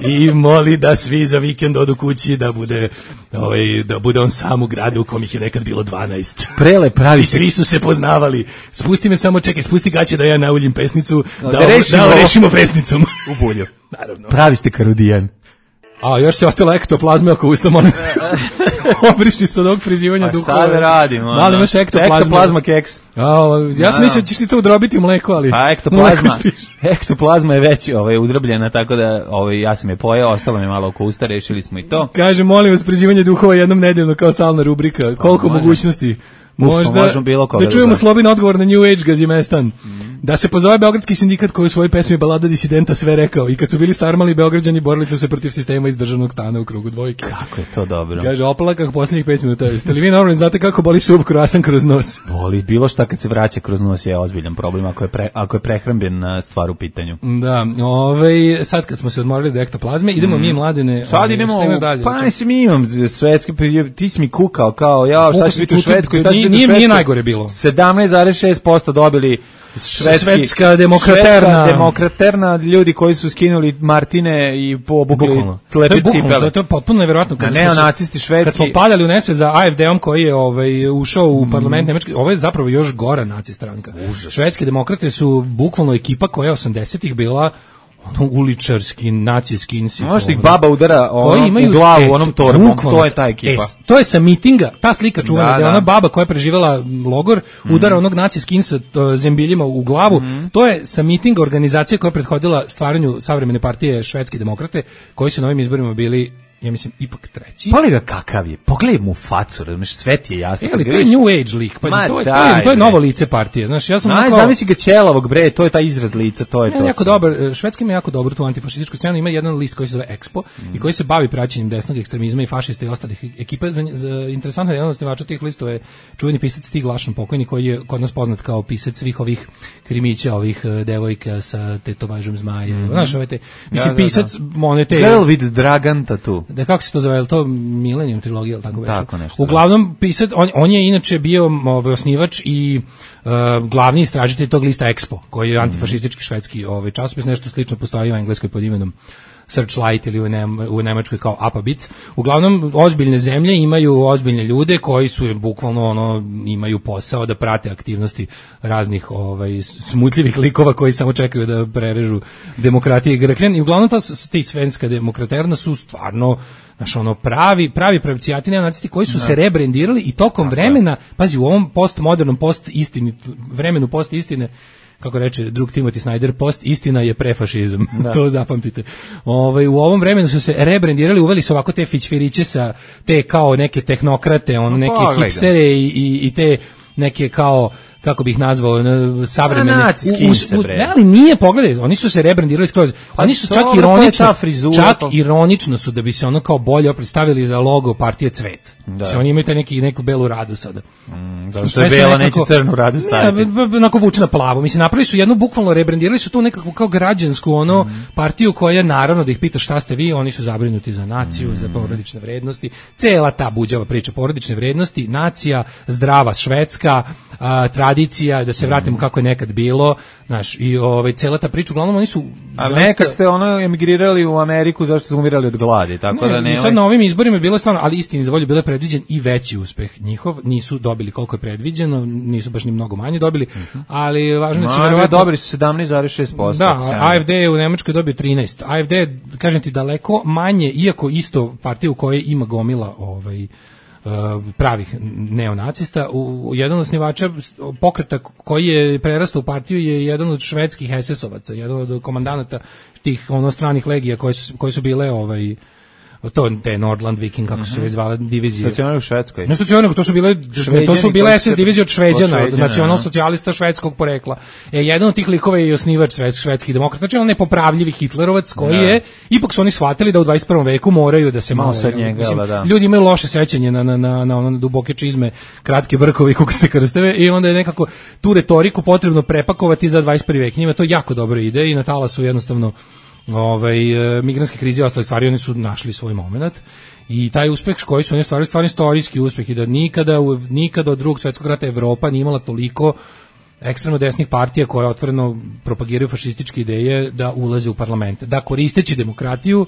i moli da svi za vikend odu kući, da bude on sam u gradu u kom ih je nekad bilo 12. Prele pravi. I svi su se poznavali. Spusti me samo, čekaj, spusti gaće da ja nauljim pesnicu, da rešimo pesnicom. U bulju. Naravno. Pravi ste Karudijan. A još se ostala ektoplazma oko usta, molim. Obriši se od ovog frizivanja duhova. Šta da radimo? Da li imaš ektoplazma keks? Ja sam mislio da ćeš ti to udrobiti u mleko, ali... A ektoplazma je već udrobljena, tako da ja sam je pojeo, ostalo mi malo oko usta, rešili smo i to. Kaže, molim vas, frizivanje duhova jednom nedeljno kao stalna rubrika. Koliko mogućnosti? Možda da čujemo Slobin odgovor na New Age Gazimestan. Da se pozove Beogradski sindikat koji u svojoj pesmi Balada disidenta sve rekao. I kad su bili starmali Beograđani borili su se protiv sistema iz državnog stana u krugu dvojke. Kako je to dobro. Kaže, opalakah posljednjih 5 minuta. Jeste li vi normalni, znate kako boli sub kruasan kroz nos? Boli, bilo šta kad se vraća kroz nos je ozbiljan problem ako je prehrambena stvar u pitanju. Da, sad kad smo se odmorili do ektoplazme, idemo mi Mladene. Sad idemo, mi imam svetski, ti si mi kukao kao, šta će biti u Švedskoj, nije najgore bilo. 17,6% dobili Švedska demokraterna ljudi koji su skinuli Martine i obukli lepe cipele. To je potpuno nevjerojatno. Neonacisti švedski. Kad smo padali u nesvest za AFD-om koji je ušao u parlament Nemačke, ovo je zapravo još gora naci stranka. Švedske demokrate su bukvalno ekipa koja je 80-ih bila uličarski, nacijski insip. Možda ih baba udara u glavu onom torbom, to je ta ekipa. To je sa mitinga, ta slika čuvena, da je ona baba koja je preživjela logor, udara onog nacijski insip zembiljima u glavu, to je sa mitinga organizacije koja je prethodila stvaranju savremene partije Švedske demokrate, koji su na ovim izborima bili, ja mislim, ipak treći. Pogledaj ga kakav je, pogledaj mu facu, razumiješ, sve ti je jasno. Ali to je New Age lik, pa to je novo lice partije. Znaš, ja sam zamisli ga ćelavog, bre, to je taj izraz lica, to je to. Jako dobar, Švedska ima jako dobru tu antifašističku scenu, ima jedan list koji se zove Expo i koji se bavi praćenjem desnog ekstremizma i fašista i ostalih ekipa. Interesantno je jedan od osnivača tih listova je čuveni pisac Stig Lašan pokojni, koji je kod nas poznat kao pisac svih ovih krimića, ovih devojka sa tetovažom zmaja. Znaš, mislim, pisac monete. Girl with Dragan tattoo. Da, kako se to zove, to Millennium trilogija, ili tako već? Tako nešto. Uglavnom, on je inače bio osnivač i glavni istražitelj tog lista Expo, koji je antifašistički švedski časopis, nešto slično postoji u engleskoj pod imenom Searchlight ili u Nemačkoj kao Apabits. Uglavnom, ozbiljne zemlje imaju ozbiljne ljude koji su bukvalno imaju posao da prate aktivnosti raznih smutljivih likova koji samo čekaju da prerežu demokratije i grkljan. I uglavnom ti svenska demokraterna su stvarno pravi pravcijati neonacisti koji su se rebrendirali i tokom vremena, pazi, u ovom postmodernom vremenu post-istine, kako reče drug Timothy Snyder, post-istina je prefašizam, to zapamtite. U ovom vremenu su se rebrendirali, uveli su ovako te fićfiriće sa te kao neke tehnokrate, neke hipstere i te neke kao, kako bih nazvao, savremene ali nije, pogledaj, oni su se rebrendirali skroz, oni su čak ironično su da bi se ono kao bolje predstavili za logo partije Cvet. Oni imaju neku belu radu sada. Da bela neće crnu radu staviti. Onako vuče na plavo. Mislim, napravili su jednu, bukvalno rebrendirali su tu nekakvu kao građansku partiju koja, naravno, da ih pita šta ste vi, oni su zabrinuti za naciju, za porodične vrednosti. Cela ta buđava priča, porodične vrednosti, nacija, zdrava Švedska, tradicija, da se vratimo kako je nekad bilo, znaš, i cela ta priča, uglavnom oni su... A nekad ste emigrirali u Ameriku zašto su umirali od gladi, tako da ne... I sad na ovim izborima je bilo stvarno, ali istini za volju bilo je predviđen i veći uspeh njihov, nisu dobili koliko je predviđeno, nisu baš ni mnogo manje dobili, ali važno da će verovatno... Dobili su 17,6%. Da, AFD je u Nemačkoj dobio 13. AFD je, kažem ti, daleko manje, iako isto partija u kojoj ima gomila pravih neonacista. Jedan od osnivača pokreta koji je prerastao u partiju je jedan od švedskih SS-ovaca, jedan od komandanata tih stranih legija koje su bile te Nordland Viking, kako su se već zvale divizije. Stacionari u Švedskoj. Ne stacionari, to su bile SS divizije od Šveđana, od nacionalsocijalista švedskog porekla. Jedan od tih likova je i osnivač švedskih demokrata, znači nepopravljivi Hitlerovac koji je, ipak su oni shvatili da u 21. veku moraju da se malo ljudi imaju loše sećanje na duboke čizme, kratke brkovi, kukaste krsteve, i onda je nekako tu retoriku potrebno prepakovati za 21. vek. Njima to jako dobro ide i na talasu jednostavno migrantske krize i ostale stvari, oni su našli svoj moment i taj uspeh koji su oni stvarno istorijski uspeh, i da nikada od Drugog svjetskog rata Evropa nije imala toliko ekstremno desnih partija koje otvoreno propagiraju fašističke ideje da ulaze u parlamente, da koristeći demokratiju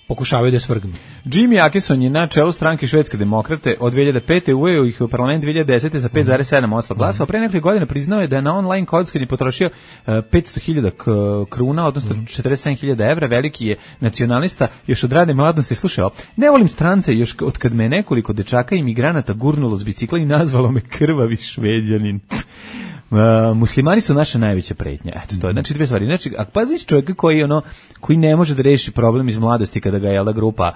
pokušavaju da je svrgnu. Jimmy Akison je na čelu stranke Švedske demokrate od 2005. uveo ih u parlament 2010. za 5,7% glasa, a pre nekoliko godina priznao je da je na online kockanju potrošio 500.000 kruna, odnosno 47.000 evra. Veliki je nacionalista još od rane mladosti. Slušao, ne volim strance još od kad me nekoliko dečaka i migranata gurnulo s bicikla i nazvalo me krvavi Šveđanin. Muslimani su naša najveća pretnja. Eto, to je, znači, dve stvari. Znači, a paziš čovjeka koji ne može da reši problem iz mladosti kada ga je grupa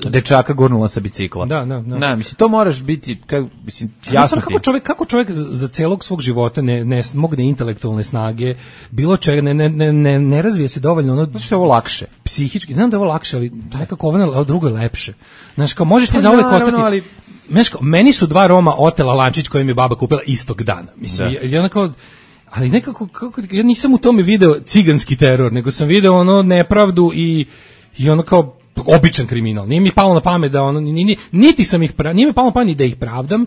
dečaka gurnula sa bicikla. Da, mislim, to moraš biti, jasno ti. Kako čovjek za celog svog života ne mogne intelektualne snage, bilo čega, ne razvije se dovoljno, znači, ovo lakše. Psihički, znam da je ovo lakše, ali nekako ovo drugo je lepše. Znači, kao, možeš ti za uvek ostati... Meni su 2 Roma otela lančić koji mi je baba kupila istog dana. Mislim, ali nekako, ja nisam u tome video ciganski teror, nego sam video nepravdu i kao običan kriminal. Nije mi palo na pamet da niti sam ih nije mi palo na pamet da ih pravdam,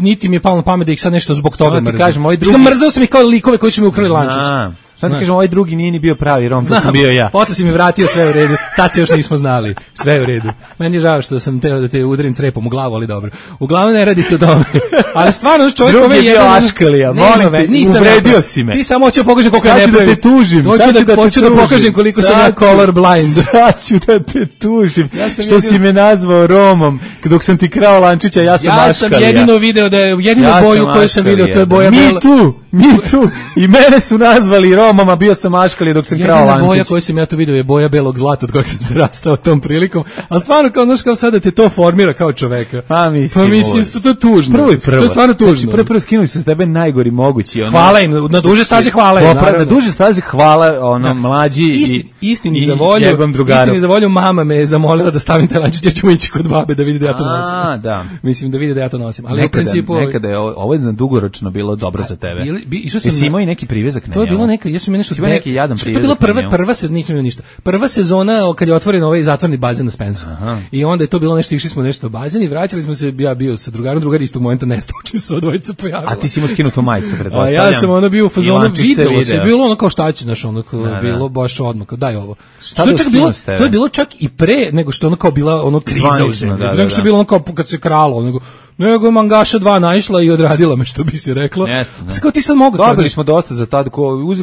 niti mi je palo na pamet da ih sad nešto zbog toga mrzim. Mrzao sam ih kao likove koji su mi ukrali lančić. Sad ti kažem, ovaj drugi nije ni bio pravi Rom, to sam bio ja. Posle si mi vratio, sve u redu. Tad se još nismo znali. Sve u redu. Meni je žao što sam teo da te udarim crepom u glavu, ali dobro. Uglavnom ne radi se o tome. Ali stvarno čovjek drugi je bio Aškalija. Uvredio si me. Ti samo hoću da pokažem koliko ja ne pravim. Hoću da pokažem koliko sam ja color blind. Sad ću da te tužim. Što si me nazvao Romom, dok sam ti krao lančića, ja sam Aškalija. Ja sam jedino video da je jedinu boju koju sam video, to je boja bela. Mi tu. I mene su nazvali Romama, bio sam Aškalija dok sam krao lančić. Jedina boja koju sam ja tu vidio je boja belog zlata od kojeg sam se rastao tom prilikom. A stvarno, kao, znaš, kao sada te to formira kao čoveka. Pa mislim, to je tužno. Prvo. To je stvarno tužno. Znači, prvo skinuli su s tebe najgori mogući. Hvala im, na duže staze hvala im. Na duže staze hvala mlađi istini za volju mama me je zamolila da stavim taj lančić, jer ćemo ići kod babe da vidi da ja to nosim. Da. Mislim da vidi da ja to nosim. Ali u principu... Nekada je ovo dugoročno bilo dobro za tebe. išao sam. Jesi imao i neki privezak na njemu? To je bilo neka, ja sam imao nešto. Ima neki jadan privezak. To je bila prva se nisam imao ništa. Prva sezona kad je otvoren ovaj zatvoreni bazen na Spensu. I onda je to bilo nešto, išli smo nešto u bazen i vraćali smo se, ja bio sa drugarom, drugar istog momenta nestao, čim se dvojica pojavila. A ti si imao skinutu majicu, pretpostavljam. Ja sam ono bio u fazonu, videlo se, bilo ono kao šta će, znaš, ono bilo baš odmah, daj ovo. To je bilo čak i pre nego što ono kao bila ono kriza u zemlji. Nego što je bilo ono kao kad se kralo, nego je Mangaša 2 naišla i odradila me, što bi se reklo. Kao ti sad mogu. Dobili smo dosta za tad,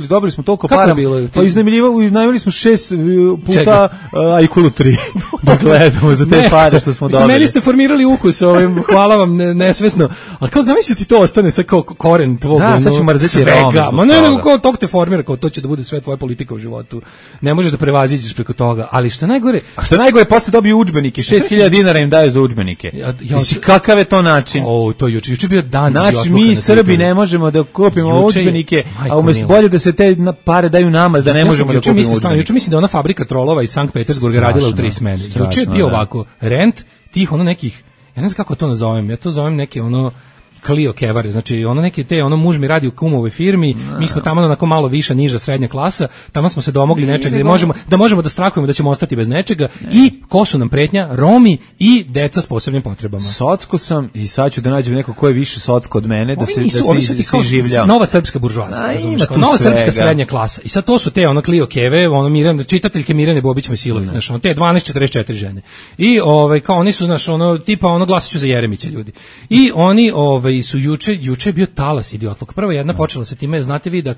dobili smo toliko para. Pa iznajmili smo 6 puta Aikulu 3. Da gledamo za te pare što smo dobili. Meni ste formirali ukus, hvala vam nesvesno. Ali kao zamisliti to ostane sa kao koren tvog svega. Da, sad ću mrzeti Roma. Ma ne, nego kao tog te formira, kao to će da bude sve tvoja politika u životu. Ne možeš da prevaziđeš preko toga. Ali što najgore... A što najgore, posle dobiju udžbenike. 6.000 dinara im daju za udžbenike. Mislim, kakav je to način? To juče bio dan. Znači, mi Srbi ne možemo da kupimo udžbenike, a umesto bolje da se te pare daju nama, da ne možemo da kupimo udžbenike. Juče mislim da ona fabrika trolova iz Sankt Petersburga radila u 3 smene. Juče je bio ovako, rent tih ono nekih, ja ne znam kako to nazovem, ja to zovem neke ono Clio kevare, znači ono neke te, ono muž mi radi u kumovoj firmi, mi smo tamo onako malo viša, niža, srednja klasa, tamo smo se domogli nečega da možemo da strahujemo da ćemo ostati bez nečega i ko su nam pretnja? Romi i deca s posebnim potrebama. Socko sam i sad ću da nađem neko ko je više socko od mene, da se življam. Nova srpska buržoazija, nova srpska srednja klasa. I sad to su te ono Clio keve, ono Mirjana, čitateljke Mirjane Bobić Mojsilović, znači ono te 12:44 žene. I kao oni su, znači ono tipa ono glasaću za Jeremića ljudi. I oni su juče je bio talas idiotluk. Prvo jedna počela se time, znate vi da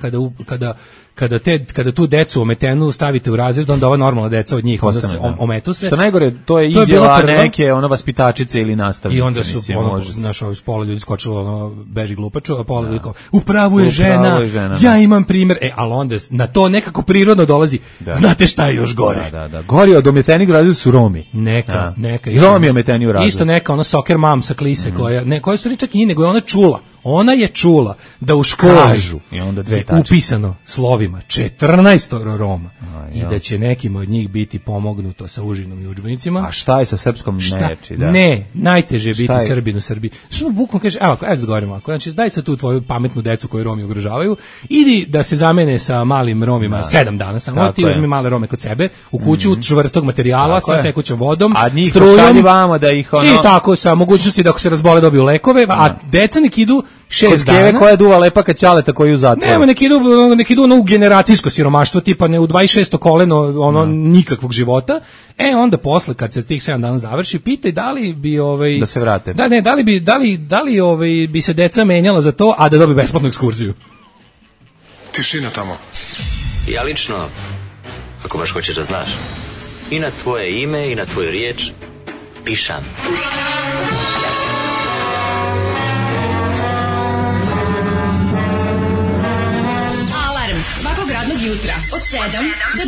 kada tu decu ometenu stavite u razred, onda ova normalna deca od njih onda se ometu se. Što najgore, to je izjava neke vaspitačice ili nastavnice. I onda su naš pola ljudi skočilo beži glupaču, a pola ljudi kao upravo je žena, ja imam primjer. Ali onda na to nekako prirodno dolazi. Znate šta je još gore? Da. Gori od ometenih u razredu su Romi. Neka. Romi ometeni u razredu. Isto neka soccer mom sa klise koja su čak i nego je ona čula. Ona je čula da u školi je upisano slovima 14 Roma i da će nekim od njih biti pomognuto sa užinom i udžbenicima. A šta je sa srpskom neči? Da. Ne, najteže je biti Srbin u Srbiji. Što bukvalno kaže, evo zgovorimo ako, znači daj sad tu tvoju pametnu decu koju Romi ugrožavaju, idi da se zamene sa malim Romima 7 dana samo, ti uzmi male Rome kod sebe, u kuću čvrstog materijala sa tekućom vodom, strujom, da ih i tako sa mogućnosti da ako se razbole dobiju lekove, a deca nek idu 6 dana. Koja duva lepa kad ćaleta koji u zatvoru. Nema, nek idu u generacijsko siromaštvo, tipa ne u 26. koleno nikakvog života. Onda posle kad se tih 7 dana završi, pitaj da li bi da se vrate. Da li bi se deca menjala za to, a da dobi besplatnu ekskurziju. Tišina tamo. Ja lično, ako baš hoćeš da znaš, i na tvoje ime i na tvoju riječ pišam. Svakog radnog jutra od 7 do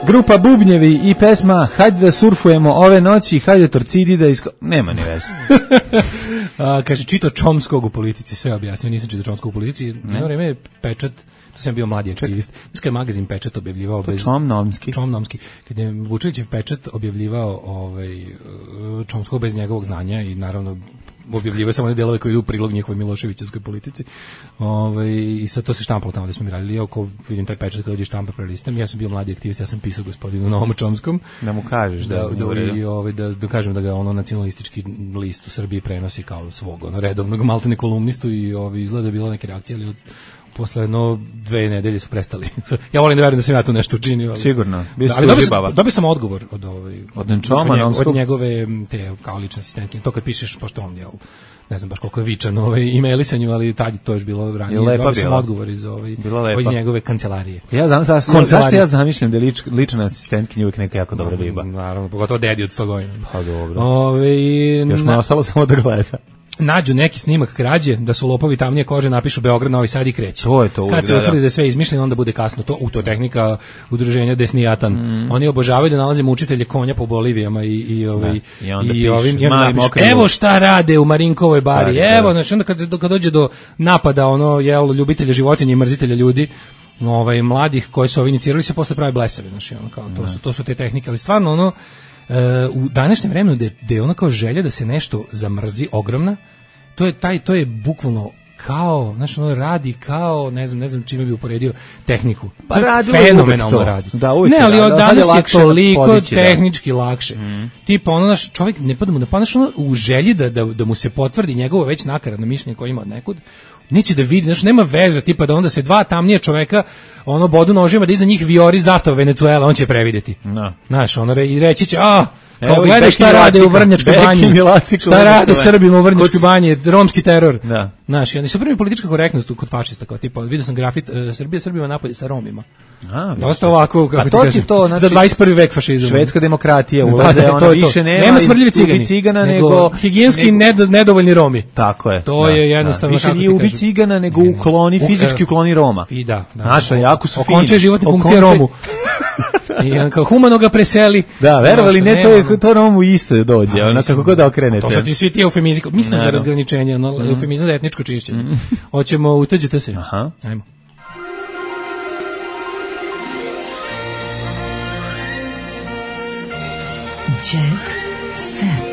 10. Grupa Bubnjevi i pesma Hajde da surfujemo ove noći, hajde torcidi da nema ni veze. Kaže, čito Čomskog u politici, sve objasnio, nisam čito Čomskog u politici. Jedno vreme je Pečat, to sam bio mladi aktivist, znači je magazin Pečat objavljivao Čomnomski. Kad je Vučilićev Pečat objavljivao Čomskog bez njegovog znanja i naravno objavljivaju samo one delove koji idu u prilog njihovoj Miloševićevskoj politici. I sad to se štampalo tamo da smo mi radili. Ja ako vidim taj Pečat kada dođe štampa prelistam, ja sam bio mladi aktivist, ja sam pisao gospodinu Novom Čomskom. Da mu kažeš da kažem da ga nacionalistički list u Srbiji prenosi kao svog redovnog maltene kolumnistu i izgleda je bila neke reakcije, ali posle 2 nedelje su prestali. Ja volim da verujem da sam ja tu nešto učinio. Sigurno. Dobio sam odgovor od njegove te kao lične asistentke. To kad pišeš, pošto on ne znam baš koliko je vičan e-mailisanju, ali tad to je bilo ranije. Dobio sam odgovor iz njegove kancelarije. Zašto ja zamišljam da je lična asistentkinja uvijek neka jako dobra riba? Naravno, pogotovo dedi od 100 godina. Pa dobro. Još mu je ostalo samo da gleda. Nađu neki snimak krađe, da su lopovi tamnije kože, napišu Beograd, Novi Sad i kreće. To je to. Kad se utvrdi da je sve izmišljeno, onda bude kasno. To je tehnika udruženja Desnijatan. Oni obožavaju da nalazimo učitelje konja po Bolivijama i evo šta rade u Marinkovoj bari. Evo, znači onda kad dođe do napada ljubitelja životinja i mrzitelja ljudi, mladih koji su inicirali se posle pravi blesavi, znači to su te tehnike, ali stvarno u današnjem vremenu gde je ono kao želja da se nešto zamrzi ogromna, to je bukvalno kao, znači ono radi kao, ne znam čime bi uporedio tehniku. Pa radi fenomenalno radi. Da, uvijek ne, ali radi. danas je toliko tehnički lakše. Tipa ono naš čovjek ne pada mu na pamet, ono u želji da mu se potvrdi njegovo već nakaradno mišljenje koje ima od nekud. Neće da vidi, znači nema veze, tipa da onda se dva tamnije čoveka ono bodu nožima da iza njih vijori zastava Venecuela, on će prevideti. No. Znaš, ono i reći će, kao gledaj šta rade u Vrnjačkoj banji, šta rade Srbima u Vrnjačkoj banji, romski teror. Da. Znaš, oni su prvi politička korektnost kod fašista, kao tipa, vidio sam grafit Srbima napolje sa Romima. Dosta ovako, kako ti kažem, znači, za 21. vek fašizam. Švedska demokratija ulaze, ona više nema smrdljivi cigana, nego higijenski nedovoljni Romi. Tako je. To je jednostavno, više nije ubi cigana, nego fizički ukloni Roma. I da. Naša, jako su fini. Okonče životne funkcije Romu. I kao humano ga preseli. Da, verovali ne, to Romu isto dođe, ono kako god okrenete. To su ti svi ti eufemizmi. Mi smo za razgraničenje, eufemizam za etničko čišćenje. Hoćemo, utađete se. Aha. Ajmo. Jet set.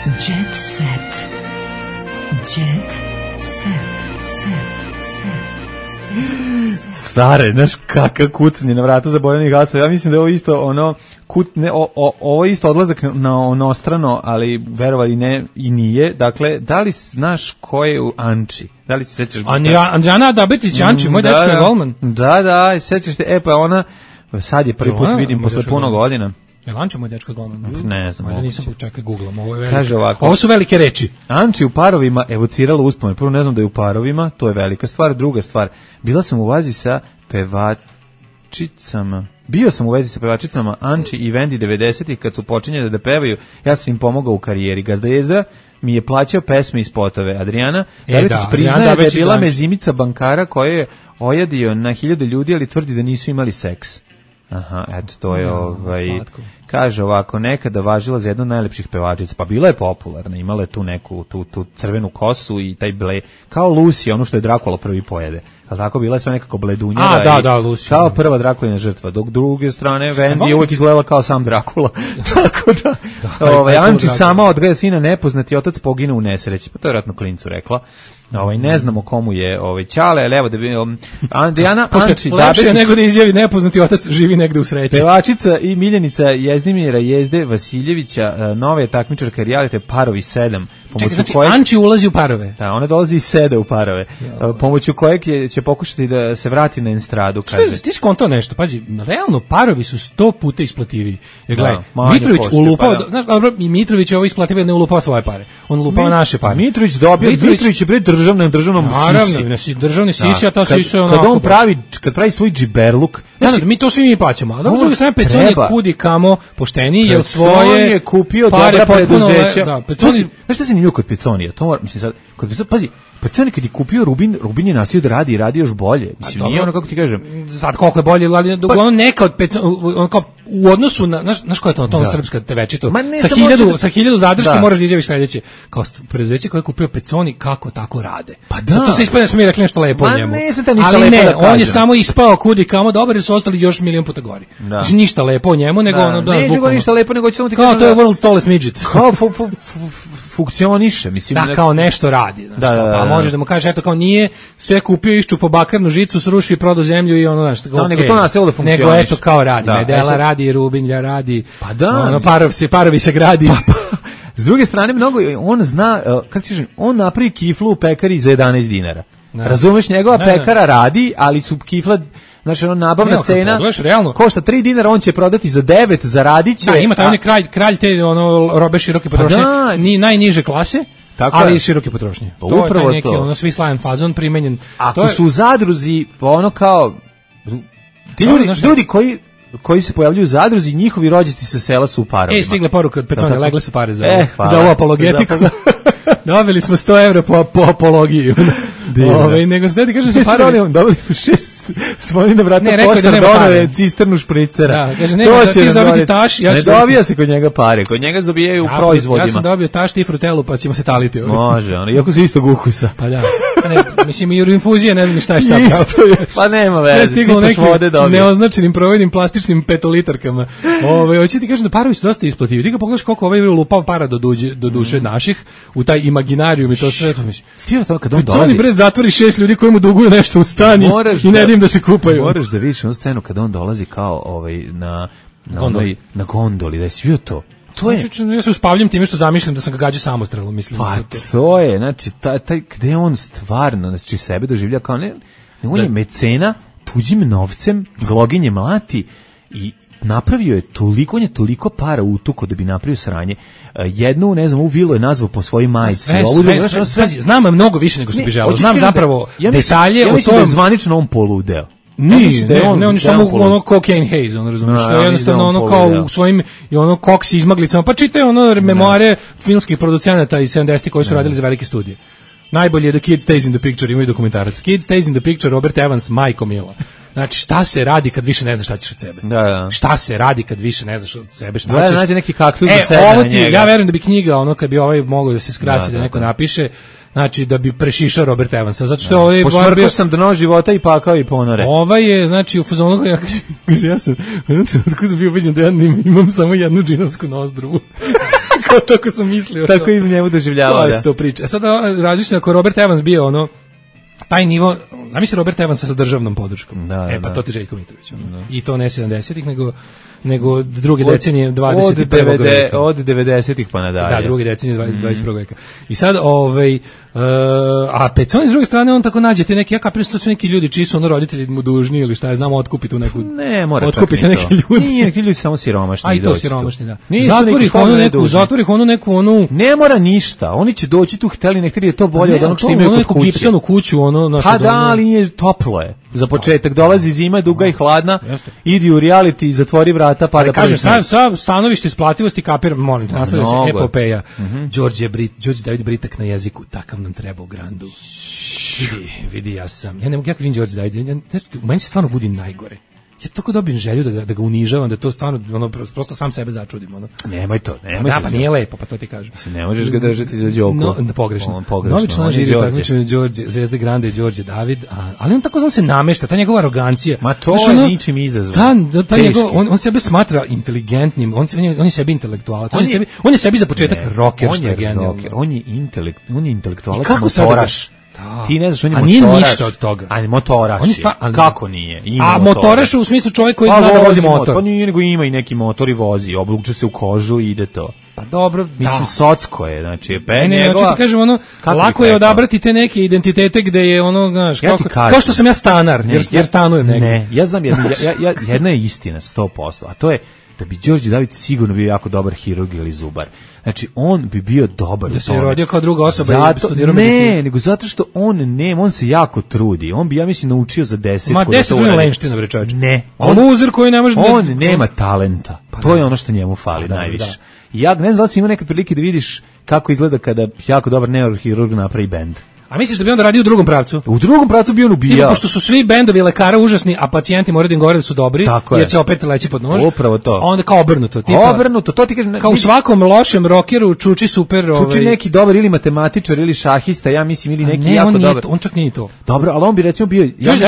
Jet set. Jet set. Care, znaš kakav kucanje na vrata zaboravljenih gasova. Ja mislim da je ovo isto ono ovo je isto odlazak na onostrano, ali verovali ne i nije. Dakle, da li znaš ko je u Anči? Da li se sećaš? Andrijana Dabetić, Anči, moj dečko je golman. Da, sećaš te, pa ona sad je prvi put vidim posle puno godina. Je Anči moj dečko golman? Ne znam. Ajde, nisam čekaj googlam. Kaže ovako. Ovo su velike reči. Anči u parovima evocirala uspomene. Prvo ne znam da je u parovima, to je velika stvar. Druga stvar, bila sam u vezi sa pevačicama. Bio sam u vezi sa pevačicama Anči i Vendi 90-ih kad su počinjeli da pevaju. Ja sam im pomogao u karijeri. Gazda Jezda mi je plaćao pesme i spotove. Adriana Dabetić priznaje da je bila mezimica bankara koja je ojadio na 1000 ljudi, ali tvrdi da nisu imali seks. Aha, eto, to je kaže ovako, nekada važila za jednu od najlepših pevačica, pa bila je popularna, imala je tu neku, tu crvenu kosu i taj kao Lucy, ono što je Drakula prvi pojede. Ali tako bila je sve nekako bledunjava. Da, Lucy. Kao prva Drakulina žrtva, dok druge strane Vendi je uvijek izgledala kao sam Drakula. Tako da Anči sama odgaja sina, nepoznati otac pogine u nesreći. Pa to je vjerojatno klincu rekla. Ne znamo komu je Ćale, ali evo da bi Andrijana Anči lepše nego da izjavi nepoznati otac živi negde u sreći. Pevačica i miljenica Jezdimira Jezde Vasiljevića, nova je takmičarka realite Parovi 7. Znači Anči ulazi u parove. Da, ona dolazi i sede u parove. Pomoću kojeg će pokušati da se vrati na estradu, kaže. Ti skontao nešto, pazi, realno parovi su 100 puta isplativiji. Jer gledaj, Mitrović ulupao, i Mitrović je ovo isplativio, ne ulupao svoje pare. On ulupao naše pare. Mitrović je pred državnom sisi. Državni sisi, a ta sisi je onako. Kad pravi svoj džiberluk. Znači, mi to svi mi plaćamo. A dobro, sve Pecon je kudi kamo pošteniji, jer svoje je kupio dobra preduzeća. Znaš šta se njima kod Peconija? To mislim sad, kod Peconija, pazi, Peconi kad je kupio Rubin je nastavio da radi i radi još bolje. Mislim, nije ono kako ti kažem. Sad koliko je bolje, ali ono neka od Pecona, kao u odnosu na, znaš koja je to srpska tevečito, sa 1000 zadrške moraš da izjaviš sledeće. Kao preduzeće koje je kupio Peconi, kako tako rade. Pa da. To se ispada da smo mi rekli nešto lepo o njemu. Ali ne, on je samo ispao kudi kamo dobar jer su ostali još milion puta gori. Znači ništa lepo o njemu, nego ono ne nego ništa lepo, nego će samo ti kažem. Kao to je world tallest midget. Kao funkcioniše, mislim. Da, kao nešto radi. Pa možeš da mu kažeš, eto kao nije sve kupio, iščupo bakarnu žicu, srušio i prodao zemlju i ono, znaš, okay. Nego to nastavilo da funkcioniše. Nego eto kao radi, Medela radi, Rubinja radi, pa da, ono, parovi se gradi. S druge strane, mnogo, on zna, kako ti kažem, on napravi kiflu u pekari za 11 dinara. Razumeš, njegova pekara radi, ali su kifla, znači ono nabavna cena košta 3 dinara, on će prodati za 9, zaradit će. Da, ima taj kralj te ono robe široke potrošnje, najniže klase. Tako ali i široke potrošnje. Pa to je taj neki ono svislajan fazon primenjen. Ako su u zadruzi, ono kao ti ljudi koji se pojavljuju u zadruzi, njihovi rođaci sa sela su u parovima. Stigle poruka od Pecone, legle su pare za ovu apologetiku. Dobili smo 100 € po apologiju. Nego sve ti kažem su parovi. Dobili smo 6, smo oni da vrata poštar donove cisternu špricera. Da, kaže, nema, ti dobiti taš. Ne dobija se kod njega pare, kod njega se dobijaju u proizvodima. Ja sam dobio taš ti frutelu, pa ćemo se taliti. Može, iako su istog ukusa. Pa da. Mislim, i infuzija, ne znam šta je šta. Isto je, pa nema veze, sipaš vode dobije. Neoznačenim provojnim plastičnim petolitarkama. Hoće ti kažem da parovi su dosta isplativi. Ti ga pogledaš koliko ovaj lupao para do duše naših, u taj imaginarijum i to sve. Stira to kad on dolazi. Oni bre zatvori 6 ljudi koji mu duguju nešto u stani i ne dim da se kupaju. Moraš da vidiš onu scenu kad on dolazi kao na gondoli, da je svio to. To je, ja se uspavljam time što zamišljam da sam ga gađao samostrelom, mislim. Pa to je, znači, taj gde on stvarno, znači, sebe doživlja kao on je mecena, tuđim novcem, gloginje mlati i napravio je toliko, on je toliko para utuko da bi napravio sranje. Jednu, ne znam, u vilu je nazvao po svojoj majici. Sve, znam mnogo više nego što bi želeo. Znam zapravo detalje o tom. Ja mislim da je zvanično on poludeo. Ne, on je samo ono cocaine haze, ono razumiješ, što je jednostavno ono kao u svojim i ono koksi izmaglicama, pa čitaj ono memoare filmskih producenata iz 70-ih koji su radili za velike studije. Najbolje je da Kid Stays in the Picture, imaju dokumentarac. Kid Stays in the Picture, Robert Evans, majko mila. Znači, šta se radi kad više ne znaš šta ćeš od sebe? Da. Šta se radi kad više ne znaš od sebe? Šta ćeš? Nađe neki kaktus za sebe na njega. Ja verujem da bi knjiga, ono, kad bi ovaj mogao da se skrasi, da neko napiše, znači da bi prešišao Robert Evansa, zato što ovaj pošvrkao sam do novog života i pakao i ponore. Ovaj je, znači, u fazonu, ja sam bio ubeđen da ja imam samo jednu džinovsku nozdruvu. Kao tako sam mislio. Tako i njemu doživljavao, da. To priča. Sad različno, ako Robert Evans bio ono, taj nivo, zamisli Robert Evansa sa državnom podrškom. Pa to ti Željko Mitrović. I to ne 70-ih, nego druge decenije 21. veka. Od 90-ih pa nadalje. Da, druge decenije 21. veka. I sad, a pet s druge strane, on tako nađe te neki, ja kapiram što su neki ljudi čiji su ono roditelji mu dužni ili šta je, znamo, otkupiti u neku... Ne, mora otkupiti neki ljudi. Nije, neki ljudi samo siromašni. A i to siromašni, da. Zatvori ih onu neku... Ne mora ništa, oni će doći tu, hteli, nekada je to bolje od onog što imaju kod kuće. Gipsonu kuću, ono... Pa da, ali nije toplo je. Za početak, dolazi zima, duga i hladna, idi u reality i zatvori vrata, pa da kažem, sa stanovište isplativosti kapiram, molim te, nastavlja se epopeja. Đorđe David Britak na jeziku, takav nam treba u Grandu. Vidi, ja ne mogu, ja kad vidim Đorđe David, meni se stvarno budi najgore. Ja tako dobijem želju da ga unižavam, da to stvarno, ono, prosto sam sebe začudim, ono. Nemoj to. Da, pa nije lepo, pa to ti kažem. Ne možeš ga držati za Đoko. Pogrešno. Novi član žiri takmičenja Đorđe, Zvezde Grande i Đorđe David, ali on tako se namešta, ta njegova arogancija. Ma to je ničim izazvan. On sebe smatra inteligentnim, on je sebi intelektualac, on je sebi za početak rocker, što je genijalno. On je intelektualac, motoraš. Ti ne znaš, on je motoraš. A nije ništa od toga. Ali motoraš je. Kako nije? A motoraš u smislu čovjek koji zna da vozi motor. Pa nije, nego ima i neki motor i vozi, obluče se u kožu i ide to. Pa dobro, mislim, socko je, znači, znači ti kažem, ono, lako je odabrati te neke identitete gde je ono, znaš, kao što sam ja stanar, jer stanujem negdje. Ne, ja znam, jedna je istina, 100%, a to je da bi Đorđe David sigurno bio jako dobar hirurg ili zubar. Znači, on bi bio dobar. Da se je rodio kao druga osoba i studirao medicinu. Ne, nego zato što on se jako trudi. On bi, ja mislim, naučio za 10. Ma 10 godina lenština, bre čovječe. Ne. On uzor koji ne može... On nema talenta. To je ono što njemu fali najviše. Ja ne znam da li si imao nekad prilike da vidiš kako izgleda kada jako dobar neurohirurg napravi bend. A misliš da bi onda radio u drugom pravcu? U drugom pravcu bi on ubijao. Pošto su svi bendovi lekara užasni, a pacijenti moraju da im govore da su dobri, jer će opet leći pod nož. Upravo to. Onda kao obrnuto. Obrnuto, to ti kažem. Kao u svakom lošem rockeru čuči super... Čuči neki dobar ili matematičar ili šahista, ja mislim, ili neki jako dobar. On čak nije to. Dobro, ali on bi recimo bio...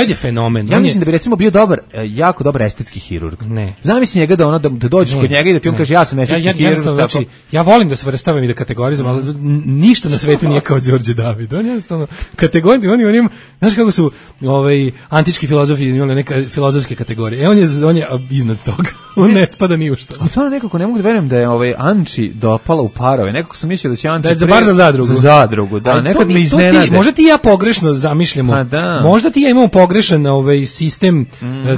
je fenomen. Ja mislim da bi recimo bio dobar, jako dobar estetski hirurg. Ne. Zamisli njega da dođeš kod njega i da ti on kaže ja sam estetski hirurg. Znači, ja volim da se vrstavam i da kategorizujem, ali ništa na svetu nije kao Đorđe David. On jednostavno oni znaš kako su antički filozofi imali neke filozofske kategorije. On je iznad toga. On ne spada ni u što. A stvarno nekako ne mogu da verujem da je Anči dopala u parove. Nekako sam mislio da će Anči bar za zadrugu. Za zadrugu, da. Nekad me iznenade. Možda ti ja pogrešno zamišljamo. Možda ti ja imamo pogrešan sistem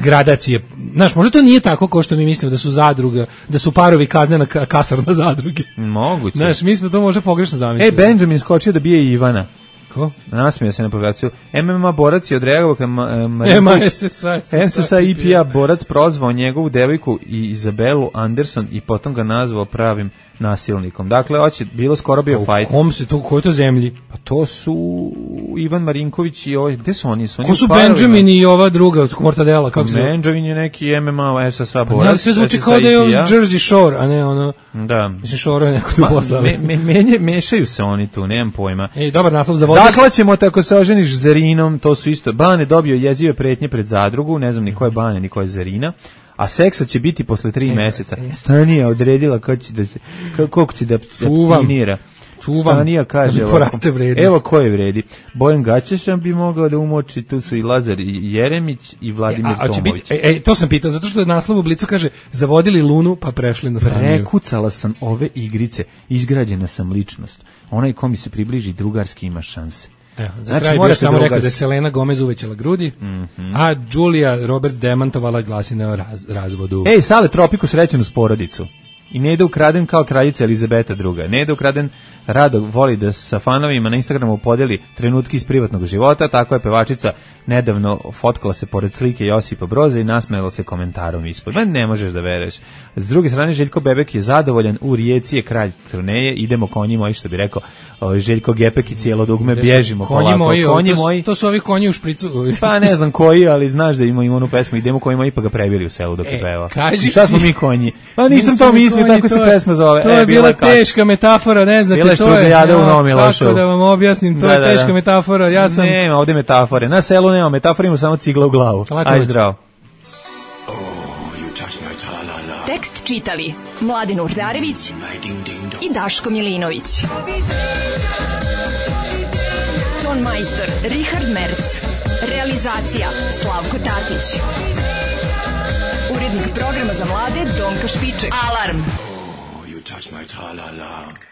gradacije. Znaš, možda to nije tako kao što mi mislimo da su zadruga, da su parovi kaznena kasarna zadruge. Moguće. Znaš, mi smo to možda pogrešno zamislili. Benjamin skočio da bije Ivana. Ko? Nasmio se na provokaciju. MMA borac je odreagovao kad SSA IPA borac prozvao njegovu devojku i Izabelu Anderson i potom ga nazvao pravim nasilnikom. Dakle, bilo skoro bio fajt. U kojoj to zemlji? Pa to su Ivan Marinković i ovaj, gde su oni? Ko su Benjamin i ova druga od Mortadela, kako se zove? Benjamin je neki MMA SSA borac. Ne, sve zvuči kao da je Jersey Shore, a ne ono... Da. Mislim, Shore je neko tu poslao. Mešaju se oni tu, nemam pojma. Dobar naslov za vode. Zaklaćemo te ako se oženiš Zarinom, to su isto. Bane dobio jezive pretnje pred zadrugu, ne znam ni ko je Bane, ni ko je Zarina. A seksa će biti posle 3 meseca. Stanija odredila koliko će da abstinira. Stanija kaže evo ko je vredi. Bojan Gaćešan bi mogao da umoči, tu su i Lazar Jeremić i Vladimir Tomović. To sam pitao, zato što je naslov u Blicu kaže zavodili Lunu pa prešli na Staniju. Prekucala sam ove igrice, izgrađena sam ličnost. Onaj ko mi se približi drugarski ima šanse. Za kraj bih samo rekao da je Selena Gomez uvećala grudi, a Julia Robert demantovala glasine o razvodu. Sale Tropiku srećenu s porodicu. I ne ide ukraden kao kraljica Elizabeta II. Ne ide ukraden, rado voli da sa fanovima na Instagramu podeli trenutke iz privatnog života, tako je pevačica nedavno fotkala se pored slike Josipa Broza i nasmejala se komentarom ispod. Ne možeš da veruješ. S druge strane, Željko Bebek je zadovoljan, u Rijeci je kralj turneje, idemo konji moji, što bi rekao Željko Gepek i cijelo dugme, bježimo polako. Konji moji, to su ovi konji u špricu. Pa ne znam koji, ali znaš da ima onu pesmu, idemo konji moji, pa ga prebili u selu dok je peva. Šta smo mi konji? Pa nisam to mislio, tako se pesma zove. To je bila teška metafora, ne znate, to je. Kako da vam objasnim, to je teška metafora. Ja sam... Nema ovde metafore. Na selu nema metafora, ima samo cigla u glavu. Aj zdravo. Tekst čitali Mladin Urdarević i Daško Milinović. Ton majstor Richard Merc. Realizacija Slavko Tatić. Urednik programa za mlade Donka Špiček. Alarm! You touch my tra-la-la.